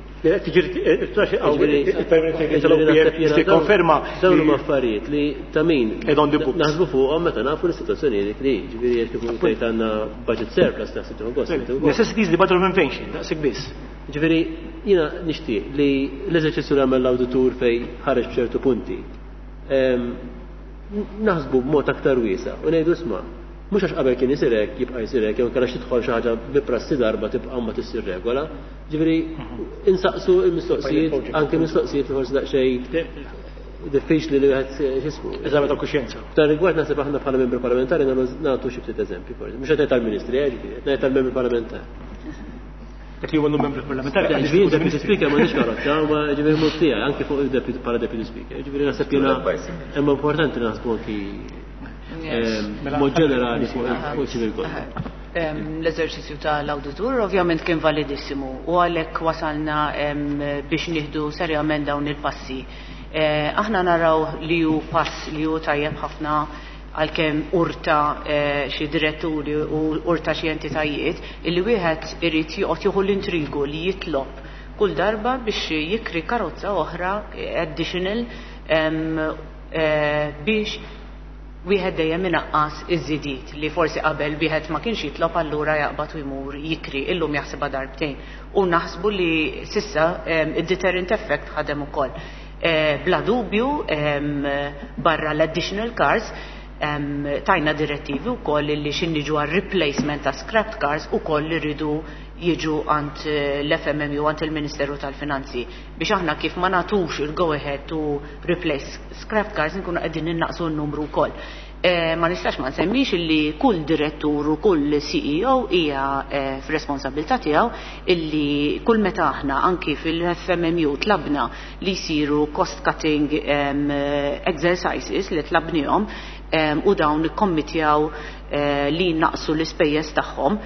Speaker 12: Ġifieri konferma.
Speaker 3: Dawn huma affarijiet li ta' min naħsbu fuqhom meta nafu l-istituzzjoni dik li, ġifieri jekk ikun tgħid għandna budget surplus naħseb tieħu gost.
Speaker 12: Necessity is the mother of invention, daqshekk biss.
Speaker 3: Ġifieri jiena nixtieq li l-eżerċizzju li għamel l-awditur fejn ħareġ b'ċertu punti naħsbu b'mod aktar wiesa' u ngħidu isma' mhux għax qabel kien isir hekk jibqa' jsir hekk jew inkella tidħol xi ħaġa bi prassi darba tibqa' ma tissir regola. Ġifieri insaqsu l-mistoqsijiet anke mistoqsijiet li forsi daqsxejn diffiċli li wieħed x'ismu.
Speaker 12: Eżami ta' kuxjenza.
Speaker 3: F'dan rigward naħseb aħna bħala membri parlamentari nagħtu xi ftit eżempji forsi. Mhux qed ngħid tal-ministri, ġifieri, qed ngħid tal-membri parlamentari.
Speaker 12: Dak li huwa membri parlamentari.
Speaker 3: Ġifieri deputy speaker m'għandix karozza, ma ġifieri mhux tiegħi anke fuq il-deputy bħala deputy speaker. Ġifieri naħseb jiena imma importanti naħsbu anki mod ġenerali fuq civil code.
Speaker 13: L-eżerċizzju tal-awditur ovvjament kien validissimu u għalhekk wasalna biex nieħdu serjament dawn il-passi. Aħna naraw li hu pass li hu tajjeb ħafna għalkemm urta xi diretturi u urta xi entitajiet illi wieħed irid joqgħod jieħu l-intrigu li jitlob kull darba biex jikri karozza oħra additional biex wieħed dejjem inaqqas iż-żidiet li forsi qabel wieħed ma kienx jitlob allura jaqbad u jmur jikri illum jaħsibha darbtejn. U naħsbu li sissa id-deterrent effect ħadem ukoll. Bla dubju barra l-additional cars tajna direttivi wkoll li x'inniġu għal replacement ta' scrapped cars ukoll li rridu jiġu għand l-FMMU għand il-Ministeru tal-Finanzi biex aħna kif ma nagħtux il-go ahead to replace scrapped cars nkunu qegħdin innaqsu n-numru wkoll. Ma nistax ma nsemmix illi kull direttur u kull CEO hija f'responsabilità tiegħu illi kull meta aħna anki fil-FMMU tlabna li jsiru cost cutting exercises li tlabnihom u dawn ikkommittjaw li naqsu l-ispejjeż tagħhom,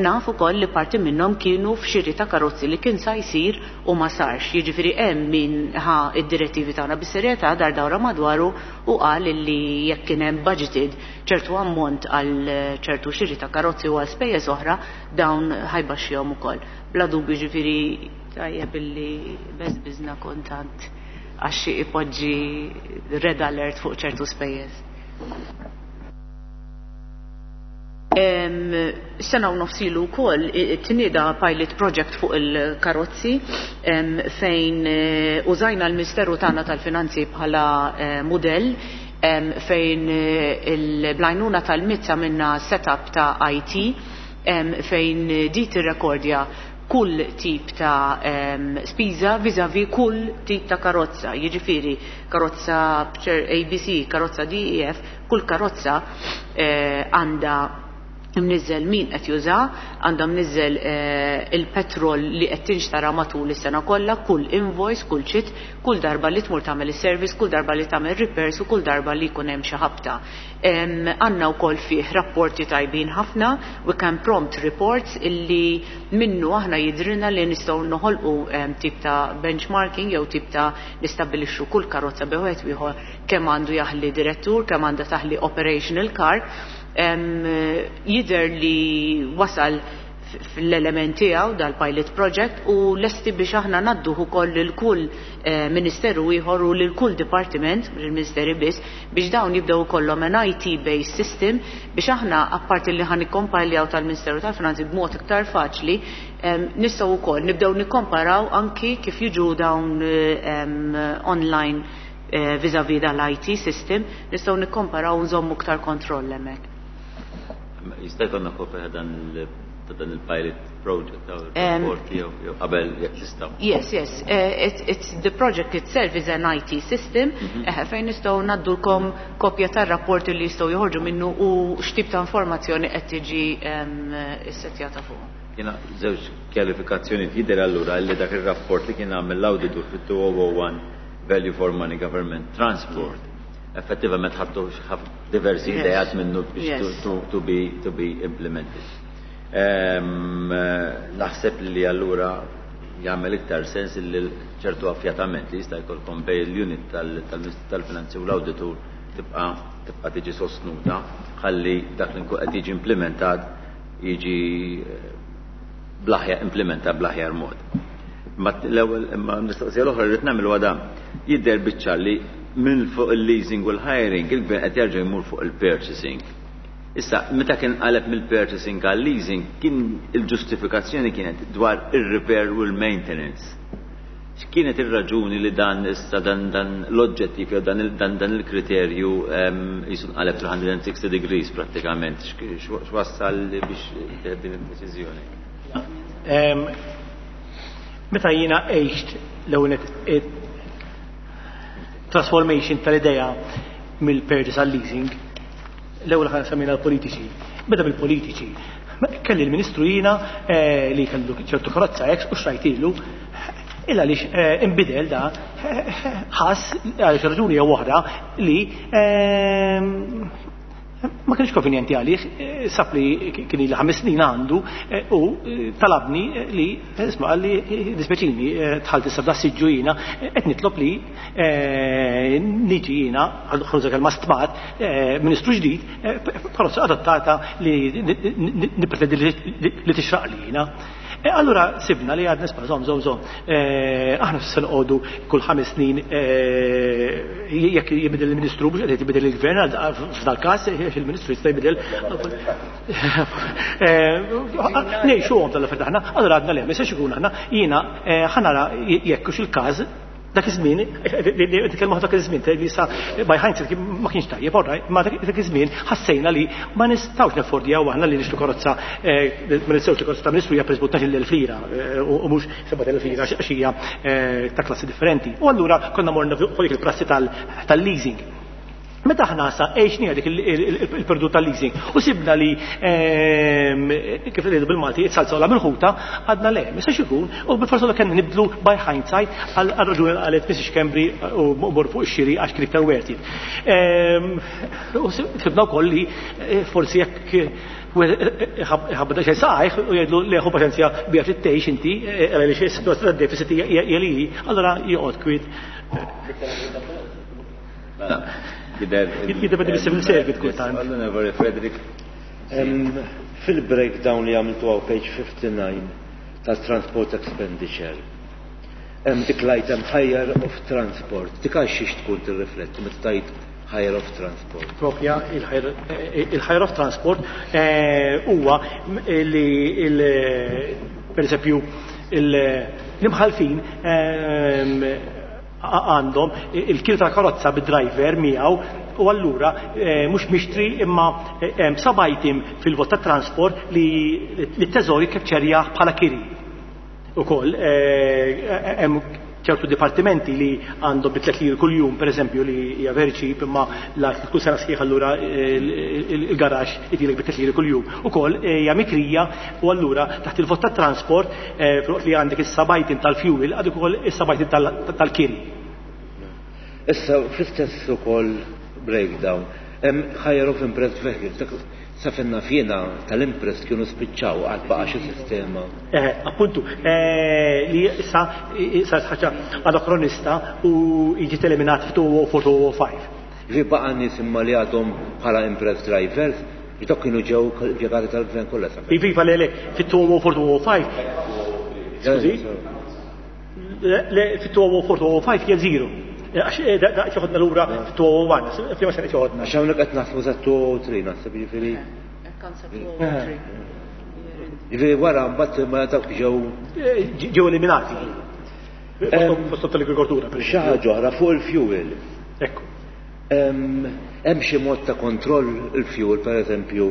Speaker 13: naf ukoll li parti minnhom kienu f'xiri ta' karozzi li kien sa jsir u ma sarx. Jiġifieri hemm min ħa id-direttivi tagħna bis-serjetà dar dawra madwaru u qal li jekk kien hemm budgeted ċertu ammont għal ċertu xiri ta' karozzi u għal spejjeż oħra dawn ħajbaxxihom ukoll. Bla dubju ġifieri tajjeb illi beżbiżna kontant għax ipoġġi red alert fuq ċertu spejjeż. Sena u nofs ilu wkoll tnieda pilot project fuq il-karozzi fejn użajna l-Ministeru tagħna tal-Finanzi bħala mudell fejn il-blajnuna tal-MIT għamilna setup ta' IT fejn di tirrekordja kull tip ta' spiża vis-à-vis kull tip ta' karozza, jiġifieri karozza ABC, karozza DEF, kull karozza għandha mniżżel min qed juża, għandha mniżżel il-petrol li qed tinxtara matul is-sena kollha, kull invoice, kull chit, kull darba li tmur tagħmel is-service, kull darba li tagħmel repairs u kull darba li jkun hemm xi ħabta. Għandna wkoll fih rapporti tajbin ħafna, we can prompt reports illi minnu aħna jidhrilna li nistgħu noħolqu tip ta' benchmarking jew tip ta' nistabbilixxu kull karozza bejn wieħed u ieħor kemm għandu jaħli direttur, kemm għandha taħli operational car. Jidher li wasal fl-element tiegħu dal-pilot project u lesti biex aħna ngħadduh ukoll lil kull ministeru ieħor u lil kull dipartiment, mhux il-ministeri biss, biex dawn jibdew ikollhom an IT based system biex aħna apparti li ħa nikkompiljaw tal-Ministeru tal-Finanzi b'mod iktar faċli, nistgħu wkoll nibdew nikkomparaw anki kif jiġu dawn online vis-à-vis dal-IT system, nistgħu nikkomparaw u nżommu iktar kontroll hemmhekk.
Speaker 1: Jista' jkollna kopja ta' dan ta' dan il-pilot project ta' rapport jew qabel jekk tistgħu.
Speaker 13: Yes. It's the project itself is an IT system fejn nistgħu ngħaddulkom kopja tar-rapporti li jistgħu joħorġu minnu u x'tip ta' informazzjoni qed tiġi ssettjata fuq.
Speaker 1: Jiena żewġ kjarifikazzjonijiet. Jidher allura li dak ir-rapport li kien għamel l-awditur fit-2001 Value for Money Government Transport effettivament ħadtu diversi ideat minnu biex to be to be implemented. Naħseb li allura jagħmel iktar sens li ċertu affjatament li jista' jkollkom bejn l-unit tal-Ministru tal-Finanzi u l-Awditur tibqa' tibqa' tiġi sostnuta ħalli dak li nkun qed jiġi implementat jiġi bl-aħjar implementat bl-aħjar mod. Imma l-ewwel imma l-mistoqsija l-oħra li rrid nagħmel huwa dan. Jidher biċ-ċar li minn fuq il-leasing u l-hiring il-gvern qed jerġa' jmur fuq il-purchasing. Issa, meta kien qaleb mill-purchasing għal-leasing kien il-ġustifikazzjoni kienet dwar ir-repair u l-maintenance. X'kienet ir-raġuni li dan issa dan dan l-oġġettiv jew dan dan dan il-kriterju qisu nqaleb 360 degrees prattikament? X'wassal biex tieħed din id-deċiżjoni?
Speaker 12: Meta jiena għixt l-ewwel transformation tal-idea mill-purchase għal-leasing, l-ewwel ħa semmejna l-politiċi. Beda bil-politiċi. Kelli l-Ministru jiena li kellu ċertu karozza ex u xrajtilu illa għaliex inbidel da ħass għal xi raġuni jew oħra li ma kienx konvenjenti għalih, sab li kien ili 5 snin għandu u talabni li, isma' qalli dispjaċini dħalt issa f'da siġġu jiena, qed nitlob li niġi jiena, ħa nuża kelma stmat, ministru ġdid, karozza adattata li nippretendi li tixraq li jiena. Allura sibna li għadna isma' żomm, żomm, żomm. Aħna se noqogħdu kull 5 snin jekk jibdel il-Ministru mhux qed jibdel il-Gvern f'dal każ il-Ministru jista' jibdel. Ngħixuhom tal-affarijiet aħna, allura għadna le, ma jistax ikun aħna jiena ħa nara jekk hux il-każ dak iż-żmien, nitkellmu dak iż-żmien, li sa by hindsight ma kienx tajjeb, all right, ma dak iż-żmien ħassejna li ma nistgħux neffordjaw aħna li nixtru karozza, ma nistgħux li karozza ta' ministru hija pereżempju 12,000 lira u mhux 7,000 lira għax hija ta' klassi differenti. U allura konna morna fuq dik il-prassi tal-leasing. Meta aħna sa għexniha dik il-perdu tal-leasing u sibna li kif ngħidu bil-Malti it-salza ola mill-ħuta, għadna le, ma jistax ikun, u bil-forsa li kellna nibdlu by hindsight għal raġuni li qalet Mrs. Schembri u mor fuq ix-xiri għax kien iktar worth it. U sibna wkoll li forsi jekk ħabba xejn saqajh u jgħidlu le ħu paċenzja biha trid tgħix inti, għaliex is-sitwazzjoni tad-deficit hija li hi, allura joqgħod kwiet. Jiddependi mis-civil service kultant.
Speaker 1: Onorevoli Frederick.
Speaker 11: Fil-breakdown li għamiltu għaw page 59 tal-transport expenditure, hemm dik l-item hire of transport. Dik għal xiex tkun tirrifletti meta tgħid hire of transport?
Speaker 12: Propja il-hire of transport huwa li per esempio l-imħalfin għandhom il-kiri tal-karozza bid-driver miegħu u allura mhux mixtri imma hemm sub item fil-vot ta' transport li t-teżor jikkepċerjah bħala kiri. Ukoll hemm ċertu dipartimenti li għandhom bi 3 liri kuljum, per eżempju, li hija very cheap, imma la kull sena sħiħ allura il-garax itilek bi 3 liri kuljum. Ukoll hija mikrija u allura taħt il-vot tat-transport filwaqt li għandek is-sabajtin tal-fuel għandek ukoll is-sabajtin tal-kiri.
Speaker 11: Issa fl-istess ukoll breakdown hemm hire of imprest vehicles, dak sa fejn naf jiena tal-imprest kienu spiċċaw għad baqa' xi sistema.
Speaker 12: Appuntu, li issa saret ħaġa anakronista u ġiet eliminat f'2004-2005.
Speaker 11: Ġifieri baqa' nies imma li għadhom bħala imprest drivers, biex dawk kienu ġew impjegati tal-gvern kollha sa fejn.
Speaker 12: Iva, iva, le, le, fit-2004-2005. Skużi? Le, fit-2004-2005 hija zero. Għax da joħodna lura fit-2001, f'liema sena qed joħodna.
Speaker 11: Għax hawnhekk qed naħsbu sa 2003 naħseb jiġifieri. Jiġifieri wara mbagħad ma dawk ġew
Speaker 12: ġew eliminati. Fosthom tal-agrikoltura, per
Speaker 11: Xi ħaġa oħra fuq il-fuel.
Speaker 12: Ekku.
Speaker 11: Hemm xi mod ta' kontroll il-fuel, per eżempju,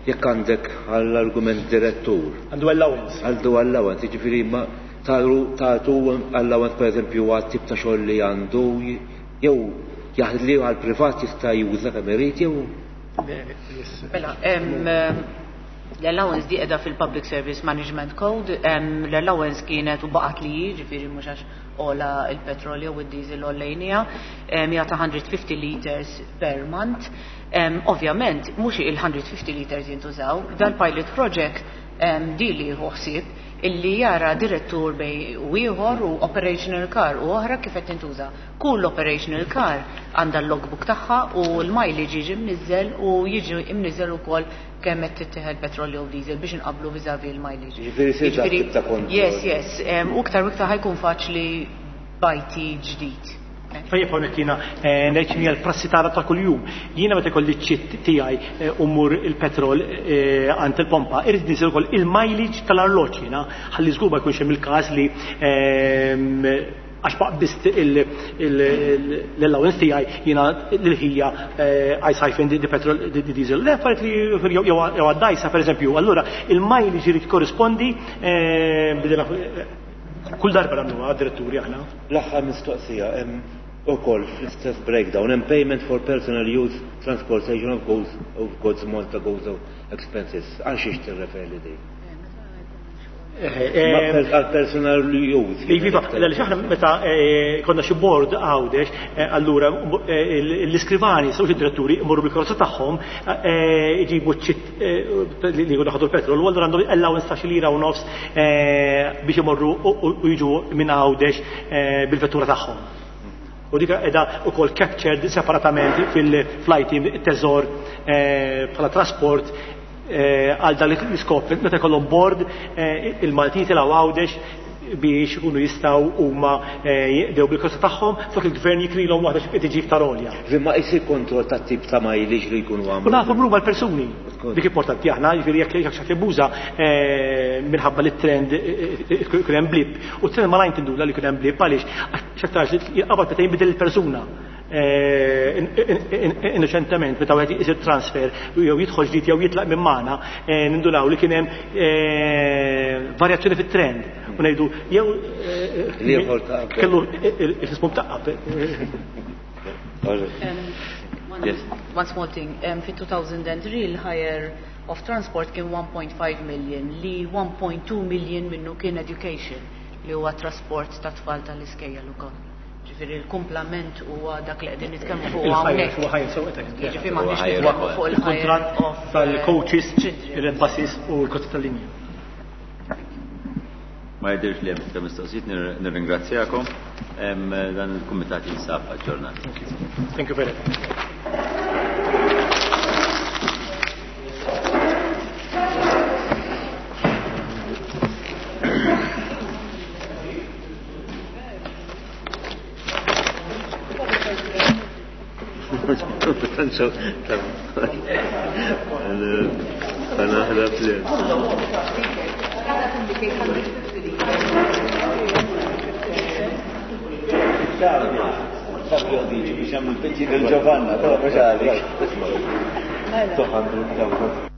Speaker 11: jekk għandek għall-argument direttur.
Speaker 12: Għandu allowance.
Speaker 11: Għandu allowance, jiġifieri ma tagħtu allowance per eżempju għat tip ta' xogħol li għandu jew jaħdli għal privat jista' juża kemm irid jew.
Speaker 13: Mela, l-allowance di qiegħda fil-Public Service Management Code, l-allowance kienet u baqgħet li hi, ġifieri mhux għax ola il-petrol jew id-diesel għollejnija, hija ta' 150 liters per month. Ovvjament, mhux il-150 liters jintużaw, dal-pilot project di li jieħu ħsieb illi jara direttur bej u ieħor u operational car u oħra kif qed tintuża. Kull operational car għandha l-logbook tagħha u l-mileage jiġi mniżżel u jiġi mniżżel ukoll kemm qed tittieħed petrol jew diesel biex inqablu vis-à-vis l-mileage.
Speaker 11: Jiġifieri jsir dak tip ta' kontroll.
Speaker 13: Yes, yes. U iktar u iktar ħajkun faċli b'IT ġdid.
Speaker 12: Tajjeb hawnhekk jiena ngħid x'inhi l-prassi tagħna ta' kuljum. Jiena meta jkolli ċ-ċitt tiegħi u mmur il-petrol għand il-pompa, irrid niżel ukoll il-mileage tal-arloġġ jiena, ħalli żgur ma jkunx hemm il-każ li għax ma qbist l-allowance tiegħi jiena lil ħija I siphon the petrol, the diesel. Le affarijiet li jew għad-dgħajsa pereżempju, allura il-mileage irid jikkorrispondi bidela kull darba nagħmluha diretturi aħna.
Speaker 11: L-aħħar mistoqsija hemm ukoll fl-istess breakdown hemm payment for personal use transportation of goods of goods Malta Gozo expenses. Għal xiex tirreferi din? Għal personal use.
Speaker 12: Iva, għaliex aħna meta konna xi board Għawdex, allura l-iskrivani, sewx id-diretturi, imorru bil-karozza tagħhom, iġibu ċ-ċitt li jkunu ħadu l-petrol, u allura għandhom allowance ta' xi lira u nofs biex imorru u jiġu minn Għawdex bil-vettura tagħhom. U dik qiegħda wkoll captured separatament fil-flight teżor bħala trasport għal dan l-iskop. Meta jkollhom board il-Maltin tilgħu Għawdex biex ikunu jistgħu huma jqdew bil-karozza tagħhom flok il-gvern jikrilhom waħda xi tiġi iktar għolja.
Speaker 11: Imma jsir kontroll tat-tip ta' mileage li jkunu għamlu.
Speaker 12: U nafu huma l-persuni. Dik importanti aħna, jiġifieri jekk xi ħadd jabbuża minħabba li t-trend ikun hemm blip. U t-trend malajn tinduna li jkun hemm blip għaliex għax aktarx li jinqabad meta jinbidel il-persuna. Innoċentement meta wieħed isir transfer jew jidħol ġdid jew jitlaq minn magħna, nindunaw li kien hemm varjazzjoni fit-trend u ngħidu jew kellu il-ismu mtaqqab.
Speaker 13: One small thing, fit-2003 il-hire of transport kien 1.5 million li 1.2 million minnu kien education li huwa trasport ta' tfal tal-iskejjel ukoll. Ġifieri l-kumplament huwa dak li qegħdin nitkellmu fuq hawnhekk. Ġifieri m'aħniex nitkellmu fuq il-hire of
Speaker 12: tal-coaches, il-red buses u l-kozzi tal-linja.
Speaker 1: Ma jidhirx li hemm iktar mistoqsijiet, nirringrazzjakom. Dan il-kumitat jinsab aġġornat.
Speaker 12: Thank you. Thank you very much.
Speaker 1: Giovanna, però mhux għalik.
Speaker 11: 200,000.